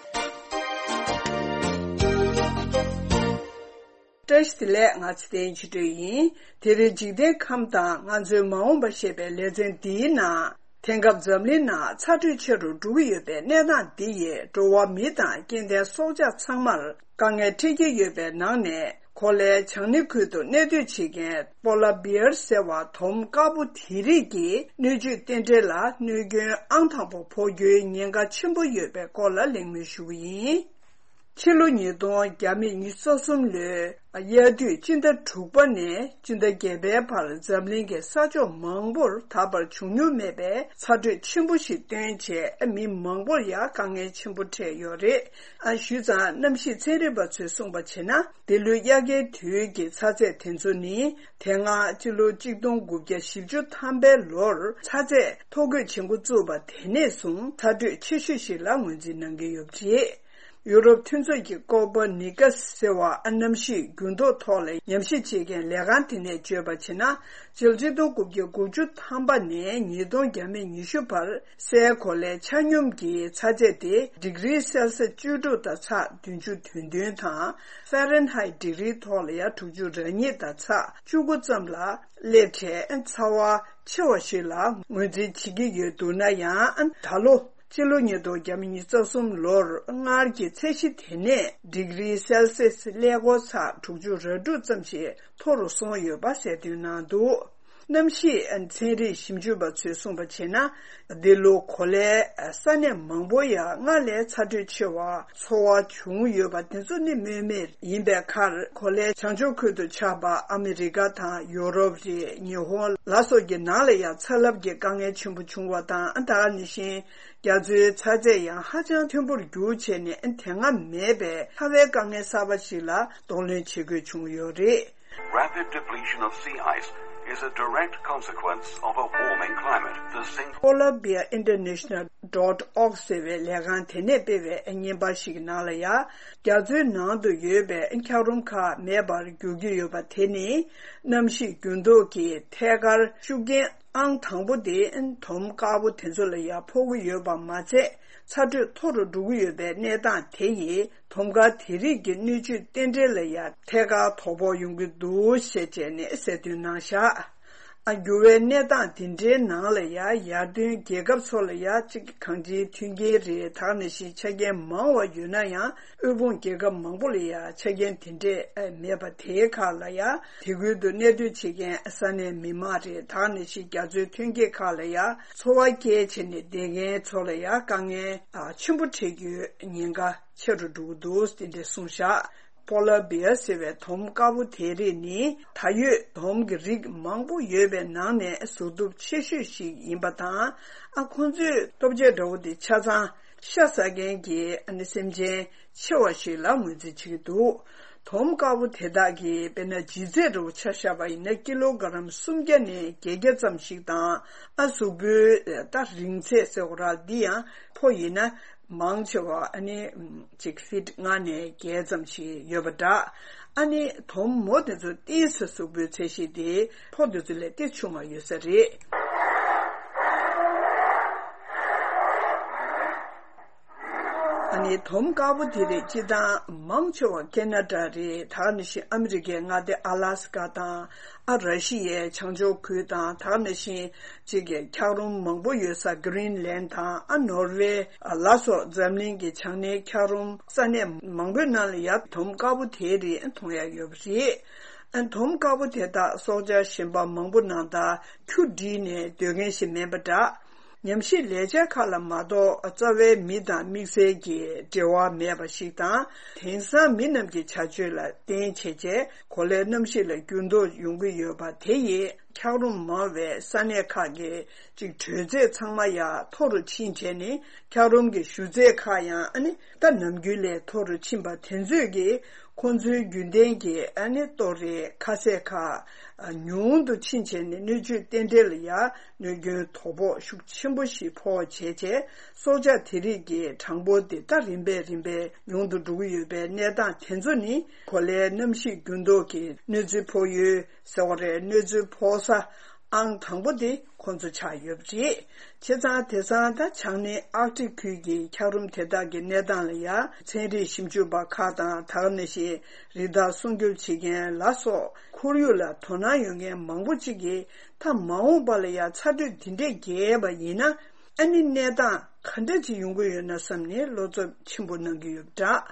བཀྲ་ཤིས་བདེ་ལེགས། ང་ཚེ་བརྟན་ཆོས་སྒྲོན་ཡིན། དེ་རིང་འཇིག་རྟེན་ཁམས་དང་ང་ཚོའི་མ་འོངས་པ་ཞེས་པའི་ལེ་ཚན་འདིའི་ནང་། དེང་སྐབས་འཛམ་གླིང་ནང་ཚ་དྲོད་ཆེ་རུ་འགྲོ་གི་ཡོད་པའི་གནས་སྟངས་འདི་ཡིས་འགྲོ་བ་མི་དང་སྐྱེ་ལྡན་སྲོག་ཆགས་ཚང་མར་དཀའ་ངལ་འཕྲད་ཀྱི་ཡོད་པའི་ནང་ནས། གོ་ལའི་བྱང་སྣེ་ཁུལ་དུ་གནས་སྡོད་བྱེད་མཁན་པོ་ལ་བེར་ཟེར་བ་དོམ་དཀར་པོ་དེ་རིགས་ཀྱི་སྣོད་བཅུད་རྟེན་འབྲེལ་ལ་གནོད་སྐྱོན་ཨང་དང་པོ་ཕོག་རྒྱུའི་ཉེན་ཁ་ཆེན་པོ་ཡོད་པའི་སྐོར་ལ་གླེང་མོལ་ཞུ་གི་ཡིན། ཕྱི་ལོ་ཉིས་སྟོང་བརྒྱ་མེད་ཉི་ཤུ་རྩ་གསུམ་ལོའི་དབྱར་དུས་སྤྱི་ཟླ་དྲུག་པ་ནས་སྤྱི་ཟླ་བརྒྱད་པའི་བར་འཛམ་གླིང་གི་ས་ཕྱོགས་མང་པོར་ད་བར་བྱུང་མྱོང་མེད་པའི་ཚ་དྲོད་ཆེན་པོ་ཞིག་བཏོན་བྱས། མི་མང་པོར་ཡང་དཀའ་ངལ་ཆེན་པོ་འཕྲད་ཡོད་རེད། ཨ། ཞུས་ཙང་གནམ་གཤིས་ཚན་རིག་པ་ཚོས་གསུངས་པ་བྱས་ན། འདི་ལོའི་དབྱར་ཁའི་དུས་ཀྱི་ཚ་ཚད་དེ་ཚོ་ནི། དེ་སྔ་སྤྱི་ལོ་གཅིག་སྟོང་དགུ་བརྒྱ་བཞི་བཅུ་ཐམ་པའི་ལོར་ཚ་ཚད་ཐོ་འགོད་བྱེད་འགོ་བཙུགས་པ་དེ་ནས་བཟུང་ཚ་དྲོད་ཆེ་ཤོས་ཤིག་ལ་ངོས་འཛིན་གནང་གི་ཡོད་པ་རེད། ཡུ་རོབ་མཐུན་ཚོགས་ཀྱི་ཀོ་པར་ནི་ཀ་ཟེར་བ། ཨ། གནམ་གཤིས་འགྱུར་ལྡོག་ཐོག་ལ་ཉམས་ཞིབ་བྱེད་མཁན་ལས་ཁང་དེ་ནས་བརྗོད་པར་བྱས་ན། སྤྱི་ལོ་གཅིག་སྟོང་དགུ་བརྒྱ་དགུ་བཅུ་ཐམ་པ་ནས་ཉིས་སྟོང་བརྒྱ་མེད་ཉི་ཤུ་བར་སའི་གོ་ལའི་ཆ་སྙོམས་ཀྱི་ཚ་ཚད་དེ་ཌི་གི་རི་སེལ་སི་བཅུ་དྲུག་དང་ཚེག་བདུན་ཅུ་དོན་བདུན་དང་། ཧྥ་རན་ཧའེ་ཌི་གི་རིའི་ཐོག་ལ་ཡང་དྲུག་ཅུ་རེ་གཉིས་དང་ཚེག་བཅུ་དགུ་ཙམ་ལ་སླེབས་བྱས། ཚ་བ་ཆེ་བ་ཞིག་ལ་ངོས་འཛིན་བྱེད་ཀྱི་ཡོད་འདུག་ན་ཡང་། ད་ལོ་སྤྱི་ལོ་ཉིས་སྟོང་བརྒྱ་མེད་ཉི་ཤུ་རྩ་གསུམ་ལོར་སྔར་གྱི་ཚད་གཞི་དེ་ནས་ཌི་གི་རི་སེལ་སི་སླེབས་འགོར་ཚེག་དྲུག་ཅུ་རེ་དྲུག་ཙམ་ཞིག་མཐོ་རུ་སོང་ཡོད་པ་གསལ་སྟོན་གནང་འདུག་གནམ་གཤིས་ཚན་རིག་ཞིབ་འཇུག་པ་ཚོས་གསུངས་པ་བྱས་ན། འདི་ལོ་གོ་ལའི་ས་གནས་མང་པོ་ཡང་སྔར་ལས་ཚ་དྲོད་ཆེ་བ། ཚོར་བ་བྱུང་ཡོད་པ་དེ་ཚོ་ནི་སྨོས་མེད་ཡིན་པའི་ཁར། གོ་ལའི་བྱང་ཕྱོགས་ཁུལ་དུ་ཆགས་པ་ཨ་མི་རི་ཀ་དང་ཡོ་རོབ་རེད། ཉི་ཧོང་ལ་སོགས་ཀྱི་ནང་ལ་ཡང་ཚ་རླབས་ཀྱི་དཀའ་ངལ་ཆེན་པོ་བྱུང་བ་དང་། ད་ག་ནང་བཞིན་རྒྱ་མཚོའི་ཚ་ཚད་ཡང་ཧ་ཅང་མཐོན་པོར་རྒྱུག་བྱས་ནས། དེ་སྔ་མེད་པའི་ཚ་བའི་དཀའ་ངལ་གསར་པ་ཞིག་ལ་གདོང་ལེན་བྱེད་དགོས་བྱུང་ཡོད་རེད། Rapid depletion of sea ice is a direct consequence of a warming climate. The sink Polar Bear International dot org ཟེར་བའི་ལས་ཁང་དེ་ནས་སྤེལ་བའི་བརྙན་པར་ཞིག་གི་ནང་ལ་ཡང་། རྒྱ་མཚོའི་ནང་དུ་ཡོད་པའི་འཁྱགས་རོམ་ཁག་མེད་པར་འགྱུར་གྱི་ཡོད་པ་དེ་ནི། གནམ་གཤིས་འགྱུར་ལྡོག་གི་ཐད་ཀར་ཤུགས་རྐྱེན་ཨང་དང་པོ་དེ་དོམ་དཀར་པོ་དེ་ཚོ་ལ་ཡང་ཕོག་གི་ཡོད་པ་མ་ཚད། ཚ་དྲོད་མཐོ་རུ་འགྲོ་གི་ཡོད་པའི་གནས་སྟངས་དེ་ཡིས་དོམ་དཀར་དེ་རིགས་ཀྱི་སྣོད་བཅུད་རྟེན་འབྲེལ་ལ་ཡང་ཐད་ཀར་དོ་ཕོག་ཡོང་གི་འདུག་ཞེས་བྱས་ནས་གསལ་སྟོན་གནང་བཞག་ཨ། འགྱུར་བའི་གནས་སྟངས་དེ་འདྲའི་ནང་ལ་ཡ། ཡར་ཐོན་རྒྱལ་ཁབ་ཚོ་ལ་ཡ་གཅིག་གང་ཅིའི་མཐུན་རྐྱེན་རེད། ད་ག་ནང་བཞིན་ཆ་རྐྱེན་མང་བ་ཡོད་ན་ཡང་། དབུལ་ཕོངས་རྒྱལ་ཁབ་མང་པོ་ལ་ཡ་ཆ་རྐྱེན་དེ་འདྲས་མེད་པ། དེའི་ཁག་ལ་ཡ་དེ་ཁུལ་དུ་གནས་སྡོད་བྱེད་མཁན་ས་གནས་མི་མང་རེད། ད་ག་ནང་བཞིན་རྒྱ་མཚོའི་ཐོན་སྐྱེད་ཁག་ལ་ཡ་འཚོ་བ་སྐྱེལ་བྱས་ནས་བསྡད་མཁན་ཚོ་ལ་ཡ་དཀའ་ངལ་ཆེན་པོ་འཕྲད་རྒྱུའི་ཉེན་ཁ་ཆེ་རུ་འགྲོ་གི་འདུག། དེ་འདྲས་གསུངས་བཞག། པོ་ལར་བེར་ཟེར་བའི་དོམ་དཀར་པོ་དེ་རིགས་ནི་ད་ཡོད་དོམ་གྱི་རིགས་མང་པོ་ཡོད་པའི་ནང་ནས་གཟུགས་སྟོབས་ཆེ་ཤོས་ཤིག་ཡིན་པ་དང་། ཨ། ཁོང་ཚོའི་ལྟོ་ཆས་འདྲ་བོ་དེ་ཆ་ཚང་ཤ་ཟ་མཁན་གྱི། ཨ་ནི། སེམས་ཅན་ཆེ་བ་ཞིག་ལ་ངོས་འཛིན་བྱེད་ཀྱི་འདུག། དོམ་དཀར་པོ་དེ་དག་གི་དཔེར་ན་ལྗིད་ཚད་འདྲ་བོ་ཆ་བཞག་པ་ཡིན་ན་ཀི་ལོ་ག་རམ་སུམ་བརྒྱ་ནས་བརྒྱད་བརྒྱ་ཙམ་ཞིག་དང་། ཨ། གཟུགས་པོའི་ད་རིང་ཚད་ཟེར་བ་ར། འདི་ཡང་ཕོ་ཡིན་ན། མང་ཆེ་བ་ཨ་ནི་ཅིག་ཕིཊ་ལྔ་ནས་བརྒྱད་ཙམ་ཞིག་ཡོད་པ་འདྲ། ཨ་ནི་དོམ་མོ་དེ་ཚོ་ཏོག་ཙམ་གཟུགས་པོའི་ཚད་གཞི་དེ་ཕོ་དེ་ཚོ་ལས་ཏོག་ཙམ་ཆུང་བ་ཡོད་ས་རེད། ཨ་ནི་དོམ་དཀར་པོ་དེ་རིགས་སྤྱིར་བཏང་མང་ཆེ་བ་ཁེ་ན་ཌ་རེད། ད་ག་ནང་བཞིན་ཨ་མི་རི་ཀའི་མངའ་སྡེ་ཨ་ལ་སི་ཀ་དང་། ཨ། ར་ཤི་ཡའི་བྱང་ཕྱོགས་ཁུལ་དང་། ད་ག་ནང་བཞིན་གཅིག་གི་འཁྱགས་རོམ་མང་པོ་ཡོད་ས་གྷི་རིན་ལན་དང་། ཨ། ནོར་ཝེ་ལ་སོགས་འཛམ་གླིང་གི་བྱང་སྣེའི་འཁྱགས་རོམ་ས་གནས་མང་པོའི་ནང་ལ་ཡ་དོམ་དཀར་པོ་དེའི་རིགས་མཐོང་ཡ་ཡོད་པ་རེད། ཨ། དོམ་དཀར་པོ་དེ་དག་སྲོག་ཆགས་གཞན་པ་མང་པོ་ནང་ལྟར་ཁྱུ་བསྒྲིགས་ནས་སྡོད་མཁན་ཞིག་མིན་པ་འདྲ། ཉམས་ཞིབ་ལས་འཆར་ཁག་ལ་མ་གཏོགས་རྩ་བའི་མི་དང་དམིགས་བསལ་གྱི་འབྲེལ་བ་མེད་པ་ཞིག་དང་། དེང་སང་མི་རྣམས་ཀྱི་བྱ་སྤྱོད་ལ་བརྟེན་བྱས་བྱས་གོ་ལའི་གནམ་གཤིས་ལ་འགྱུར་ལྡོག་ཡོང་གི་ཡོད་པ་དེ་ཡིས། འཁྱགས་རོམ་མང་བའི་ས་གནས་ཁག་གི་ཅིག་དྲོད་ཚད་ཚང་མ་ཡར་མཐོ་རུ་ཕྱིན་བྱས་ནས། འཁྱགས་རོམ་གྱི་ཞུ་ཚད་ཁག་ཡང་ཨ་ནི་ད་ནམ་རྒྱུན་ལས་མཐོ་རུ་ཕྱིན་པ་དེ་ཚོས་ཀྱིས་ཁོང་ཚོའི་རྒྱུན་ལྡན་གྱི་ཨ་ནི་ལྟོ་རའི་ཁ་ཟས་ཁག་ཉུང་དུ་ཕྱིན་བྱས་ནས་སྣོད་བཅུད་རྟེན་འབྲེལ་ལ་ཡང་གནོད་སྐྱོན་དོ་ཕོག་ཤུགས་ཆེན་པོ་ཞིག་ཕོག་བྱས་བྱས། སྲོག་ཆགས་དེ་རིགས་ཀྱི་གྲངས་འབོར་དེ་ད་རིམ་པས་རིམ་པས་ཉུང་དུ་འགྲོ་གི་ཡོད་པའི་གནས་སྟངས་དེ་ཚོ་ནི་གོ་ལའི་གནམ་གཤིས་འགྱུར་ལྡོག་གི་གནོད་འཚེ་ཕོག་ཡུལ་ཟེར་བ་རེད། གནོད་འཚེ་ཕོག་ས་ཨང་དང་པོ་དེ་ཁོང་ཚོ་ཆགས་ཡོད་པ་རེད། བྱས་ཙང་དེང་སང་ད་བྱང་སྣེ་ཨར་ཀ་ཊིག་ཁུལ་གྱི་འཁྱགས་རོམ་དེ་དག་གི་གནས་སྟངས་ལ་ཡང་ཚན་རིག་ཞིབ་འཇུག་པ་ཁག་དང་། ད་ག་ནང་བཞིན་རི་དྭགས་སྲུང་སྐྱོབ་བྱེད་མཁན་ལ་སོགས་ཁོར་ཡུག་ལ་དོ་སྣང་ཡོད་མཁན་མང་པོ་ཅིག་གིས་ད་མ་འོངས་པ་ལ་ཡང་ཚ་དྲོད་འདི་འདྲས་རྒྱས་པ་ཡིན་ན། ཨ་ནི་གནས་སྟངས་ག་འདྲ་ཅིག་ཡོང་གི་ཡོད་ན་བསམ་ནས་བློ་འཚབ་ཆེན་པོ་གནང་གི་ཡོད་པ་འདྲ།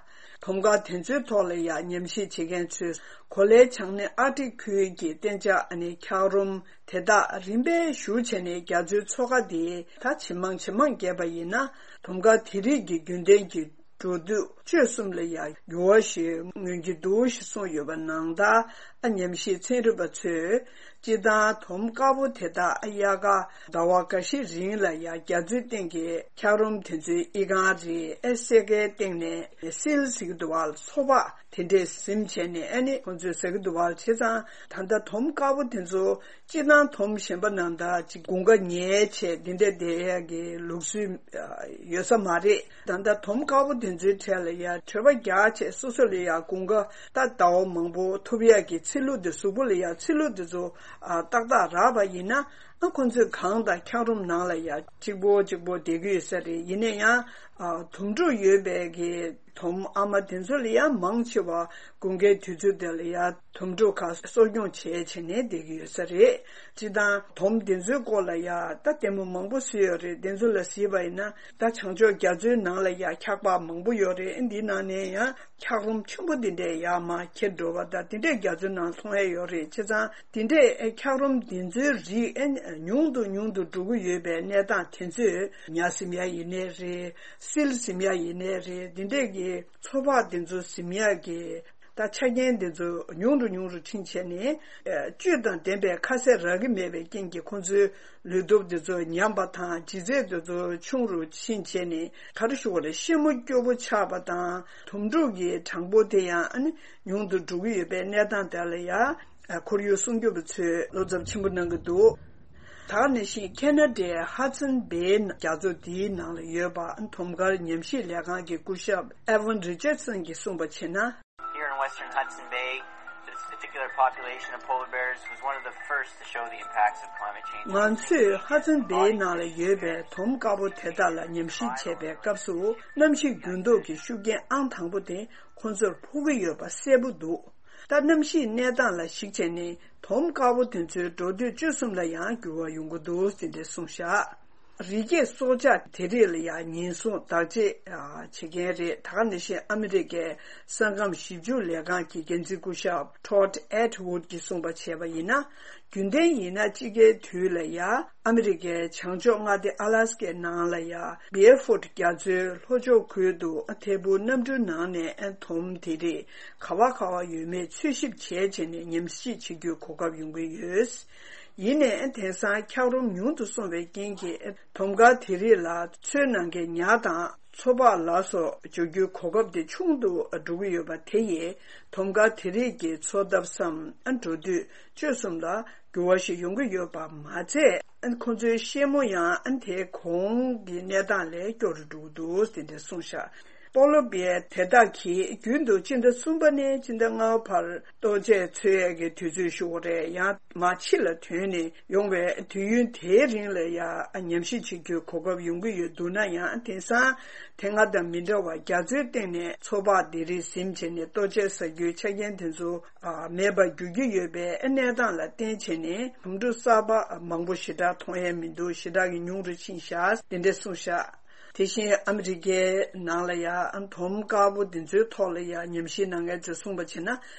དོམ་དཀར་དེ་ཚོའི་ཐོག་ལ་ཡང་ཉམས་ཞིབ་བྱེད་མཁན་ཚོས་གོ་ལའི་བྱང་སྣེ་ཨར་ཀ་ཊིག་ཁུལ་གྱི་གཏན་འཇགས་ཨ་ནི་འཁྱགས་རོམ་དེ་དག་རིམ་པས་ཞུ་བྱས་ནས། རྒྱ་མཚོའི་མཚོ་ཁ་དེ་ད་ཇེ་མང་ཇེ་མང་རྒྱས་པ་ཡིན་ན། དོམ་དཀར་དེ་རིགས་ཀྱི་རྒྱུན་ལྡན་གྱི་འགྲོ་དུས་སྤྱོད་གསུམ་ལ་ཡང་འགྱུར་བ་ཞིག་མངོན་གྱི་འདུག་ཞེས་གསུངས་ཡོད་པ་ནང་ལྟར། ཨ། ཉམས་ཞིབ་ཚན་རིག་པ་ཚོས་སྤྱིར་བཏང་དོམ་དཀར་པོ་དེ་དག་དབྱར་ཁ་ཟླ་བ་འགའ་ཤས་རིང་ལ་ཡང་རྒྱ་མཚོའི་སྟེང་གི་འཁྱགས་རོམ་དེ་ཚོའི་ཨི་ཁང་རེད། ཨེ། སེར་ཁའི་སྟེང་ནས་སིལ་ཟེར་གྱི་འདུག་བ། ཚོ་ཕག་དེ་འདྲས་ཟིན་བྱས་ནས་ཨ་ནི་ཁོང་ཚོས་ཟ་གི་འདུག་བ། བྱས་ཙང་ད་ལྟ་དོམ་དཀར་པོ་དེ་ཚོ་སྤྱིར་བཏང་དོམ་གཞན་པ་ནང་ལྟར་ཅིག་དགུན་ཁ་ཉལ་བྱས་འདི་འདྲས་བསྡད་ཡག་གི་ལུགས་སྲོལ་ཡོད་ས་མ་རེད། ད་ལྟ་དོམ་དཀར་པོ་དེ་ཚོའི་གྲས་ལ་ཡང་གྲོད་པ་རྒྱགས་བྱས་སོ་སོ་ལ་ཡང་དགུན་ཁ་ད་ཟླ་བ་མང་པོ་ཐུབ་ཡག་གི་ཚིལ་ལུ་དེ། གཟུགས་པོ་ལ་ཡང་ཚིལ་ལུ་དེ་ཚོ་ཨ་ཏག་ཏག་རག་པ་ཡིན་ན། ཨ། ཁོང་ཚོས་གངས་དང་འཁྱགས་རོམ་ནང་ལ་ཡང་གཅིག་པོ་གཅིག་པོ་བསྡད་ཀྱི་ཡོད་ས་རེད། ཡིན་ན་ཡང་ཨ་དོམ་ཕྲུག་ཡོད་པའི་གི་དོམ་ཨ་མ་དེ་ཚོ་ལ་ཡང་མང་ཆེ་བ་དགུན་ཁའི་དུས་ཚོད་དེ་ལ་ཡང་དོམ་ཕྲུག་ཁག་གསོ་སྐྱོང་བྱས་བྱས་ནས་བསྡད་ཀྱི་ཡོད་ས་རེད། སྤྱིར་བཏང་དོམ་དེ་ཚོའི་སྐོར་ལ་ཡང་ད་ལྟད་མོ་མང་པོ་བཟོས་ཡོད་རེད། དེ་ཚོ་ལ་གཟིགས་པ་ཡིན་ན། ད་བྱང་ཕྱོགས་རྒྱ་མཚོའི་ནང་ལ་ཡང་འཁྱགས་པ་མང་པོ་ཡོད་རེད། འདིའི་ནང་ནས་ཡང་འཁྱགས་རོམ་ཆེན་པོ་འདི་འདྲས་ཡར་མར་འཁྱེར་འགྲོ་བ་དང་། དེ་འདྲས་རྒྱ་མཚོའི་ནང་མཐོང་ཡ་ཡོད་རེད། བྱས་ཙང་དེ་འདྲས་འཁྱགས་རོམ་འདི་ཚོའི་རིགས་ཨེ་ཉུང་དུ་ཉུང་དུ་འགྲོ་གི་ཡོད་པའི་གནས་སྟངས་དེ་ཚོས། ཉ་ཟིན་ཡ་ཡིན་ནའི་རེད། སིལ་ཟིན་ཡ་ཡིན་ནའི་རེད། འདི་འདྲས་ཀྱི་ཚོ་ཕག་འདི་ཚོ་ཟིན་ཡ་གི། ད་ཆ་རྐྱེན་འདི་ཚོ་ཉུང་རུ་ཉུང་རུ་ཕྱིན་བྱས་ནས། ཨ། བཅུད་དང་ལྡན་པའི་ཁ་ཟས་རག་གི་མེད་པའི་རྐྱེན་གྱིས་ཁོང་ཚོའི་ལུས་སྟོབས་འདི་ཚོ་ཉམས་པ་དང་། ལྗིད་ཚད་འདི་ཚོ་ཆུང་རུ་ཕྱིན་བྱས་ནས། ག་རེ་ཞུ་དགོས་རེད། ཤི་མོ་སྐྱོ་པོ་ཆགས་པ་དང་། དོམ་ཕྲུག་གི་གྲངས་འབོར་དེ་ཡང་ཨ་ནི་ཉུང་དུ་འགྲོ་གི་ཡོད་པའི་གནས་སྟངས་དེ་ལ་ཡང་། ཨ། ཁོར་ཡུག་སྲུང་སྐྱོབ་པ་ཚོས་བློ་འཚབ་ཆེན་པོ་གནང་གི་འདུག། ད་ག་ནང་བཞིན་ཁེ་ན་ཌའི་ཧ་ཙན་བེའི་རྒྱ་མཚོ་འདིའི་ནང་ལ་ཡོད་པ་དོམ་དཀར་ཉམས་ཞིབ་ལས་ཁང་གི་སྐུ་ཞབས་ཨེ་ཝན་རི་ཅར་སན་གྱིས་གསུངས་པ་བྱས་ན། Here in western Hudson Bay, this particular population of polar bears was one of the first to show the impacts of climate change on the ང་ཚོས་ཧ་ཙན་བེའི་ནང་ལ་ཡོད་པའི་དོམ་དཀར་པོ་དེ་དག་ལ་ཉམས་ཞིབ་བྱས་པའི་སྐབས་སུ། གནམ་གཤིས་འགྱུར་ལྡོག་གི་ཤུགས་རྐྱེན་ཨང་དང་པོ་དེ་ཁོང་ཚོར་ཕོག་གི་ཡོད་པ་གསལ་པོ་འདུག། ད་གནམ་གཤིས་གནས་སྟངས་ལ་གཞིགས་བྱས་ནས་དོམ་དཀར་པོ་དེ་ཚོའི་འགྲོ་དུས་བཅུ་གསུམ་ལ་ཡང་འགྱུར་བ་ཡོང་གི་འདུག་ཟེར་ཏེ་གསུངས་བཞག་རི་སྐྱེས་སྲོག་ཆགས་དེ་རིགས་ལ་ཡང་ཉེན་སྲུང་བདག་གཅེས་བྱེད་མཁན་རེད། ད་ག་ནང་བཞིན་ཨ་མི་རི་ཀའི་ས་ཁམས་ཞིབ་འཇུག་ལས་ཁང་གི་འགན་འཛིན་སྐུ་ཞབས་Todd Attwood གྱིས་གསུངས་པ་བྱས་པ་ཡིན་ན། རྒྱུན་ལྡན་ཡིན་ན་དཔྱིད་ཀའི་དུས་ལ་ཡ་ཨ་མི་རི་ཀའི་བྱང་ཕྱོགས་མངའ་སྡེ་ཨ་ལ་སི་ཀའི་ནང་ལ་ཡ་Barefoot རྒྱ་མཚོའི་ལྷོ་ཕྱོགས་ཁུལ་དུ་ཐད་འཕུར་གནམ་གྲུའི་ནང་ནས་དོམ་དེ་རིགས་ག་བ་ག་བ་ཡོད་མེད་འཚོལ་ཞིབ་བྱས་བྱས་ནས་ཉམས་ཞིབ་བྱེད་རྒྱུའི་གོ་སྐབས་ཡོང་གི་ཡོད། ཡིན་ནའི་དེང་སང་འཁྱགས་རོམ་ཉུང་དུ་སོང་བའི་རྐྱེན་གྱིས་དོམ་དཀར་དེ་རིགས་ལ་མཚོའི་ནང་གི་ཉ་དང་མཚོ་འབག་ལ་སོགས་འབྱོར་རྒྱུའི་གོ་སྐབས་དེ་ཆུང་དུ་འགྲོ་གི་ཡོད་པ་དེ་ཡིས་དོམ་དཀར་དེ་རིགས་ཀྱི་འཚོ་ཐབས་སམ་འགྲོ་དུས་སྤྱོད་གསུམ་ལ་འགྱུར་བ་ཞིག་ཡོང་གི་ཡོད་པ་མ་ཚད། ཁོ་ཚོའི་ཤེད་མོ་ཡང་དེའི་གོང་གི་གནས་སྟངས་ལས་སྐྱོ་རུ་འགྲོ་གི་འདུག་ཟེར་ཏེ་གསུངས་ཤག་སྤོ་ལོ་བེ་དེ་དག་གིས་རྒྱུན་དུ་སྤྱི་ཟླ་གསུམ་པ་ནས་སྤྱི་ཟླ་ལྔ་པ་བར་ལྟོ་ཆས་འཚོལ་ཡས་ཀྱི་དུས་ཚོད་ཞུ་བ་རེད། ཡང་མར་ཕྱི་ལ་ཐོན་ནས་ཡོང་བའི་དུས་ཡུན་དེའི་རིང་ལ་ཡང་ཉམས་ཞིབ་བྱེད་རྒྱུའི་གོ་སྐབས་ཡོང་གི་ཡོད་འདུག་ན་ཡང་། དེང་སང་དེ་སྔ་དང་མི་འདྲ་བར་རྒྱ་མཚོའི་སྟེང་ནས་མཚོ་འབག་སྡེ་རིགས་ཟིན་བྱས་ནས་ལྟོ་ཆས་ཟ་རྒྱུའི་ཆ་རྐྱེན་དེ་ཚོ་མེད་པར་འགྱུར་གྱི་ཡོད་པའི་གནས་སྟངས་ལ་བརྟེན་བྱས་ནས་དོམ་ཕྲུག་གསར་པ་མང་པོ་ཞེ་དྲག་མཐོང་ཡས་མི་འདུག་ཞེ་དྲག་གི་ཉུང་རུ་ཕྱིན་ཤག་དེ་འདྲས་གསུངས་ཤག་དེ་བཞིན་ཨ་མི་རི་ཀའི་ནང་ལ་ཡང་དོམ་དཀར་པོ་འདི་ཚོའི་ཐོག་ལ་ཡང་ཉམས་ཞིབ་གནང་མཁན་ཚོས་གསུངས་པ་བྱས་ན།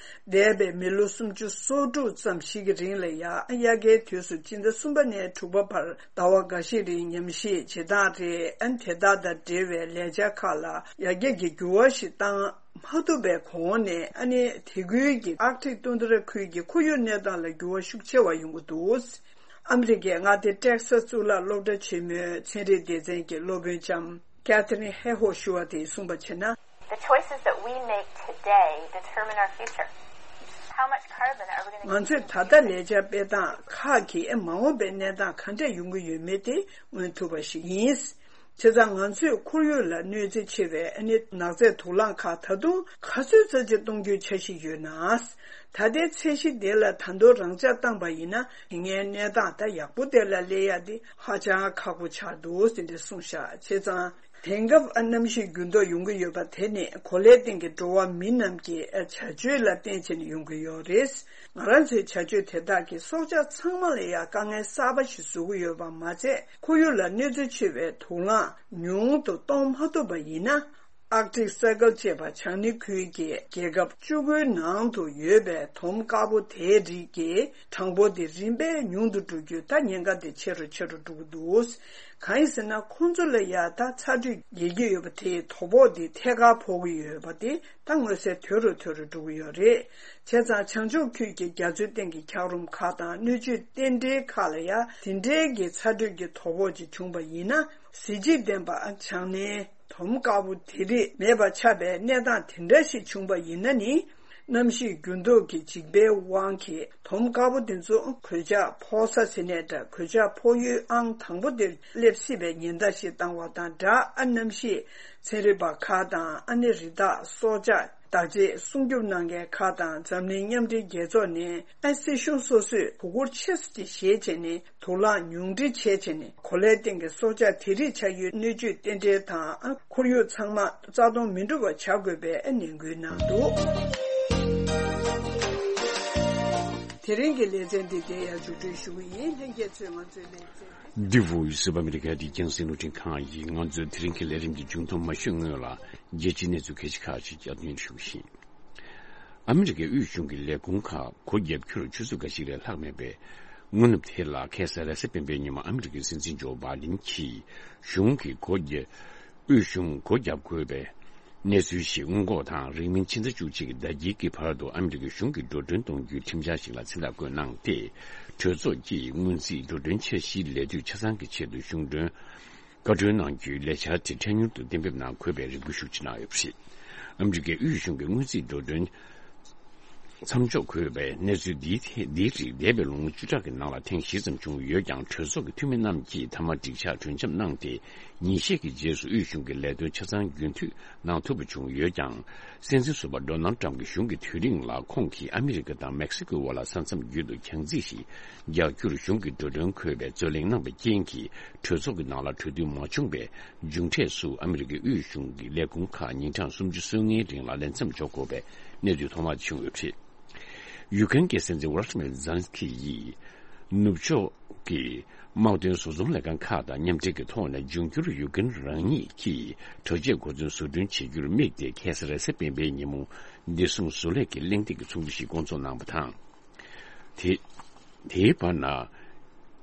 འདས་པའི་མི་ལོ་སུམ་ཅུ་སོ་དྲུག་ཙམ་ཞིག་གི་རིང་ལ་ཡང་དབྱར་ཁའི་དུས་སུ་སྤྱི་ཟླ་གསུམ་པ་ནས་དྲུག་པ་བར་ཟླ་བ་འགའ་ཤས་རིང་ཉམས་ཞིབ་བྱེད་སྟངས་རེད། དེ་དག་དང་འབྲེལ་བའི་ལས་འཆར་ཁག་ལ་ཡར་རྒྱས་ཀྱི་འགྱུར་བ་ཞིག་བཏང་མ་ཐུབ་པའི་གོང་ནས། ཨ་ནི་དེ་ཁུལ་གྱི་ཨར་ཀ་ཊིག་ཏུན་དྲ་ཁུལ་གྱི་ཁོར་ཡུག་གནས་སྟངས་ལ་འགྱུར་བ་ཤུགས་ཆེ་བ་ཡོང་གི་འདུག་ཨ་མི་རི་ཀའི་མངའ་སྡེ་ཏེག་སཱ་གཙུག་ལག་སློབ་གྲྭ་ཆེན་མོའི་ཚན་རིག་སྡེ་ཚན་གྱི་སློབ་དཔོན་ལྕམ་Katherine Hayhoe ཞུ་བ་དེས་གསུངས་པ་བྱས་ན། The choices that we make today determine our future. How much carbon are we going to ང་ཚོས་ད་ལྟ་ལས་འཆར་སྤེལ་སྟངས་ཁག་གིས་མ་འོངས་པའི་གནས་སྟངས་ག་འདྲས་ཡོང་གི་ཡོད་མེད་དེ་མངོན་ཐུབ་པ་ཞིག་ཡིན། བྱས་ཙང་ང་ཚོས་ཁོར་ཡུག་ལ་གནོད་འཚེ་ཆེ་བའི་ཨ་ནི་ནག་རྫས་དུག་རླངས་ཁག་ད་དུང་ག་ཚོད་ཙམ་ཅིག་གཏོང་རྒྱུའི་འཆར་གཞི་ཡོད་ན། ད་ལྟའི་ཚད་གཞི་དེ་ལ་ད་དུང་རང་འཇགས་བཏང་པ་ཡིན་ན། དེ་སྔའི་གནས་སྟངས་ད་ཡག་པོ་དེ་ལ་སླེབས་ཡ་དེ་ཧ་ཅང་ཁག་པོ་ཆགས་འདུག་ཟེར་འདྲ་གསུངས་ཤག་བྱས་ཙང་དེང་སྐབས་ཨ་གནམ་གཤིས་འགྱུར་ལྡོག་ཡོང་གི་ཡོད་པ་དེ་ནི་གོ་ལའི་སྟེང་གི་འགྲོ་བ་མི་རྣམས་ཀྱི་བྱ་སྤྱོད་ལ་བརྟེན་བྱས་ནས་ཡོང་གི་ཡོད་རེད། ང་རང་ཚོའི་བྱ་སྤྱོད་དེ་དག་གིས་སྲོག་ཆགས་ཚང་མ་ལ་ཡང་དཀའ་ངལ་གསར་པ་ཞིག་བཟོ་གི་ཡོད་པ་མ་ཚད། ཁོར་ཡུག་ལ་གནོད་འཚེ་ཆེ་བའི་དུག་རླངས་ཉུང་དུ་གཏོང་མ་ཐུབ་པ་ཡིན་ན། ཨར་ཀ་ཊིག་སར་ཀལ་ཅེས་པ་བྱང་སྣེ་ཁུལ་གྱི་རྒྱལ་ཁབ་བཅུ་དགུའི་ནང་དུ་ཡོད་པའི་དོམ་དཀར་པོ་དེའི་རིགས་ཀྱི་གྲངས་འབོར་དེ་རིམ་པས་ཉུང་དུ་འགྲོ་རྒྱུའི་ད་ཉེན་ཁ་དེ་ཆེ་རུ་ཆེ་རུ་འགྲོ་གི་འདུག་གང་ཡིན་ཟེར་ན། ཁོང་ཚོ་ལ་ཡ་ད་ཚ་དྲོད་རྒྱག་གི་ཡོད་པ་དེའི་དོ་ཕོག་དེ་ཐད་ཀར་ཕོག་གི་ཡོད་པ་དེ་ད་མངོན་གསལ་དོད་རུ་དོད་རུ་འགྲོ་གི་ཡོད་རེད། བྱས་ཙང་བྱང་ཕྱོགས་ཁུལ་གྱི་རྒྱ་མཚོའི་སྟེང་གི་འཁྱགས་རོམ་ཁག་དང་སྣོད་བཅུད་རྟེན་འབྲེལ་ཁག་ལ་ཡ་དེ་འདྲའི་གི་ཚ་དྲོད་ཀྱི་དོ་ཕོག་ཅིག་བྱུང་པ་ཡིན་ན། གཟི་བརྗིད་ལྡན་པ་བྱང་སྣེའི་དོམ་དཀར་པོ་དེ་རིགས་མེད་པ་ཆགས་པའི་གནས་སྟངས་དེ་འདྲ་ཞིག་བྱུང་པ་ཡིན་ན་ནི། གནམ་གཤིས་འགྱུར་ལྡོག་གི་འཇིགས་པའི་དབང་གིས་དོམ་དཀར་པོ་དེ་ཚོ་གོད་ཆག་ཕོག་ས་ཟེར་ནའི་འདྲ། གོད་ཆག་ཕོག་ཡུལ་ཨང་དང་པོ་དེར་སླེབས་སྲིད་པའི་ཉེན་བརྡ་ཞིག་བཏང་བ་དང་སྦྲགས། ཨ་གནམ་གཤིས་ཚན་རིག་པ་ཁག་དང་ཨ་ནི་རི་དྭགས་སྲོག་ཆགས་བདག་གཅེས་སྲུང་སྐྱོབ་གནང་མཁན་ཁག་དང་འཛམ་གླིང་མཉམ་འབྲེལ་རྒྱལ་ཚོགས་ནས་ཨ་སྲིད་གཞུང་སོ་སོས་དོ་ཁུར་ཆེ་ས་ཅིག་བཞེས་བྱས་ནས། དུག་རླངས་ཉུང་འཕྲི་བྱས་བྱས་ནས་གོ་ལའི་སྟེང་གི་སྲོག་ཆགས་དེ་རིགས་ཆགས་ཡུལ་སྣོད་བཅུད་རྟེན་འབྲེལ་དང་ཁོར་ཡུག་ཚང་མ་རྩ་སྟོང་མི་འགྲོ་བ་བྱ་དགོས་པའི་ནན་སྐུལ་གནང་འདུག་དེ་རིང་གི་ལེ་ཚན་འདི་འདིར་ཡང་མཇུག་སྒྲིལ་ཞུ་གི་ཡིན། ལྷན་རྒྱས་ཚོས་ང་ཚོའི་ལེ་ཚན་འདི། འདི་བོ་ཡི་སུ་བ་མི་རི་ཀ་དེ་རྒྱང་སྲིང་རླུང་འཕྲིན་ཁང་ཡིན། ང་ཚོའི་དེ་རིང་གི་ལས་རིམ་གྱི་མཇུག་མཐོང་མ་ཞུས་སྔོན་ལ། རྒྱལ་སྤྱིའི་གནས་ཚུལ་ཁ་ཤས་ཁག་ཅིག་བསྐྱར་ཟློས་ཞུ་གི་ཡིན། ཨ་མི་རི་ཀའི་དབུས་གཞུང་གི་ལས་ཁུངས་ཁག་སྒོ་བརྒྱབ་ཁྱོན་ཆུ་ཚོད་འགའ་ཞིག་ལས་ལྷག་མེད་པའི་སྔོན་ལ། དེ་ལ་ཁ་སང་རེས་གཟའ་སྤེན་པའི་ཉིན་མོ་ཨ་མི་རི་ཀའི་སྲིད་འཛིན་ཇོ་བྷའི་ཌེན་གྱིས་གཞུང་གི་སྒོ་བརྒྱབ། དབུས་གཞུང་སྒོ་བརྒྱབ་དགོས་པའི་གནས་ཚུལ་ཞིག་སྔོན་འགོག་དང་། རིང་མིན་ཕྱི་ཟླ་བཅུ་གཅིག་གི་ཟླ་དཀྱིལ་གྱི་བར་དུ་ཨ་མི་རི་ཀའི་གཞུང་གིས་འགྲོ་གྲོན་གཏོང་རྒྱུའི་ཁྲིམས་འཆར་ཞིག་ལ་མཚན་རྟགས་བཀོད་གནང་སྟེ། གྲོས་ཚོགས་ཀྱིས་སྔོན་རྩིས་འགྲོ་གྲོན་འཆར་གཞིའི་ལས་དུས་ཆ་ཚང་གི་ཆེད་དུ་གཞུང་གྲོན་བཀའ་འཁྲོལ་གནང་རྒྱུའི་ལས་འཆར་དེ་འཕྲལ་མྱུར་དུ་གཏན་འབེབས་གནང་དགོས་པའི་རེ་སྐུལ་ཤུགས་ཆེ་གནང་ཡོད་པ་རེད། ཨ་མི་རི་ཀའི་དབུས་གཞུང་གི་སྔོན་རྩིས་འགྲོ་གྲོན་མཚམས་འཇོག་དགོས་པའི་གནས་ཚུལ་འདིའི་ཐད། འདིའི་རིགས་འདས་པའི་ལོ་ངོ་བཅུ་ཕྲག་གི་ནང་ལ་ཐེངས་བཞི་ཙམ་བྱུང་ཡོད་ཀྱང་། གྲོས་ཚོགས་ཀྱི་འཐུས་མི་རྣམས་ཀྱིས་མཐའ་མ་འགྲིག་ཆགས་གྲོས་འཆམ་གནང་སྟེ། ཉིན་ཤས་ཀྱི་རྗེས་སུ་དབུས་གཞུང་གི་ལས་དོན་ཆ་ཚང་རྒྱུན་མཐུད་གནང་ཐུབ་པ་བྱུང་ཡོད་ཀྱང་། སྲིད་འཛིན་ཟུར་པ་ཌོ་ནལ་ཊམ་གྱི་གཞུང་གི་དུས་རིང་ལ་ཁོང་གིས་ཨ་མི་རི་ཀ་དང་མེག་སི་ཀོའི་དབར་ལ་ས་མཚམས་བརྒྱུད་དུ་རྒྱང་རྩིས་ཤིག་རྒྱག་རྒྱུར་གཞུང་གི་འགྲོ་གྲོན་འཁོལ་བའི་རྩོད་གླེང་གནང་བའི་རྐྱེན་གྱིས། གྲོས་ཚོགས་ཀྱི་ནང་ལ་གྲོས་མཐུན་མ་བྱུང་བའི་མཇུག་འབྲས་སུ། ཨ་མི་རི་ཀའི་དབུས་གཞུང་གི་ལས་ཁུངས་ཁག་ཉིན་གྲངས་སུམ་ཅུ་སོ་ལྔའི་རིང་ལ་ལས་མཚམས་འཇོག་དགོས་པའི་གནས་ཚུལ་ཐོག་མར་བྱུང་ཡོད་པ་རེད། ཡུ་ཀེན་གྱི་སྲིད་འཛིན་ཝ་ལ་ཏི་མིར་ཛེ་ལན་སི་ཁི་ཡིས་ནུབ་ཕྱོགས་ཀྱི་དམག་དོན་བཟོ་ཚོང་ལས་ཁང་ཁག་དང་མཉམ་འབྲེལ་གྱི་ཐོག་ནས་འབྱུང་འགྱུར་ཡུ་ཀེན་རང་ཉིད་ཀྱིས་དྲག་ཆས་གོ་མཚོན་བཟོ་སྐྲུན་བྱེད་རྒྱུར་དམིགས་ཏེ། ཁ་སང་རེས་གཟའ་སྤེན་པའི་ཉིན་མོ་བདེ་སྲུང་བཟོ་ལས་ཀྱི་གླེང་སྟེགས་ཀྱི་ཚོགས་འདུ་ཞིག་བསྐོང་ཚོགས་གནང་བ་དང་། དེ། དེའི་བར་ན།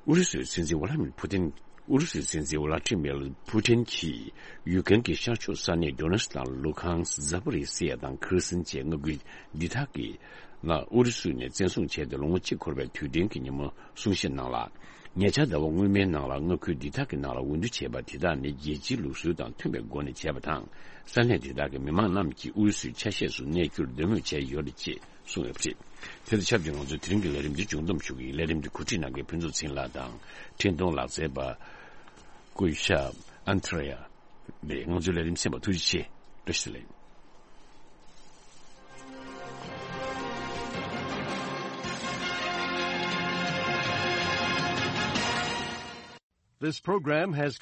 ཨུ་རུ་སུའི་སྲིད་འཛིན་ཝ་ལ་མིར་ཕུ་ཏིན། ཨུ་རུ་སུའི་སྲིད་འཛིན་ཝ་ལ་ཏི་མིར་ཕུ་ཏིན་གྱིས་ཡུ་ཀེན་གྱི་ཤར་ཕྱོགས་ས་གནས་ཌོ་ནེ་སི་དང་ལུ་ཁང་། ཛ་པོ་རི་སི་ཡ་དང་ཁེར་སོན་བཅས་མངའ་ཁུལ་འདི་དག་གི་ནང་ཨུ་རུ་སུ་ནས་བཙན་བཟུང་བྱས་ཏེ་ལོ་ངོ་གཅིག་འཁོར་བའི་དུས་དྲན་གྱི་ཉིན་མོ་གསུང་བཤད་ནང་ལ། ཉེ་ཆར་ཟླ་བ་སྔོན་མའི་ནང་ལ་མངའ་ཁུལ་འདི་དག་གི་ནང་ལ་འོས་བསྡུ་བྱས་པ་དེ་དག་ནི་རྒྱལ་སྤྱིའི་ལུགས་སྲོལ་དང་མཐུན་པའི་སྒོ་ནས་བྱས་པ་དང་། ས་གནས་དེ་དག་གི་མི་མང་རྣམས་ཀྱིས་ཨུ་རུ་སུའི་ཆ་ཤས་སུ་གནས་རྒྱུར་འདོད་མོས་བྱས་ཡོད་རེད་ཅེས་གསུངས་ཡོད་པ་རེད། དེ་དང་ཆབས་ཅིག་ང་ཚོའི་དེ་རིང་གི་ལས་རིམ་འདི་མཇུག་བསྡོམས་ཞུ་གི་ཡིན། ལས་རིམ་འདི་གོ་སྒྲིག་གནང་མཁན་ཕུན་ཚོགས་ཚེ་རིང་ལགས་དང་། འཕྲིན་གཏོང་ལག་རྩལ་པ་སྐུ་ཞབས་ཨན་ཐྲེ་ཡ་རེད། ང་ཚོའི་ལས་རིམ་གསན་པར་ཐུགས་རྗེ་ཆེ། བཀྲ་ཤིས་བདེ་ལེགས། This program has